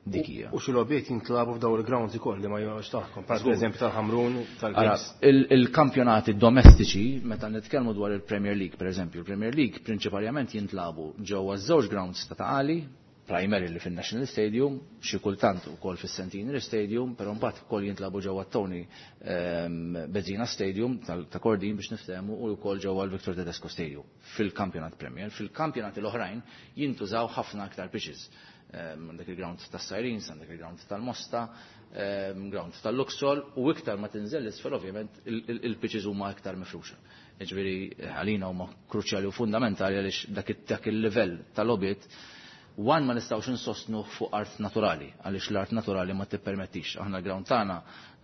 dik hija. U xi logħbiet jintlabu f'dawn il-grounds ukoll li ma jgħux tagħhom, per Żgur. eżempju tal-Ħamrun, Ara, tal-Hibs. il-, il-kampjonati domestiċi, meta nitkellmu dwar il-Premier League, per eżempju, il-Premier League prinċipalment jintlabu ġewwa żewġ grounds ta' Ta' Qali, primarily fin-National Stadium, xi kultant ukoll fis-Centenary Stadium, però mbagħad ukoll jintlabu ġewwa Tony, ehm, Bezzina Stadium tal-, ta' Kordin biex niftehmu u wkoll ġewwa l-Victor Tedesco Stadium fil-Kampjonat Premier. Fil-kampjonati l-oħrajn jintużaw ħafna aktar pitches. Ehm, għandek il-ground tas-Sirens, għandek il-ground tal-Mosta, ehm, ground tal-Luxol, u iktar ma tinżel l-isfel ovvjament il-, il-, il-pitches huma iktar mifruxa. Jiġifieri għalina huma kruċjali u fundamentali għaliex dak it-, dak il-livell tal-logħbiet one ma nistgħux insostnu fuq art naturali, għaliex l-art naturali ma tippermettix. Aħna l-ground tagħna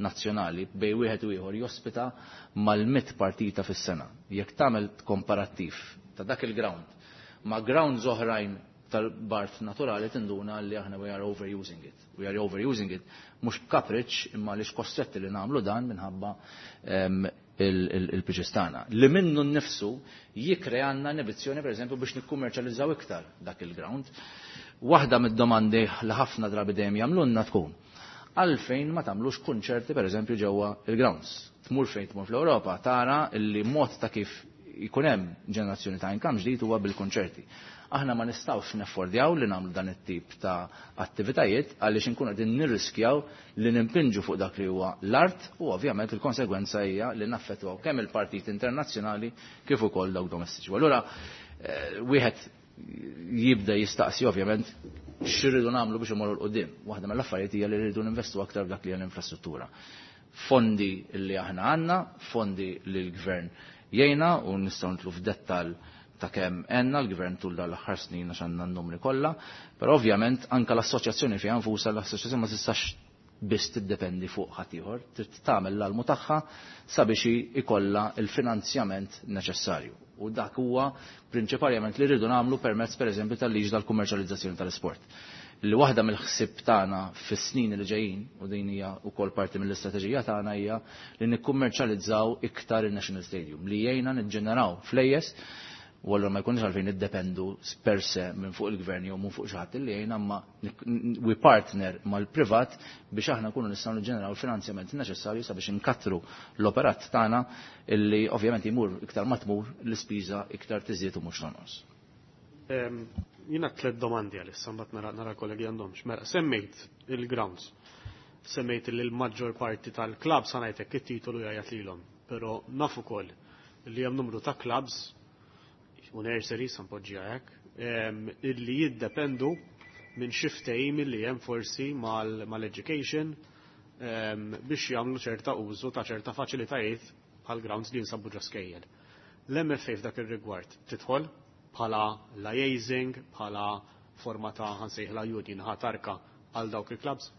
nazzjonali bej wieħed u ieħor jospita mal-mitt partita fis-sena. Jekk tagħmel komparattiv ta' dak il-ground ma' grounds oħrajn tal-bart naturali tinduna li aħna we are overusing it. We are overusing it mhux b'kapriċ imma għaliex kostretti li nagħmlu dan minħabba, ehm, il-, il-, il-pitches tagħna. Li minnu nnifsu jikkreanna inibizzjoni pereżempju biex nikkummerċjalizzaw iktar dak il-ground. Waħda mid-domandi li ħafna drabi dejjem jagħmlulna tkun għalfejn ma tagħmlux kunċerti pereżempju ġewwa il-grounds. Tmur fejn tmur fl-Ewropa tara li mod ta' kif jkun hemm ġenerazzjoni ta' income ġdid huwa bil-kunċerti. Aħna ma nistgħux neffordjaw li nagħmlu dan it-tip ta' attivitajiet għaliex inkunu qegħdin nirriskjaw li nimpinġu fuq dak li huwa l-art u ovvjament il-konsegwenza hija li naffettwaw kemm il-partit internazzjonali kif ukoll dawk domestiċi. U allura, eh, wieħed jibda jistaqsi ovvjament x'irridu nagħmlu biex imorru 'l quddiem. Waħda mill-affarijiet hija li rridu ninvestu aktar f'dak li hija l-infrastruttura. Fondi li aħna għandna, fondi li l-gvern jgħinna u nistgħu nitlu f'dettall ta' kemm għenna l-gvern tul dan l-aħħar snin għax għandna n-numri kollha, però ovvjament anke l-assoċjazzjoni fiha nfusha, l-assoċjazzjoni ma tistax biss tiddependi fuq ħadd ieħor, trid tagħmel l-almu tagħha sabiex ikollha l-finanzjament neċessarju. U dak huwa prinċipalment li rridu nagħmlu permezz pereżempju tal-liġi tal-kummerċjalizzazzjoni tal-isport. Li waħda mill-ħsieb tagħna fis-snin li ġejjin, u din hija wkoll parti mill-istrateġija tagħna, hija li nikkummerċjalizzaw iktar il-National Stadium, li jgħinna niġġeneraw flejjes U allura ma jkunx għalfejn niddependu per se minn fuq il-gvern jew minn fuq xi ħadd li jgħin, imma we partner mal-privat biex aħna nkunu nistgħu niġġeneraw il-finanzjament neċessarju sabiex inkattru l-operat tagħna, illi ovvjament jmur iktar ma tmur l-ispiża iktar tiżdied u mhux tonqos. Jiena tliet domandi għalissa, mbagħad nara nara kollegi għandhomx. Mela, semmejt il-grounds. Semmejt li l-maġġor parti tal-clubs, ħa ngħidlek, it-titolu jgħajjat lilhom, però naf ukoll li hemm numru ta' clubs u nurseries, npoġġiha hekk, illi jiddependu minn xi ftehim illi hemm forsi mal-education biex jagħmlu ċerta użu ta' ċerta faċilitajiet bħal grounds li jinsabu ġo skejjel. L-M F A f'dak ir-rigward tidħol bħala liaising, bħala forma ta', ħa nsejħilha, union ħatarka għal dawk il-clubs?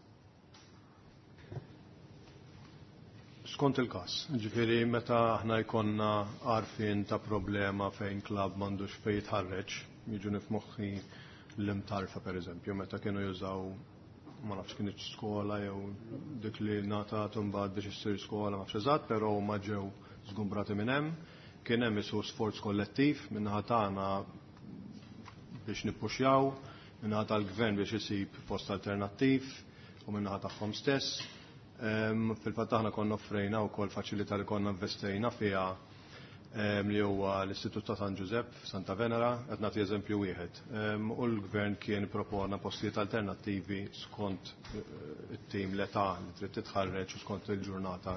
Skont il-kas, ġifieri meta aħna jkollna għarfien ta' problema fejn klab m'għandux fejn jitħarreġ, jiġuni f'moħħi l-Imtarfa per eżempju, meta kienu jużaw, ma nafx kienx skola jew dik li ngħatat mbagħad biex issir skola, ma nafx eżatt, però ma ġew żgumbrati minn hemm, kien hemm isu sforz kollettiv min-naħa tagħna biex nippuxjaw, min-naħa tal-gvern biex isib post alternattiv u min-naħa tagħhom stess. Fil-fatt aħna konna offrejna wkoll faċilità li konna investejna fiha, li huwa l-Istitut ta' San Giuseppe f'Santa Venera, qed nagħti eżempju wieħed. U l-gvern kien propona postijiet alternattivi skont eh, it-tim, l-età li trid titħarreġ u skont il-ġurnata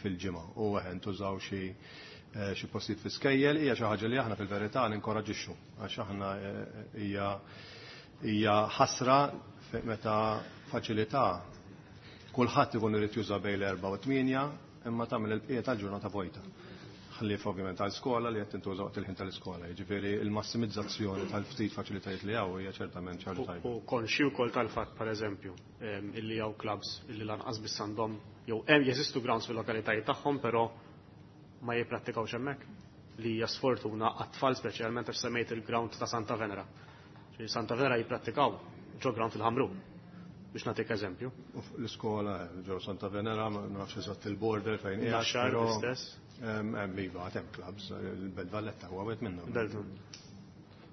fil-ġimgħa. U eħen tużaw xi eh, xi postijiet fi skejjel. Hija xi ħaġa li aħna fil-verità ninkoraġixxu għax aħna eh, hija hija ħasra meta faċilità kulħadd ikun irid juża bejn l-erba' u tmienja imma tagħmel il-bqija tal-ġurnata vojta. Ħlief ovvjament tal-skola li qed tintuża waqt il-ħin tal-iskola. Jiġifieri il-massimizzazzjoni tal-ftit faċilitajiet li hawn hija ċertament xi ħaġa tajba. U konxi wkoll tal-fatt, pereżempju, illi hawn clubs illi lanqas biss għandhom jew hemm jeżistu grounds fil-lokalitajiet tagħhom, però ma jipprattikawx hemmhekk, li hija sfortuna għat-tfal, speċjalment għax semmejt il-ground ta' Santa Venera. Santa Venera jipprattikaw ġo ground fil-Ħamrun, biex nagħtik eżempju. L-iskola ġo Santa Venera, ma nafx eżatt il-border fejn qiegħed. Naxxar l-istess. Hemm iva, għad hemm clubs, il-Belt Valletta huwa wieħed minnhom. Belt.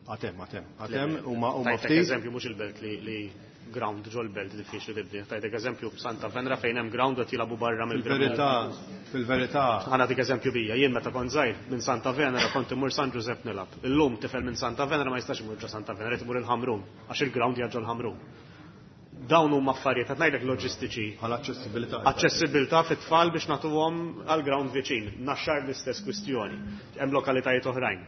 Għad hemm, għad hemm, għad hemm huma huma Tajtek ftit. eżempju mhux il-Belt, li li ground ġo l-Belt diffiċli tibdi. Tajtek eżempju Santa Venera fejn hemm ground qed jilagħbu barra mill-ground. Fil-verità, fil-verità. Ħa nagħtik eżempju bija, jien meta kont żgħir minn Santa Venera kont imur San Giuseppe nilgħab. Illum tifel minn Santa Venera ma jistax imur ġo Santa Venera, imur il-Ħamrun għax il-ground ġo l-Ħamrun. Dawn huma affarijiet qed ngħidlek loġistiċi. Għal aċċessibilità. Aċċessibilità fit-tfal biex nagħtuhom għal ground viċin. Naxxar l-istess kwistjoni. Hemm lokalitajiet oħrajn.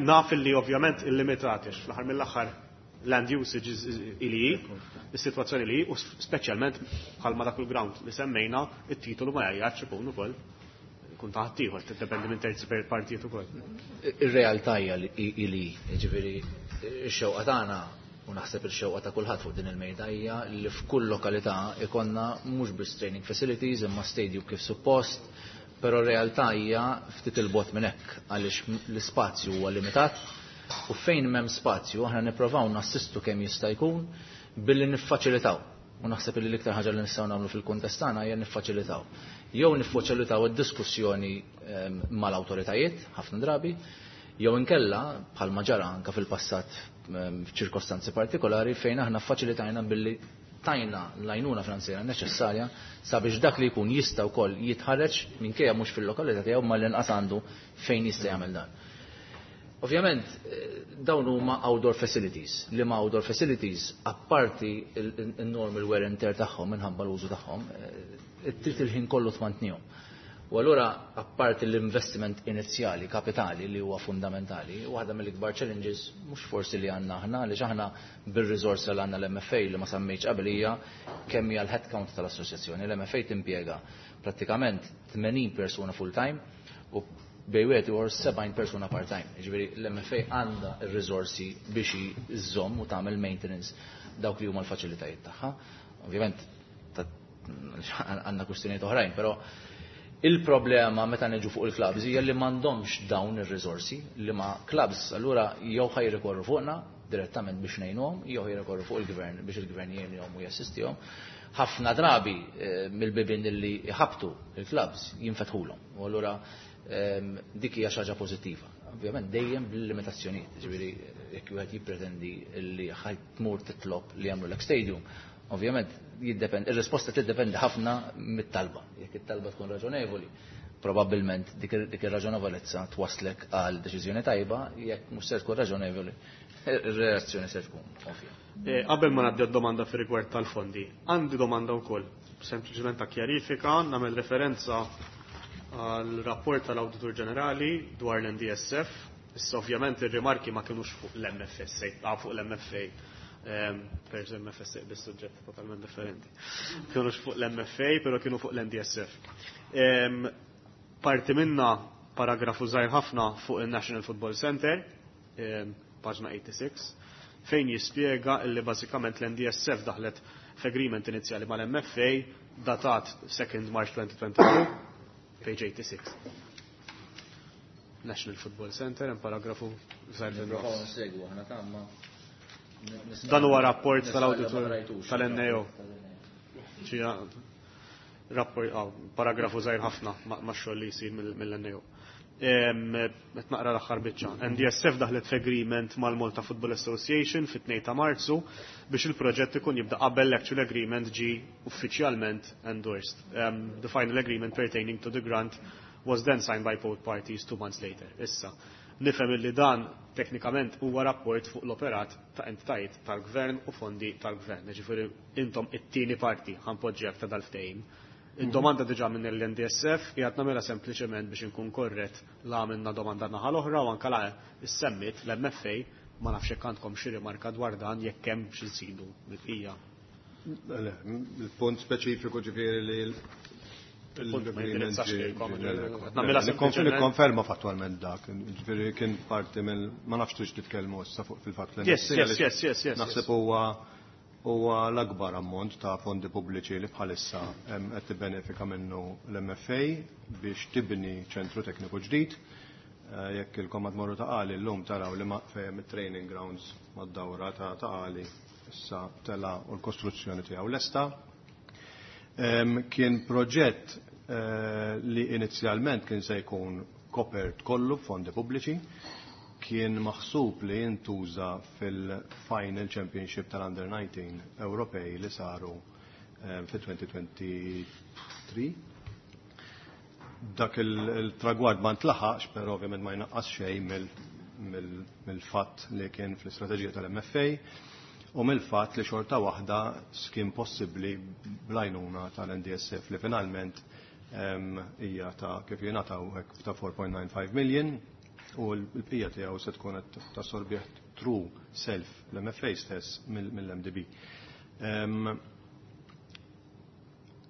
Naf li ovvjament illimitati, fl-aħħar mill-aħħar land usage ili is-sitwazzjoni li, u speċjalment bħalma dak il-ground li semmejna, it-titolu ma jgħajjatx, ikun ukoll kun taħt ieħor, tiddependi minn terzi per partijiet ukoll. Ir-realtà hija li, jiġifieri, ix-xewqa tagħna u naħseb il-xewqa ta' kulħadd fuq din il-mejda hija li f'kull lokalità ikonna mhux biss training facilities imma stadium kif suppost, però r-realtà hija ftit il-bogħod minn hekk għaliex l-ispazju huwa limitat u fejn m'hemm spazju aħna nipprovaw nassistu kemm jista' jkun billi niffaċilitaw. U naħseb li l-iktar ħaġa li nistgħu nagħmlu fil-kuntest tagħna hija niffaċilitaw. Jew niffaċilitaw id-diskussjoni ehm, mal-awtoritajiet ħafna drabi, jew inkella bħalma ġara anke fil-passat ehm, f'ċirkostanzi partikolari fejn aħna faċilitajna billi tajna l-għajnuna finanzjarja neċessarja sabiex dak li jkun jista' wkoll jitħarreġ minkejja mhux fil-lokalità tiegħu, ma l-inqas għandu fejn jista' jagħmel dan. Ovvjament, eh, dawn huma outdoor facilities, li ma outdoor facilities, apparti il-normal wear and tear tagħhom minħabba l-użu tagħhom, eh, trid il-ħin kollu tmantnihom. U allura, apparti l-investiment inizjali, kapitali li huwa fundamentali, waħda mill-ikbar challenges, mhux forsi li għandna aħna, li aħna bir-riżorsa li għandna l-M F A, li ma semmejtx qabel, hija kemm hija l-headcount tal-assoċjazzjoni. L-M F A timpjega prattikament tmenin persuna full-time u bejn wieħed u sebgħin persuna part-time. Jiġifieri l-M F A għandha r-riżorsi biex iżżomm u tagħmel maintenance dawk li huma l-faċilitajiet tagħha. Ovvjament għandna kwistjonijiet oħrajn, però il-problema meta niġu fuq il-clubs hija li m'għandhomx dawn ir-riżorsi, li ma clubs allura jew ħa jirrikorru fuqna direttament biex ngħinuhom, jew jirrikorru fuq il-gvern biex il-gvern jgħinhom u jassistihom. Ħafna drabi eh, mill-bibien li jħabtu il-clubs jinfetħulhom. U allura Dik hija xi ħaġa pożittiva. Ovvjament dejjem bil-limitazzjonijiet, ġifieri jekk wieħed jippretendi li ħa tmur titlob li jagħmlu stadium, ovvjament jiddepend, ir-risposta tiddependi ħafna mit-talba. Jekk it-talba tkun raġonevoli, probabbilment dik ir-raġonevolezza twaslek għal deċiżjoni tajba, jekk mhux se tkun raġonevoli, ir-reazzjoni se tkun ovvja. Eh, qabel ma nabda domanda fi rigward tal-fondi, għandi domanda wkoll, sempliċement ta' kjarifika, nagħmel referenza għal rapport tal-Awditur Ġenerali dwar l-N D S F. Issa, ovvjament, ir-rimarki ma kienux fuq l-M F S A, ah, fuq l-M F A. Per M F S A bis-suġġett totalment differenti. Kienux fuq l-M F A, pero kienu fuq l-N D S F. Parti minna paragrafu żgħir ħafna fuq il-National Football Center, paġna sitta u tmenin, fejn jispjega illi bażikament l-N D S F daħlet f'agreement inizjali mal-M F A datat second March twenty twenty-two, page eighty-six. National Football Center, in paragrafu żgħir. Dan huwa rapport tal-auditor tal-N A O. Rapport, ah, paragrafu żgħir ħafna ma' xogħol li jsir mill-N A O. Qed naqra l-aħħar biċċa. N D S F daħlet f'agreement mal-Malta Football Association fit-tnejn ta' Marzu biex il-proġett ikun jibda qabel l-actual agreement ġi uffiċjalment endorsed. Um, the final agreement pertaining to the grant was then signed by both parties two months later. Issa, nifhem li dan teknikament huwa rapport fuq l-operat ta' entitajiet tal-gvern u fondi tal-gvern. Ġifieri intom it-tieni parti, ħa npoġġi, ta' dal-ftehim. Id-domanda diġà minn l-N D S F qiegħed nagħmilha sempliċement biex inkun korrett, la għamilna domanda naħa l-oħra u anke la issemmit l-M F A, ma nafx jekk għandkom xi rimarka dwar dan, jekk hemm xi nsidu mill-bqija. Il-punt speċifiku, ġifieri li Il-punt ma jindirizzax lilkom. Nagħmilha sempliċement. Nikkonferma fattualment dak, ġifieri kien parti mill, ma nafx tix titkellmu issa fuq fil-fatt Yes, yes, yes, yes, yes. Naħseb huwa huwa l-akbar ammont ta' fondi pubbliċi li bħalissa em, qed tibbenefika minnu l-M F A biex tibni ċentru tekniku ġdid. Eh, Jekk ilkom qed tmorru Ta' Qali llum, taraw li ma fejn it-training grounds mad-dawra ta' Ta' Qali issa tela u l-kostruzzjoni tiegħu lesta. Em, Kien proġett eh, li inizjalment kien se jkun kopert kollu b'fondi pubbliċi, kien maħsub li jintuża fil-Final Championship tal-Under nineteen Ewropej li saru eh, fil-elfejn u tlieta u għoxrin. Dak il-tragward ma ntlaħaqx, però ovvjament ma jnaqqas xejn mill-fatt li kien fl-istrateġija tal-M F A u mill-fatt li xorta waħda kien possibbli bl-għajnuna tal-N D S F li finalment hija ta' kif jingħataw hekk ta' four point nine five million u l-bqija tiegħu se tkun qed tassorbih through self l-M F A stess mill-M D B.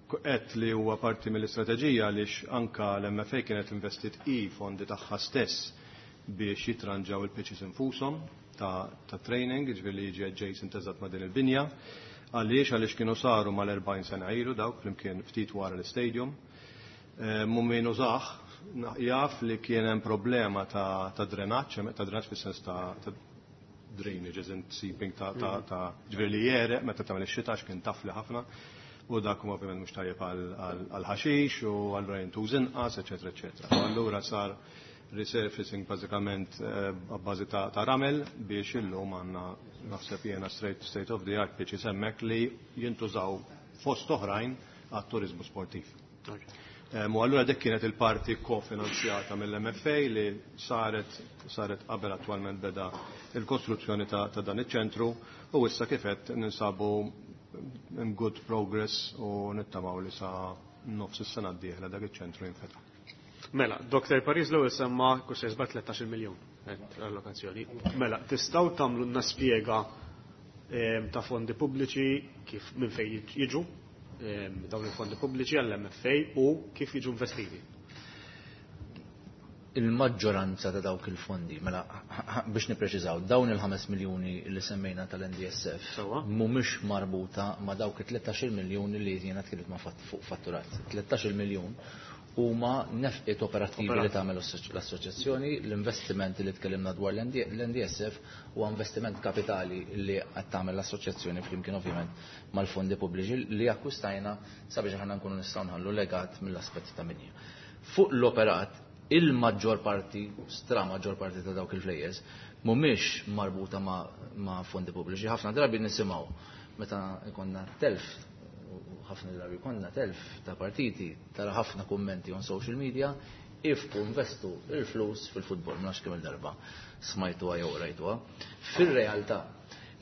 Qed li huwa parti mill-istrateġija għaliex anka l-M F A kienet investit i fondi tagħha stess biex jitranġaw il-pitches infushom ta', ta training, ġifieri li jiġi adjacent eżatt ma' din il-binja. Għaliex għaliex kienu saru mal-erbgħin sena ilu dawk, flimkien ftit wara l-stadium. Min użah jaf li kien hemm problema ta', ta drenaġġ, ta' drenaġġ fis-sens ta', ta drainage, as in seeping ta', ta, ta ġifieri li jegħreq meta tagħmel ix-xita, kien tafli ħafna, u dak huwa ovvjament mhux tajjeb għal ħaxix u allura jintuż inqas, eċetera, eċetera. U allura sar resurfacing bażikament b'bażi ta', ta' ramel biex illum għandna, naħseb jiena, straight state of the art pitches hemmhekk li jintużaw fost oħrajn għat-turizmu sportiv. U allura dik kienet il-parti kofinanzjata mill-M F A li saret saret qabel attwalment beda il-kostruzzjoni ta', ta dan iċ-ċentru u issa kif qed ninsabu in good progress u nittamaw li sa nofs is-sena d-dieħla dak iċ-ċentru jinfetaħ. Mela, Doktor Paris l-ewwel semma kull tlettax-il miljun allokazzjoni. Mela, tistgħu tagħmlu spjega ta' fondi pubbliċi, kif minn fejn jiġu dawn il-fondi pubbliċi għall-M F A u kif jiġu investiti? Il-maġġoranza ta' dawk il-fondi, mela biex nipreċiżaw, dawn il-ħames miljuni li semmejna tal-N D S F mhumiex marbuta ma' dawk it-tlettax-il miljuni li jiena tkellimt ma' fuq fatturat. tlettax-il miljun huma nefqiet operattivi li tagħmel l-assoċjazzjoni, l-investimenti li tkellimna dwar l-N D S F huwa investiment kapitali li qed tagħmel l-assoċjazzjoni flimkien ovvjament mal-fondi pubbliċi li akkwistajna sabiex aħna nkunu nistgħu nħallu legat mill-aspett ta' minja. Fuq l-operat Il-maġġor parti, stra maġġor parti ta' dawk il-flejjes, mhumiex marbuta ma', ma fondi pubbliċi. Ħafna drabi nisimgħu meta jkollna telf, u ħafna drabi jkollna telf ta' partiti, tara ħafna kummenti on social media, ifku investu il-flus fil-futbol, ma nafx kemm il-darba smajtuha jew rajtuha. Fil-realtà,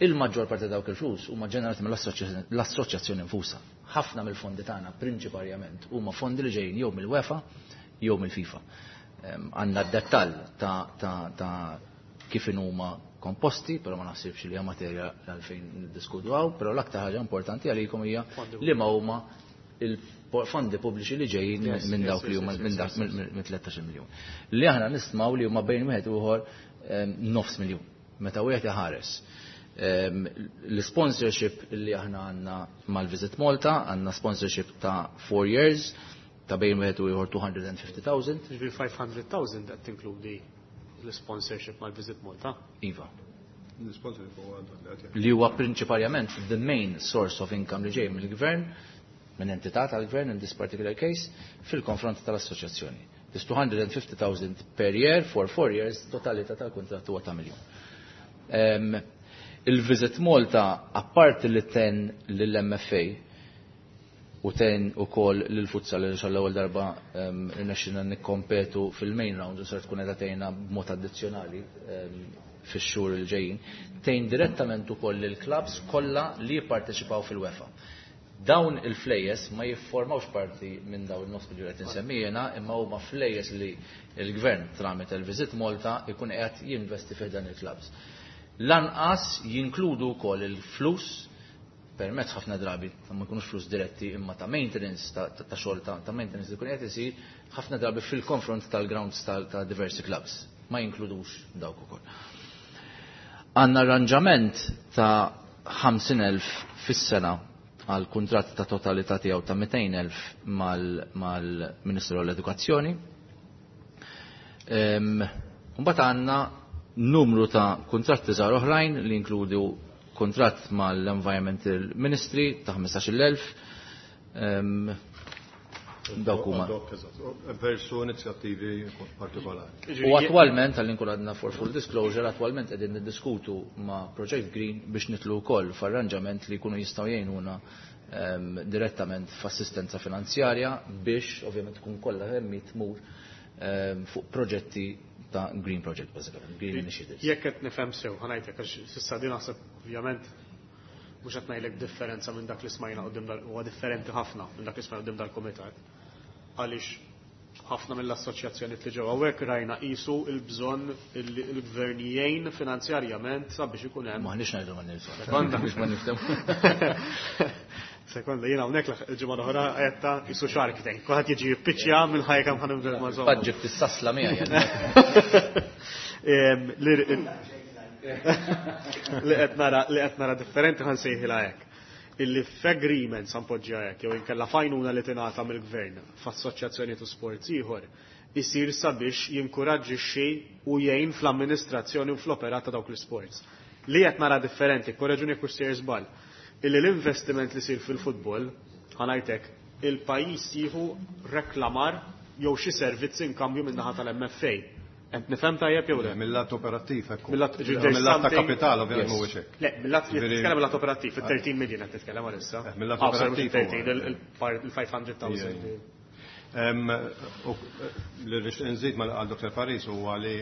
il-maġġor parti dawk il-flus huma ġenerati mill-assoċjazzjoni nfusa. Ħafna mill-fondi tagħna prinċiparjament huma fondi li ġejjin jew mill-UEFA jew mill-FIFA. Għandna d-dettall ta', ta, ta kif huma komposti, però ma naħsibx li hija materja għalfejn niddiskutu hawn, però l-aktar ħaġa importanti għalikom hija li ma huma il-fondi pubbliċi li ġejjin minn dawk li huma minn dak minn tlettax-il miljun. Li aħna nistmaw li huma bejn wieħed u ieħor nofs miljun. Meta wieħed iħares. L-sponsorship li aħna għandna mal-Visit Malta, għandna sponsorship ta' four years, ta' bejn wieħed u ieħor two hundred and fifty thousand. Ġifieri five hundred thousand qed tinkludi l-sponsorship mal-Visit Malta? Iva. L-sponsorship huwa dak li qed jgħid. Li huwa prinċipalment the main source of income li ġej mill-gvern, minn entità tal-gvern in this particular case, fil-konfront tal-assoċjazzjoni. This two hundred and fifty thousand per year for four years, totalità tal-kuntratt huwa ta' miljun. Em, Il-Visit Malta, apparti li ten lill-M F A u ten ukoll lill-futsal li xall-ewwel darba, em, irnexxilna nikkompetu fil-main round u ser tkun qiegħda tgħinna b'mod addizzjonali, em, fix-xhur il ġejjin, tgħin direttament ukoll lill-clubs kollha li jipparteċipaw fil-UEFA. Dawn il-flejjes ma jifformawx parti minn dawn il-nofs miljun qed insemmi jiena, imma huma flejjes li l-gvern tramite l-Visit Malta ikun qiegħed jinvesti fih dan il-clubs. Lanqas jinkludu wkoll il-flus permezz ħafna drabi, ma jkunux flus diretti imma ta' maintenance, ta', ta, ta' xogħol ta', ta' maintenance li jkun qed isir ħafna drabi fil-konfront tal-grounds ta', ta' diversi clubs. Ma jinkludux dawk ukoll. Għandna arranġament ta' ħamsin elf fis-sena għal kuntratt ta' totalità tiegħu ta' mitejn elf mal-, mal-Ministru għall-Edukazzjoni. Em, Mbagħad għandna numru ta' kuntratti żgħar oħrajn li jinkludu kuntratt mal-Environmental Ministry ta' ħmistax-il elf. Em, dawk huma. Versu inizjattivi partikolari. U attwalment, għal inkun għadna for full disclosure, attwalment qegħdin niddiskutu ma' Project Green biex nitlu wkoll f'arranġament li jkunu jistgħu jgħinuna, em, direttament f'assistenza finanzjarja biex ovvjament tkun kollha hemm tmur, em, fuq proġetti ta' Green Project, basically, Green Initiatives. Jekk qed nifhem sew, ħa ngħidlek għax s'issa din naħseb ovvjament mhux qed ngħidlek differenza minn dak li smajna quddiem dal, huwa differenti ħafna minn dak li smajna quddiem dal-kumitat. Għaliex ħafna mill-assoċjazzjonijiet li ġew hawnhekk rajna qisu l-bżonn li l-gvern jgħin finanzjarjament sabiex ikun hemm. M'aħniex ngħidu ma nifhmu. Sekonda. Biex ma niftehmu. Sekonda, jiena hawnhekk l-ġimgħa l-oħra qed qisu Shark Tank. Kulħadd jiġi jippiċċja minn ħajja kemm ħanibda ma' żomma. Faġġib tissasla miegħi. Em, li li qed nara, li qed nara differenti ħa nsejħilha hekk. Illi f'agreement sa npoġġiha hekk jew inkella fajnuna li tingħata mill-gvern f'assoċjazzjoni ta' sports ieħor isir sabiex jinkuraġġixxi u jgħin fl-amministrazzjoni u fl-operat ta' dawk l-sports. Li qed nara differenti, korreġuni jekk hux sejjer żball, illi l-investiment li sir fil-futbol, ħanajtek, il-pajjiż jieħu reklamar jew xi servizzi inkambju min-naħa tal-M F A. Qed nifhem tajjeb jew le? Mill-lat operattiv, ekku. Mill-lat, ġifieri there's Mill-lat ta' something kapital, ovvjament, Yes. mhuwiex hekk. Le, mill-lat, Ġifieri titkellem mill-lat operattiv, fit-thirteen million qed titkellem għalissa. Eh, mill-lat Ah, sorry, operattiv thirteen, huwa. il-, il-, il-five hundred thousand. Ija, ija. Em, u, li rix nżid mal għal Doktor Paris huwa li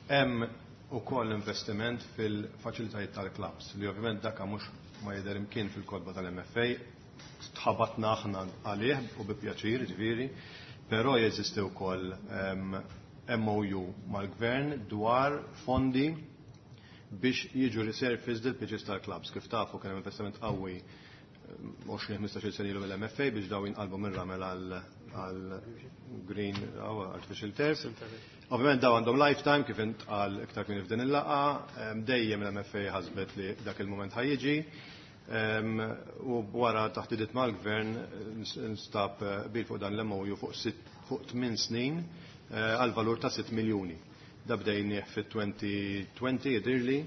hemm ukoll investiment fil-faċilitajiet tal-clubs li ovvjament dak mhux ma jidher imkien fil-kotba tal-M F A, tħabatna aħna għalih u bi pjaċir, ġifieri, però jeżisti wkoll, em, M O U mal-gvern dwar fondi biex jiġu resurfaced il-pitches tal-clubs. Kif tafu kien hemm investiment qawwi għoxrin ħmistax-il sena ilu mill-M F A biex daw jinqalbu minn ramel għal, għal green, għaw, artificial turf. Ovvjament daw għandhom lifetime kif intqal iktar kien f'din il-laqgħa, em, dejjem l-M F A ħasbet li dak il-moment ħajjiġi. Em, u wara taħdidiet mal-gvern nstab, eh, bil fuq dan l-M O U fuq sitt, fuq tmien snin, eh, għal valur ta' sitt miljuni. Da bdejnieh fit-twenty twenty jidirli.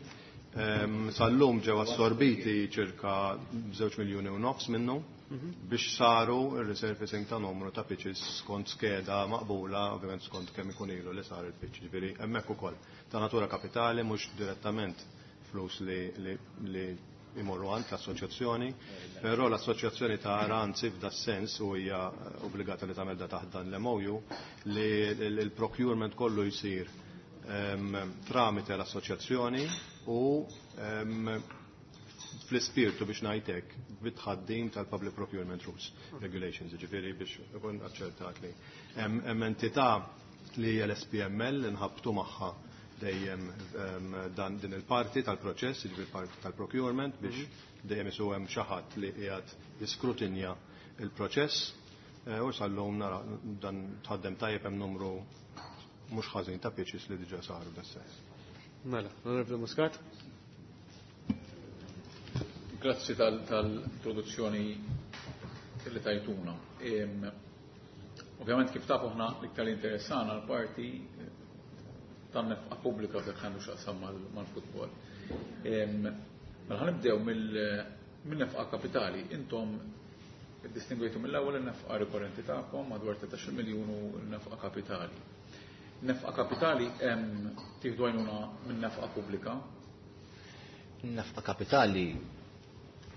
Em, sal-lum ġew assorbiti ċirka żewġ miljuni u nofs minnu. Biex saru il-resurfacing ta' numru ta' pitches skont skeda maqbula, ovvjament skont kemm ikun ilu li sar il-pitch, ġifieri hemmhekk ukoll. Ta' natura kapitali, mhux direttament flus li, li, li imorru għand l-assoċjazzjoni, però l-assoċjazzjoni ta' anzi f'da sens u hija obbligata li tagħmel da taħt dan l-M O U li l-procurement kollu jsir em, tramite l-assoċjazzjoni u em, fl-ispirtu, biex ngħidlek, bit-tħaddim tal-Public Procurement Rules Regulations, ġifieri biex ikun aċċertat li hemm hemm entità li hija l-S P M L li nħabtu magħha dejjem em, dan din il-parti tal-proċess, ġifieri parti tal-procurement, biex dejjem isu hemm xi ħadd li qiegħed jiskrutinja il-proċess eh, u sal-lum nara dan tħaddem tajjeb, hemm numru mhux ħażin ta' pitches li diġà saru das-sens. Mela, Onorevoli Muscat. Grazzi tal-introduzzjoni li tajtuna. Em, Ovvjament, kif tafu, aħna l-iktar interessana l-parti eh, tan-nefqa pubblika fil għandu x'jaqsam mal-futbol. Em, Mela ħa nibdew mill-nefqa kapitali. Intom distingwejtu mill-ewwel in-nefqa rikorrenti tagħkom madwar tlettax-il miljun u n-nefqa kapitali. Nefqa kapitali hemm tieħdu għajnuna minn nefqa pubblika? Nefqa kapitali,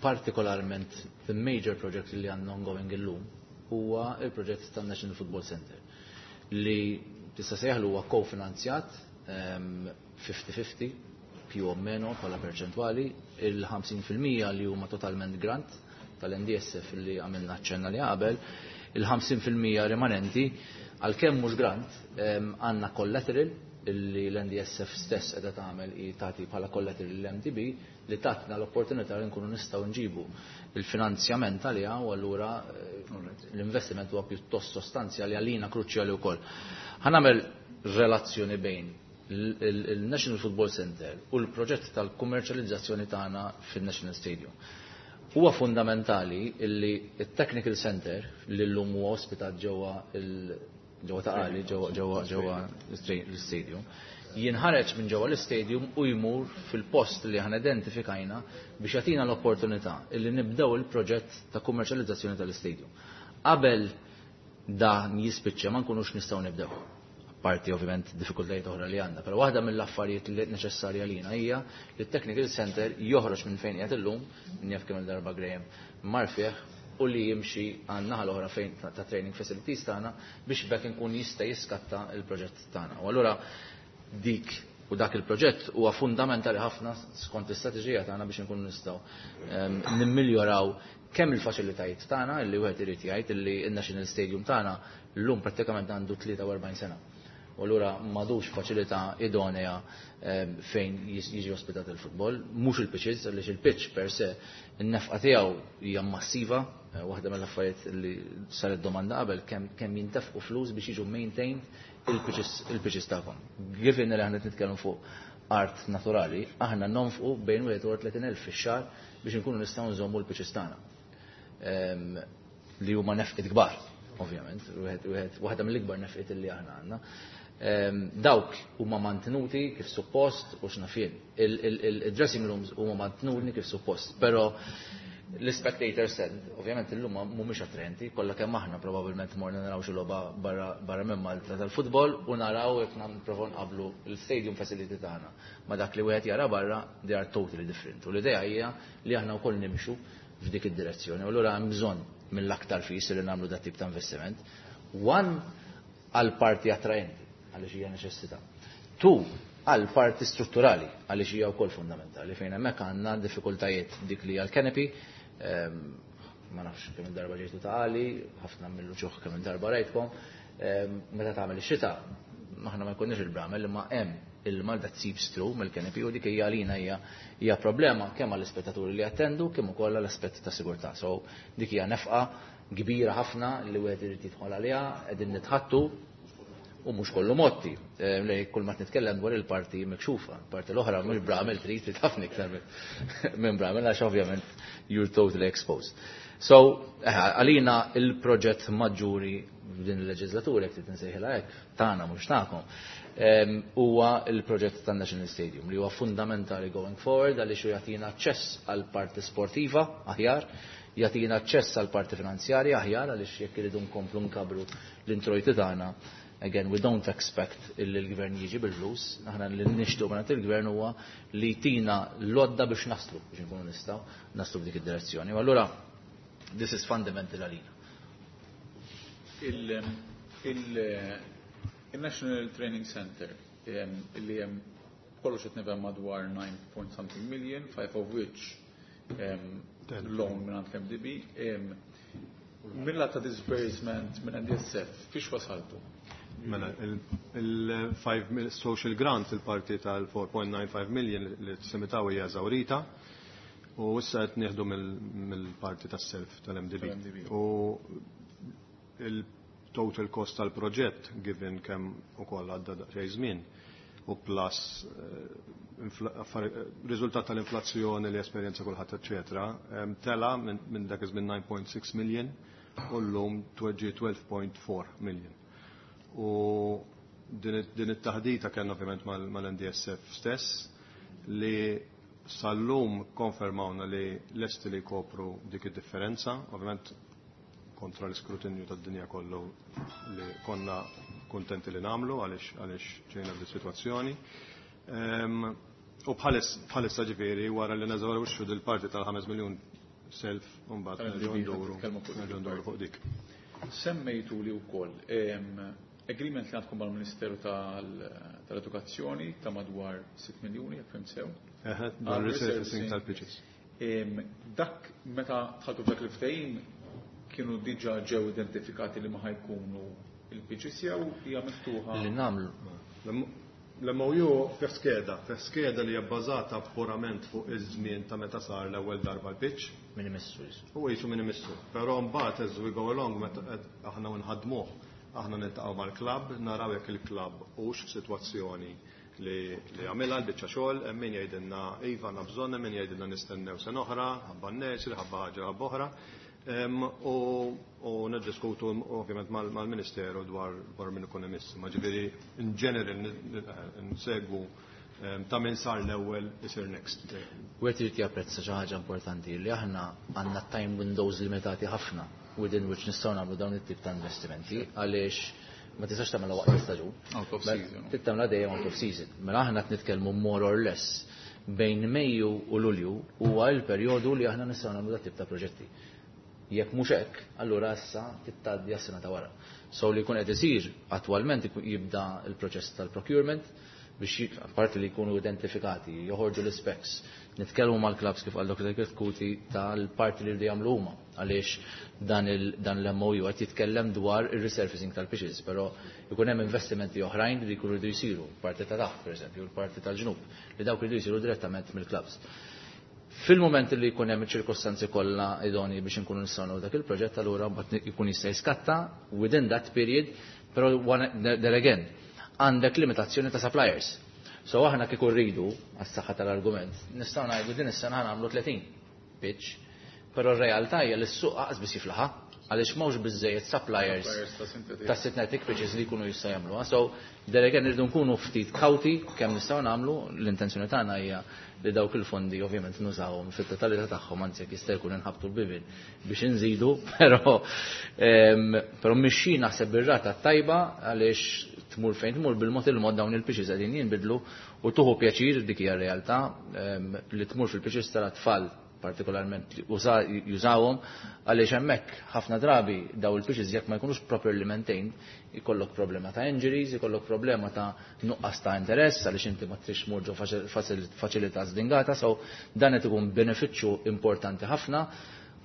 partikolarment the major project li għandna ongoing illum huwa il-proġett tan-National Football Center li tista' sejħlu huwa kofinanzjat ehm, fifty fifty più o meno bħala perċentwali, il-ħamsin fil-mija li huma totalment grant tal-N D S F li għamilna ċenna li qabel, il-ħamsin fil-mija rimanenti, għalkemm mhux grant, ehm, għandna collateral illi l-N D S F stess qiegħda tagħmel i tagħti bħala collateral l-M D B li tatna l-opportunità li nkunu nistgħu nġibu il-finanzjament għaliha u allura eh, l-investiment huwa pjuttost sostanzjali, għalina kruċjali wkoll. Ħa nagħmel relazzjoni bejn il-National Football Center u l-proġett tal-kummerċjalizzazzjoni tagħna fil-National Stadium. Huwa fundamentali illi il-Technical Center li llum huwa ospitat ġewwa ġewwa Ta' Qali, ġewwa ġewwa ġewwa l-stadium, jinħareġ minn ġewwa l-istadium u jmur fil-post li aħna identifikajna biex jagħtina l-opportunità illi nibdew il-proġett ta' kummerċjalizzazzjoni tal-istadium. Qabel dan jispiċċa ma nkunux nistgħu nibdew. Parti ovvjament diffikultajiet oħra li għandna, però waħda mill-affarijiet li neċessarja lina hija li t-technical center joħroġ minn fejn qiegħed illum, jaf kemm il-darba Graham mar fih, u li jimxi għan-naħa l-oħra fejn ta' training facilities tagħna biex bekk nkun jista' jiskatta il-proġett tagħna. U allura dik u dak il-proġett huwa fundamentali ħafna skont l-istrateġija tagħna biex nkunu nistgħu ehm, nimmiljoraw kemm il-faċilitajiet tagħna, li wieħed irid jgħid li n-National Stadium tagħna llum prattikament għandu tlieta u erbgħin sena. U allura m'għadux faċilità idonea ehm, fejn jiġi ospitat il-futbol, mhux il-pitches, għaliex il-pitch per se in-nefqa tiegħu hija massiva, eh, waħda mill-affarijiet li saret domanda qabel, kemm kemm jintefqu flus biex jiġu maintained il-pitches tagħkom. Given li aħna nitkellmu fuq art naturali, aħna nonfqu bejn wieħed u tletin elf fix-xahar biex inkunu nistgħu nżommu l-pitches tagħna. Ehm, li huma nefqiet kbar, ovvjament, waħda mill-ikbar nefqiet li aħna għandna. Ehm, dawk huma mantenuti kif suppost u x'naf jien. Il-dressing rooms huma mantenuti kif suppost, però l-spectator stand, ovvjament, illum mhumiex attraenti. Kollha kemm aħna probabbilment morna naraw xi logħba barra minn Malta tal-futbol u naraw, jekk nipprovaw nqablu l-stadium facility tagħna ma dak li wieħed jara barra, they are totally different. U l-idea hija li aħna wkoll nimxu f'dik id-direzzjoni. U allura hemm bżonn mill-aktar fis li nagħmlu dat tip ta' investiment. One, għal parti attraenti, għaliex hija neċessità. Two, għal parti strutturali, għaliex hija wkoll fundamentali, fejn hemmhekk għandna diffikultajiet dik li għal canopy, ehm, ma nafx kemm darba ġejtu Ta' Qali, ħafna mill-uċuħ kemm darba rajtkom, ehm, meta tagħmel ix-xita, aħna ma jkunniex il-bramel, imma hemm ilma that seeps through mill-canopy u dik hija għalina hija hija problema kemm għall-ispettaturi li attendu kemm ukoll għall-aspett ta' sigurtà. So dik hija nefqa kbira ħafna li wieħed irid jidħol għaliha, qegħdin nitħattu u mhux kollu motti. Eh, li kull ma nitkellem dwar il-parti mikxufa, parti l-oħra mhux bramel, trid trid ħafna iktar minn bramel għax ovvjament you're totally exposed. So, eh, għalina il-proġett maġġuri din il-leġislatura, jekk trid insejħilha hekk, tagħna mhux tagħkom, huwa il-proġett tan-National Stadium li huwa fundamentali going forward għaliex jagħtina aċċess għal parti sportiva aħjar, Jagħtina aċċess għal parti finanzjarja aħjar għaliex jekk iridu nkomplu nkabru l-introjti tagħna. Again, we don't expect illi l-gvern jiġi bil-flus, aħna li nixtiequ minn il-gvern huwa li jtina l-għodda biex naslu, biex nkunu nistgħu naslu f'dik id-direzzjoni. U allura this is fundamental għalina. Il-National Training Center illi hemm kollox qed nifhem madwar nine point something million, five of which loan minn l-M D B. Milla ta' disbursement minn N D S F, fiex wasaltu? Mela, il-five social grant, il-parti tal-four point nine five million li t-semitaw hija eżawrita u issa qed nieħdu mill-parti tas-self tal-M D B. U il-total cost tal-proġett, given kemm ukoll għadda daqsxejn żmien, u plus eh, riżultat tal-inflazzjoni li esperjenza kulħadd, eċetera, tela minn dak iż-żmien nine point six million u llum tweġġi twelve point four million. U din it-taħdita kellna ovvjament mal-N D S F stess li sal-lum konfermawna li lesti li kopru dik id-differenza, ovvjament kontra l-iskrutinju tad-dinja kollu li konna kontenti li namlu għaliex għaliex ġejna f'di situazzjoni. U bħalissa ġifieri wara li neżawrixxu dil-parti tal-ħames miljun self u mbagħad nerġgħu nduru nerġgħu nduru fuq dik. Semmejtu li wkoll agreement li għandkom mal-Ministeru tal-Edukazzjoni ta' madwar sitt miljuni, jekk fhimt sew. Dwar resurfacing tal-pitches. Dak meta dħaltu f'dak il-ftehim kienu diġà ġew identifikati li ma ħa jkunu il-pitches jew hija miftuħa? Li nagħmlu. L-M O U fih skeda, fih skeda li hija bbażata purament fuq iż-żmien ta' meta sar l-ewwel darba l-pitch. Min imissu. U jisu min imissu. Però mbagħad as we go along, meta aħna nħadmuh, aħna niltaqgħu mal-klabb, naraw jekk il-klabb hux f'sitwazzjoni li li għamilha l-biċċa xogħol, hemm min jgħidilna iva għandna bżonn, hemm min jgħidilna nistennew sena oħra, ħabba n-nursery, ħabba ħaġa ħabba oħra. U u niddiskutu ovvjament mal-Ministeru dwar dwar min ikun imiss. Ma ġifieri in general nsegwu ta' min sar l-ewwel isir next. Wieħed irid japprezza xi ħaġa importanti li aħna għandna time windows limitati ħafna within which nistgħu nagħmlu dawn it-tip ta' investimenti, għaliex ma tistax tagħmilha waqt l-istaġun. Out of season. Trid tagħmilha dejjem out of season. Mela aħna qed nitkellmu more or less bejn Mejju u Lulju huwa l-perjodu li aħna nistgħu nagħmlu dat tip ta' proġetti. Jekk mhux hekk, allura issa tgħaddi għas-sena ta' wara. So li jkun qed isir attwalment jibda l-proċess tal-procurement biex parti li jkunu identifikati, joħorġu l-specs, nitkellmu mal-clubs kif qal Doktor Kuti tal-parti li jagħmlu huma, għaliex dan l-M O U qed jitkellem dwar ir-resurfacing tal-pitches, però jkun hemm investimenti oħrajn li jkunu jridu jsiru, parti ta' taħt pereżempju, l-parti tal-ġnub, li dawk jridu jsiru direttament mill-clubs. Fil-moment li jkun hemm iċ-ċirkostanzi kollha idoni biex inkunu nistgħu dak il-proġett, allura mbagħad jkun jista' jiskatta within that period, però there again għandek limitazzjoni ta' suppliers. So aħna kieku rridu, għas-saħħa tal-argument, nistgħu ngħidu din is-sena nagħmlu tletin pitch, però r-realtà hija li s-suq aqas biss jiflaħa għaliex m'hawnx biżejjed suppliers ta' synthetic pitches li jkunu jista' jagħmluha. So there again irridu nkunu ftit kawti kemm nistgħu nagħmlu. L-intenzjoni tagħna hija li dawk il-fondi ovvjament nużawhom fit-totalità tagħhom, anzi jekk jista' jkun inħabtu l-bibien biex inżidu, però però mixi naħseb bir-rata tajba għaliex tmur fejn tmur bil-mod il-mod dawn il-pitches qegħdin jinbidlu u tuħu pjaċir, dik hija realtà li tmur fil-pitches tal-tfal partikolarment jużawhom, għaliex hemmhekk ħafna drabi daw il-pitches jekk ma jkunux properly maintained ikollok problema ta' injuries, ikollok problema ta' nuqqas ta' interess għaliex inti ma trix tmur ġo faċilità zdingata, so dan qed ikun benefiċċju importanti ħafna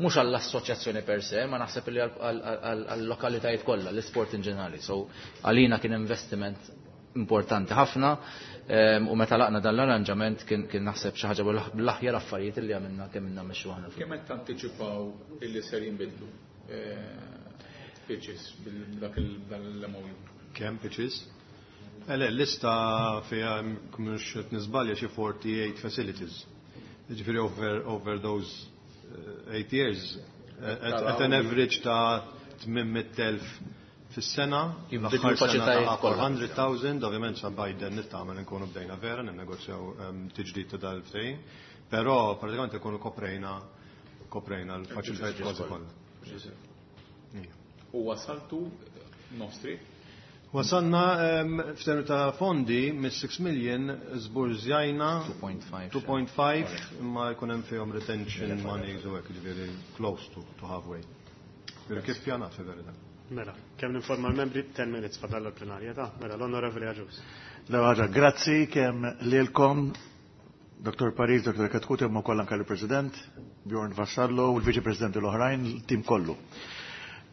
mhux għall-assoċjazzjoni per se, ma naħseb li għall-lokalitajiet kollha, l-isport in ġenerali. So għalina kien investiment importanti ħafna u meta laqna dan l-arranġament kien naħseb xi ħaġa bl-aħjar affarijiet li għamilna kemm ilna mmexxu aħna. Kemm qed tantiċipaw illi ser jinbidlu pitches bil-dak l-M O U? Kemm pitches? Ele, lista fiha, mhux qed niżbalja, xi forty-eight facilities. Ġifieri over, over those eight years at, at an average ta' tmien mitt elf fis-sena, l-aħħar sena ta' four hundred thousand, ovvjament sa Biden nittama nkunu bdejna vera ninnegozjaw tiġdid ta' dal-ftehim, però pratikament ikunu koprejna Koprejna l-faċilitajiet kważi kollha. U wasaltu nostri? Wasalna f'termini ta' fondi mis-six million żburżjajna two point five imma jkun hemm fihom retention monies u hekk, ġifieri close to, to halfway. Ġifieri kif pjanat fil-verità. Mela, kemm ninforma l-membri ten minutes fadal l-plenarja ta' mela l-Onorevoli Agius. Ħaġa, grazzi kemm lilkom Doktor Paris, Doktor Katkut, imma wkoll anke l-President Bjorn Vassallo u l-Viċi Presidenti l-oħrajn, il-tim kollu.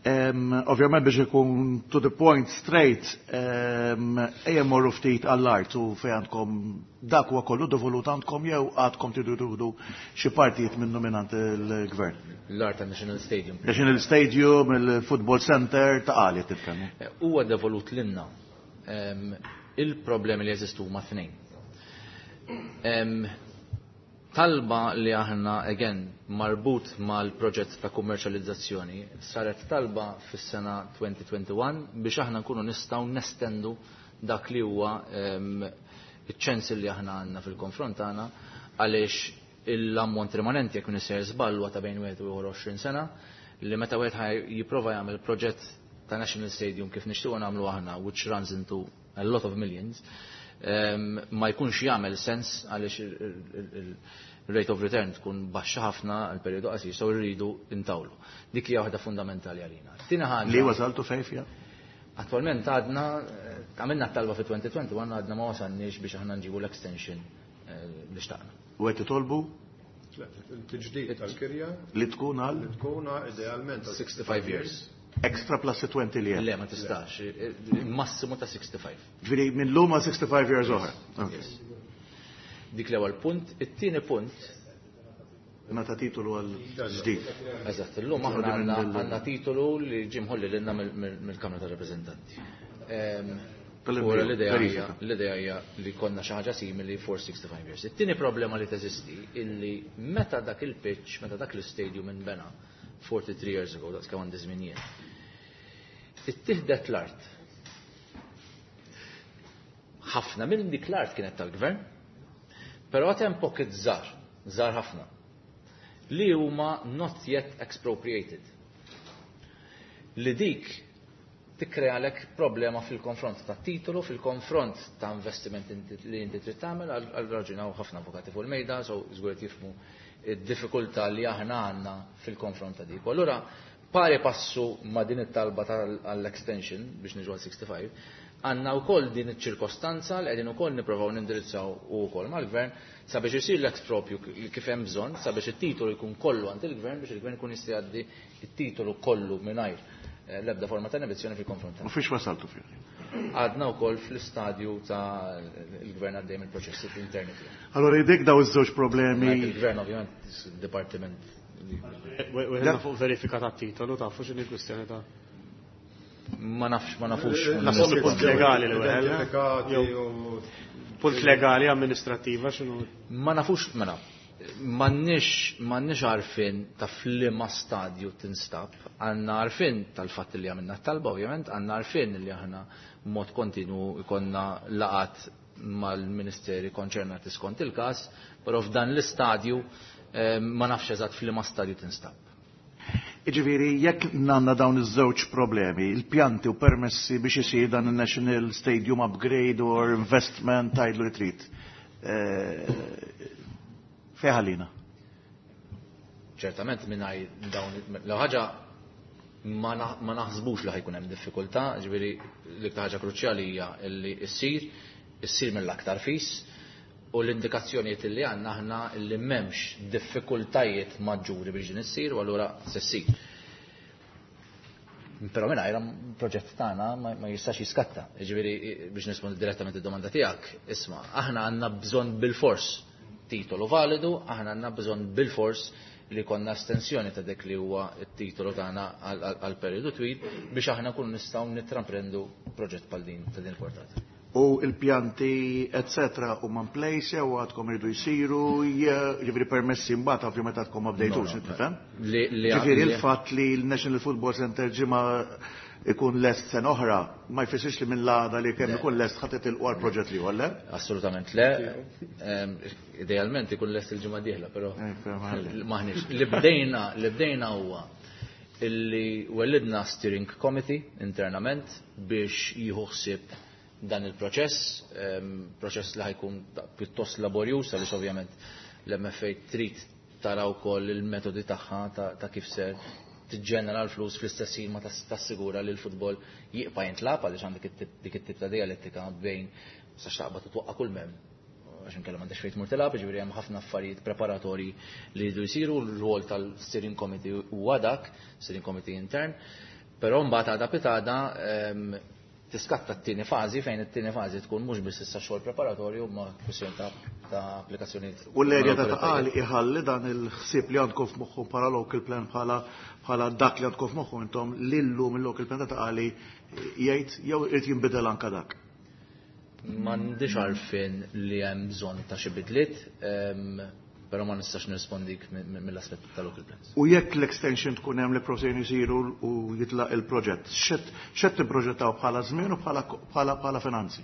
Ovvjament biex ikun to the point straight, ejja morru ftit għall-art u fejn għandkom dak huwa kollu devolut għandkom jew għadkom tridu tieħdu xi partijiet minnu mingħand il-gvern. L-art ta' National Stadium. National Stadium, il-Football Center, ta' qali titkellmu. Huwa devolut lilna. Il-problemi li jeżistu huma tnejn. Talba li aħna, again, marbut mal-proġett ta' kummerċjalizzazzjoni, saret talba fis-sena twenty twenty-one biex aħna nkunu nistgħu nestendu dak li huwa iċ-ċens li aħna għandna fil-konfront tagħna, għaliex l-ammont rimanenti jekk nisser żball huwa ta' bejn wieħed u għoxrin sena, li meta wieħed jipprova jagħmel proġett ta' National Stadium kif nixtiequ nagħmlu aħna, which runs into a lot of millions, ma jkunx jagħmel sens għaliex il-rate of return tkun baxxa ħafna għal perjodu qasir, so rridu intawlu. Dik hija waħda fundamentali għalina. Tieni ħaġa. Li wasaltu fejn fiha? Attwalment għadna, għamilna t-talba fi twenty twenty-one, għadna ma wasalniex biex aħna nġibu l-extension li xtaqna. U qed titolbu? Il-tiġdid tal-kirja li tkun għal? Li tkun idealment għal sixty-five years. Extra plus twenty li hemm. Le, ma tistax, massimu ta' sixty-five. Ġifieri minn lum għal sixty-five years oħra. Yes. Dik l-ewwel punt, it-tieni punt. Meta titolu għal ġdid. Eżatt, illum aħna għandna għandna titolu li ġie mħolli lilna mill-Kamra tar-Rappreżentanti. Tal-Impiegħu, Ora l-idea hija, verifika. l-idea hija li konna xi ħaġa simili for sixty-five years. It-tieni problema li teżisti illi meta dak il-pitch, meta dak l-istadium inbena forty-three years ago, daqs kemm għandi żmien jien, ittieħdet l-art. Ħafna minn dik l-art kienet tal-gvern, però għad hemm pocket żgħar, żgħar ħafna, li huma not yet expropriated. Li dik tikkrealek problema fil-konfront ta' titolu, fil-konfront ta' investiment inti, li inti trid tagħmel, għal, għal raġuni hawn ħafna avukati fuq il-mejda, so żgur qed jifhmu id-diffikultà li aħna għandna fil-konfront ta' dik. U allura pari passu ma' din it-talba għall-extension biex niġu għal sixty-five, għandna wkoll din iċ-ċirkostanza li qegħdin ukoll nippruvaw nindirizzaw ukoll mal-gvern sabiex isir l-expropju kif hemm bżonn, sabiex it-titolu jkun kollu għand il-gvern biex il-gvern jkun jista' jgħaddi it-titolu kollu mingħajr l-ebda forma ta' inibizzjoni fil-konfront tagħna. U fiex wasaltu fih? Għadna wkoll fl-istadju ta' il-gvern għaddej mill-proċessi interni tiegħu. Allora jdek daw iż-żewġ problemi. Il-gvern ovvjament dipartiment. Weħna fuq verifika ta' titolu, tafu x'inhi l-kwistjoni ta' Ma nafx, ma nafux. Naħseb punt legali li weħel. Identifikati u Punt legali amministrattiva x'inhu? Ma nafux, mela. M'għandniex, m'għandniex għarfien ta' f'liema stadju tinstab, għandna għarfien tal-fatt li għamilna t-talba ovvjament, għandna għarfien li aħna b'mod kontinu ikonna laqat mal-ministeri konċernati skont il-każ, però f'dan l-istadju, eh, ma nafx eżatt f'liema stadju tinstab. Jiġifieri, jekk għandna dawn iż-żewġ problemi, il-pjanti u permessi biex isir dan il-National Stadium Upgrade or Investment tgħidlu li trid, eh, fejn ħallina? Ċertament mingħajr dawn l ħaġa ma na-, ma naħsbux li ħajkun hemm diffikultà, ġifieri l-iktar ħaġa kruċjali hija li ssir, issir mill-aktar fis, u l-indikazzjonijiet li għandna aħna li m'hemmx diffikultajiet maġġuri biex din issir, u allura se ssir. Però mingħajr il-proġett tagħna ma, ma jistax jiskatta. Jiġifieri biex nispondi direttament id-domanda tiegħek, isma' aħna għandna bżonn bil-fors titolu validu, aħna għandna bżonn bil-fors li konna estensjoni ta' dik li huwa t-titolu tagħna għal, għal, għal periodu twil biex aħna nkunu nistgħu nittramprendu proġett bħal din ta' din il-portata. U il-pjanti, eccetera, u man place, u għadkom iridu jisiru, ġifieri permessi mbagħad ovvjament għadkom ma bdejtux, tifhem? Ġifieri il-fatt li l-National Football Center ġimgħa ikun lest sena oħra, ma jfissirx li minn l-għada li kemm ikun lest ħa titilqu għal proġett li le? Assolutament le. Idealment ikun lest il-ġimgħa dieħla, però maħniex. Li bdejna, li bdejna huwa illi wellidna steering committee internament biex jieħu ħsieb dan il-proċess, proċess li ħajkun pjuttost laborjuż għaliex ovvjament l-M F A trid tara wkoll il-metodi tagħha ta' kif ser tiġġenera l-flus, fl-istess ħin ma tassigura li l-futbol jibqa' jintlagħab, għaliex għandek dik it-tip ta' dialettika bejn sa xtaqba titwaqqa' kull mem għax inkella m'għandekx fejn tmur tilgħab. Ġifieri hemm ħafna affarijiet preparatorji li jridu jsiru, l-rwol tal-steering committee huwa dak, steering committee intern. Però mbagħad għada pitgħada tiskatta t-tieni fażi, fejn it-tieni fażi tkun mhux biss issa xogħol preparatorju ma kwistjoni ta' applikazzjoni. U l-erja ta' Ta' Qali iħalli dan il-ħsieb li għandkom f'moħħu bħala local plan, bħala bħala dak li għandkom f'moħħu intom lillu mill-local plan ta' Ta' Qali jgħid jew irid jinbidel anka dak? M'għandix għarfien li hemm bżonn ta' xi bidliet, però ma nistax nirrispondik mill-aspett tal-local plans. U jekk l-extension tkun hemm li prosejn isiru u jitlaq il-proġett, x'qed tipproġettaw bħala żmien u bħala bħala finanzi?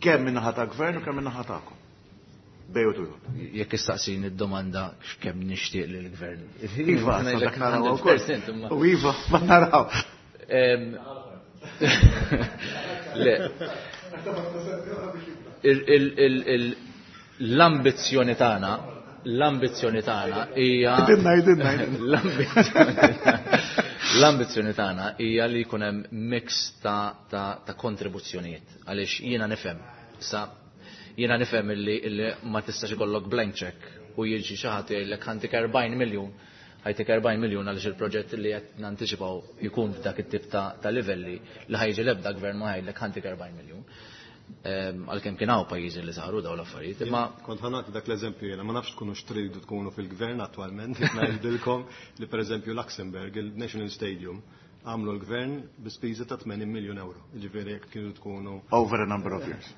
Kemm min-naħa ta' gvern u kemm min-naħa tagħkom? Bejn u Jekk istaqsini id-domanda x'kemm nixtieq li l-gvern. Iva, dak naraw ukoll. U iva, ma naraw. Le. L-ambizzjoni tagħna l-ambizzjoni tagħna hija l-ambizzjoni tagħna hija li jkun hemm mix ta', ta, ta kontribuzzjonijiet, għaliex jiena nifhem sa jiena nifhem illi, illi ma tistax ikollok blank check u jiġi xi ħadd jgħidlek ħa ntik erbgħin miljun, ħa jtik erbgħin miljun, għaliex il-proġett li qed nanticipaw jkun f'dak it-tip ta', ta' livelli li ħa jiġi l-ebda gvern ma ħa jgħidlek ħa ntik erbgħin miljun. Għalkemm kien hawn pajjiżi li saru dawn l-affarijiet. Imma kont ħa nagħti dak l-eżempju jiena, ma nafx tkunu x'tridu tkunu fil-gvern attwalment, ngħidilkom li pereżempju Luxembourg, il-National Stadium, għamlu l-gvern bi spiża ta' tmenin miljun euro. Ġifieri jekk kienu tkunu Over a number of years.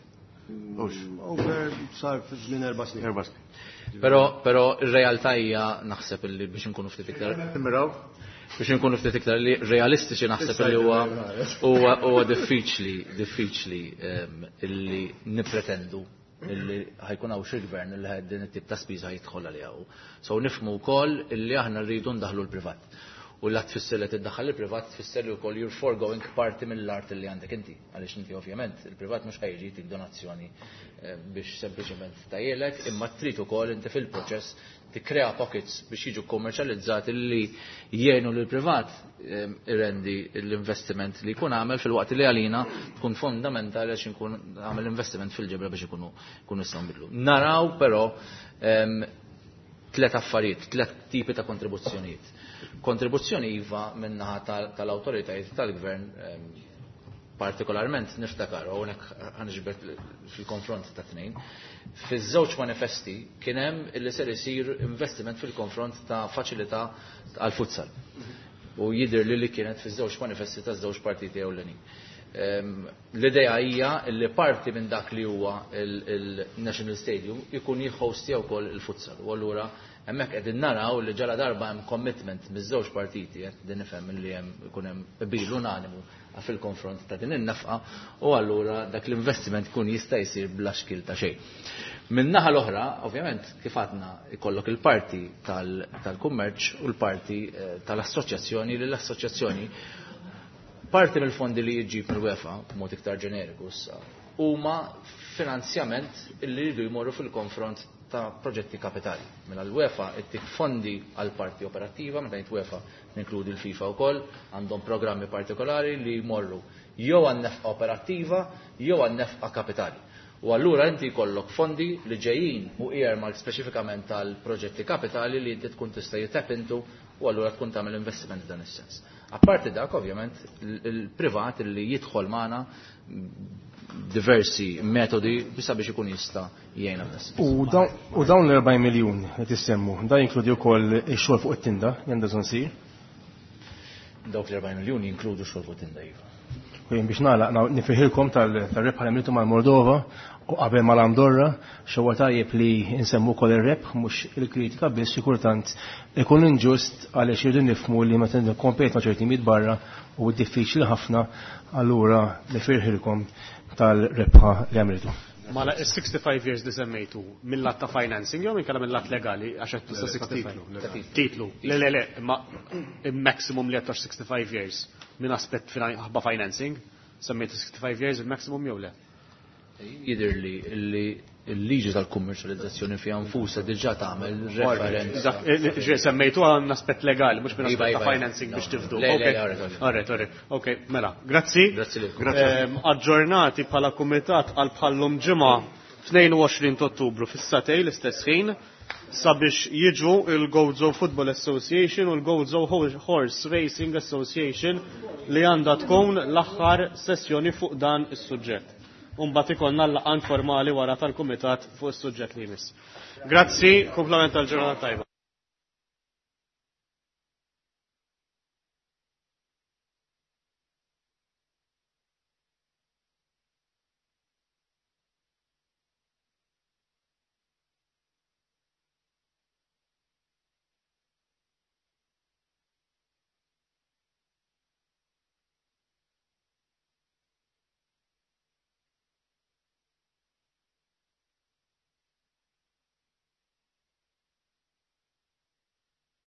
Over sar fi żmien erba' snin. Erba' snin. Però però ir-realtà hija, naħseb illi biex inkunu ftit iktar biex nkunu ftit iktar li realistiċi, naħseb li huwa huwa huwa diffiċli diffiċli illi nippretendu illi ħa jkun hawn xi gvern illi din it-tip ta' spiża jidħol għaliha. So nifhmu wkoll illi aħna rridu ndaħlu l-privat. U la tfisser li tiddaħħal il-privat, tfisser li wkoll you're foregoing parti mill-art li għandek inti. Għaliex inti ovvjament il-privat mhux ħa jiġi jtik donazzjoni eh, biex sempliċement tajjelek, imma trid ukoll inti fil-proċess tikkrea pockets biex jiġu kommerċjalizzati li jgħinu lil privat eh, irendi l-investiment li jkun għamel, fil-waqt li għalina tkun fondamentali għax nkun għamel investiment fil-ġebra biex ikunu ikunu nistgħu nbidlu. Naraw però em, tlet affarijiet, tlet tipi ta' kontribuzzjonijiet. Kontribuzzjoni iva minnaħa tal-autoritajiet tal-gvern, em, partikolarment niftakar, u hawnhekk ħa niġbed fil-konfront ta' tnejn, fiż-żewġ manifesti kien hemm illi ser isir investiment fil-konfront ta' faċilità għal futsal. U jidher li li kienet fiż-żewġ manifesti ta' żewġ partiti ewlenin. Em, L-idea hija li parti minn dak li huwa il-National Stadium ikun jihostja wkoll il-futsal. U allura hemmhekk qegħdin naraw li ġala darba hemm commitment miż-żewġ partiti, qed din nifhem li hemm ikun hemm qbil unanimu fil-konfront ta' din in-nefqa u allura dak l-investiment kun jista' jsir bla xkil ta' xejn. Min naħa l-oħra, ovvjament, kif għadna, ikollok il-parti tal-kummerċ u l-parti eh, tal-assoċjazzjoni, li l-assoċjazzjoni parti mill-fondi li jiġi mill-UEFA, b'mod iktar ġeneriku issa, huma finanzjament li jridu jmorru fil-konfront ta' proġetti kapitali. Mela l-UEFA ittik fondi għal parti operattiva, meta ngħid UEFA ninkludi l-FIFA wkoll, għandhom programmi partikolari li jmorru jew għan nefqa operattiva jew għan nefqa kapitali. U allura inti jkollok fondi li ġejjin u earmark speċifikament tal-proġetti kapitali li inti tkun tista' jitap into u allura tkun tagħmel investiment f'dan is-sens. Apparti dak, ovvjament, il-privat li jidħol magħna diversi metodi sabiex ikun jista' jgħinna f'dan. U dawn u dawn l-erbgħin miljun li tissemmu, da jinkludi wkoll ix-xogħol fuq it-tinda li għandha bżonn sir? Dawk l-erbgħin miljun jinkludu xogħol fuq tinda, iva. U jien biex nagħlaq nifirħilkom tal-rebħa li għamiltu mal-Moldova u qabel mal-Andorra, xewwa tajjeb li nsemmu wkoll ir-rebħ mhux il-kritika biss, xi kultant ikun inġust għaliex irridu nifhmu li meta nikkompet ma' ċerti timijiet barra u diffiċli ħafna, allura nifirħilkom tal-rebħa li għamiltu. Mela, is-sixty-five years li semmejtu mill-lat ta' financing jew inkella mill-lat legali, għax qed tuża sixty-five? Titlu. Le, le, le, ma il-maximum li qed sixty-five years minn aspett ħabba financing, semmejtu sixty-five years il-maximum jew le? Jidher li li l-liġi tal-kummerċjalizzazzjoni fiha nfusha diġà tagħmel referenza. Ġe semmejtu għan aspett legali, mhux minn aspett ta' financing biex tifdu. Alright, alright. Ok, mela, grazzi. Grazzi lilkom. Aġġornati bħala kumitat għal bħallum ġimgħa tnejn u għoxrin ta' Ottubru fis-satej l-istess ħin sabiex jiġu il-Gozo Football Association u l-Gozo Horse Racing Association li għandha tkun l-aħħar sessjoni fuq dan is-suġġett. Umbagħad ikollna l-laqgħa informali wara tal-kumitat fuq is-suġġett li jmiss. Grazzi, kumplament tal-ġurnata tajba.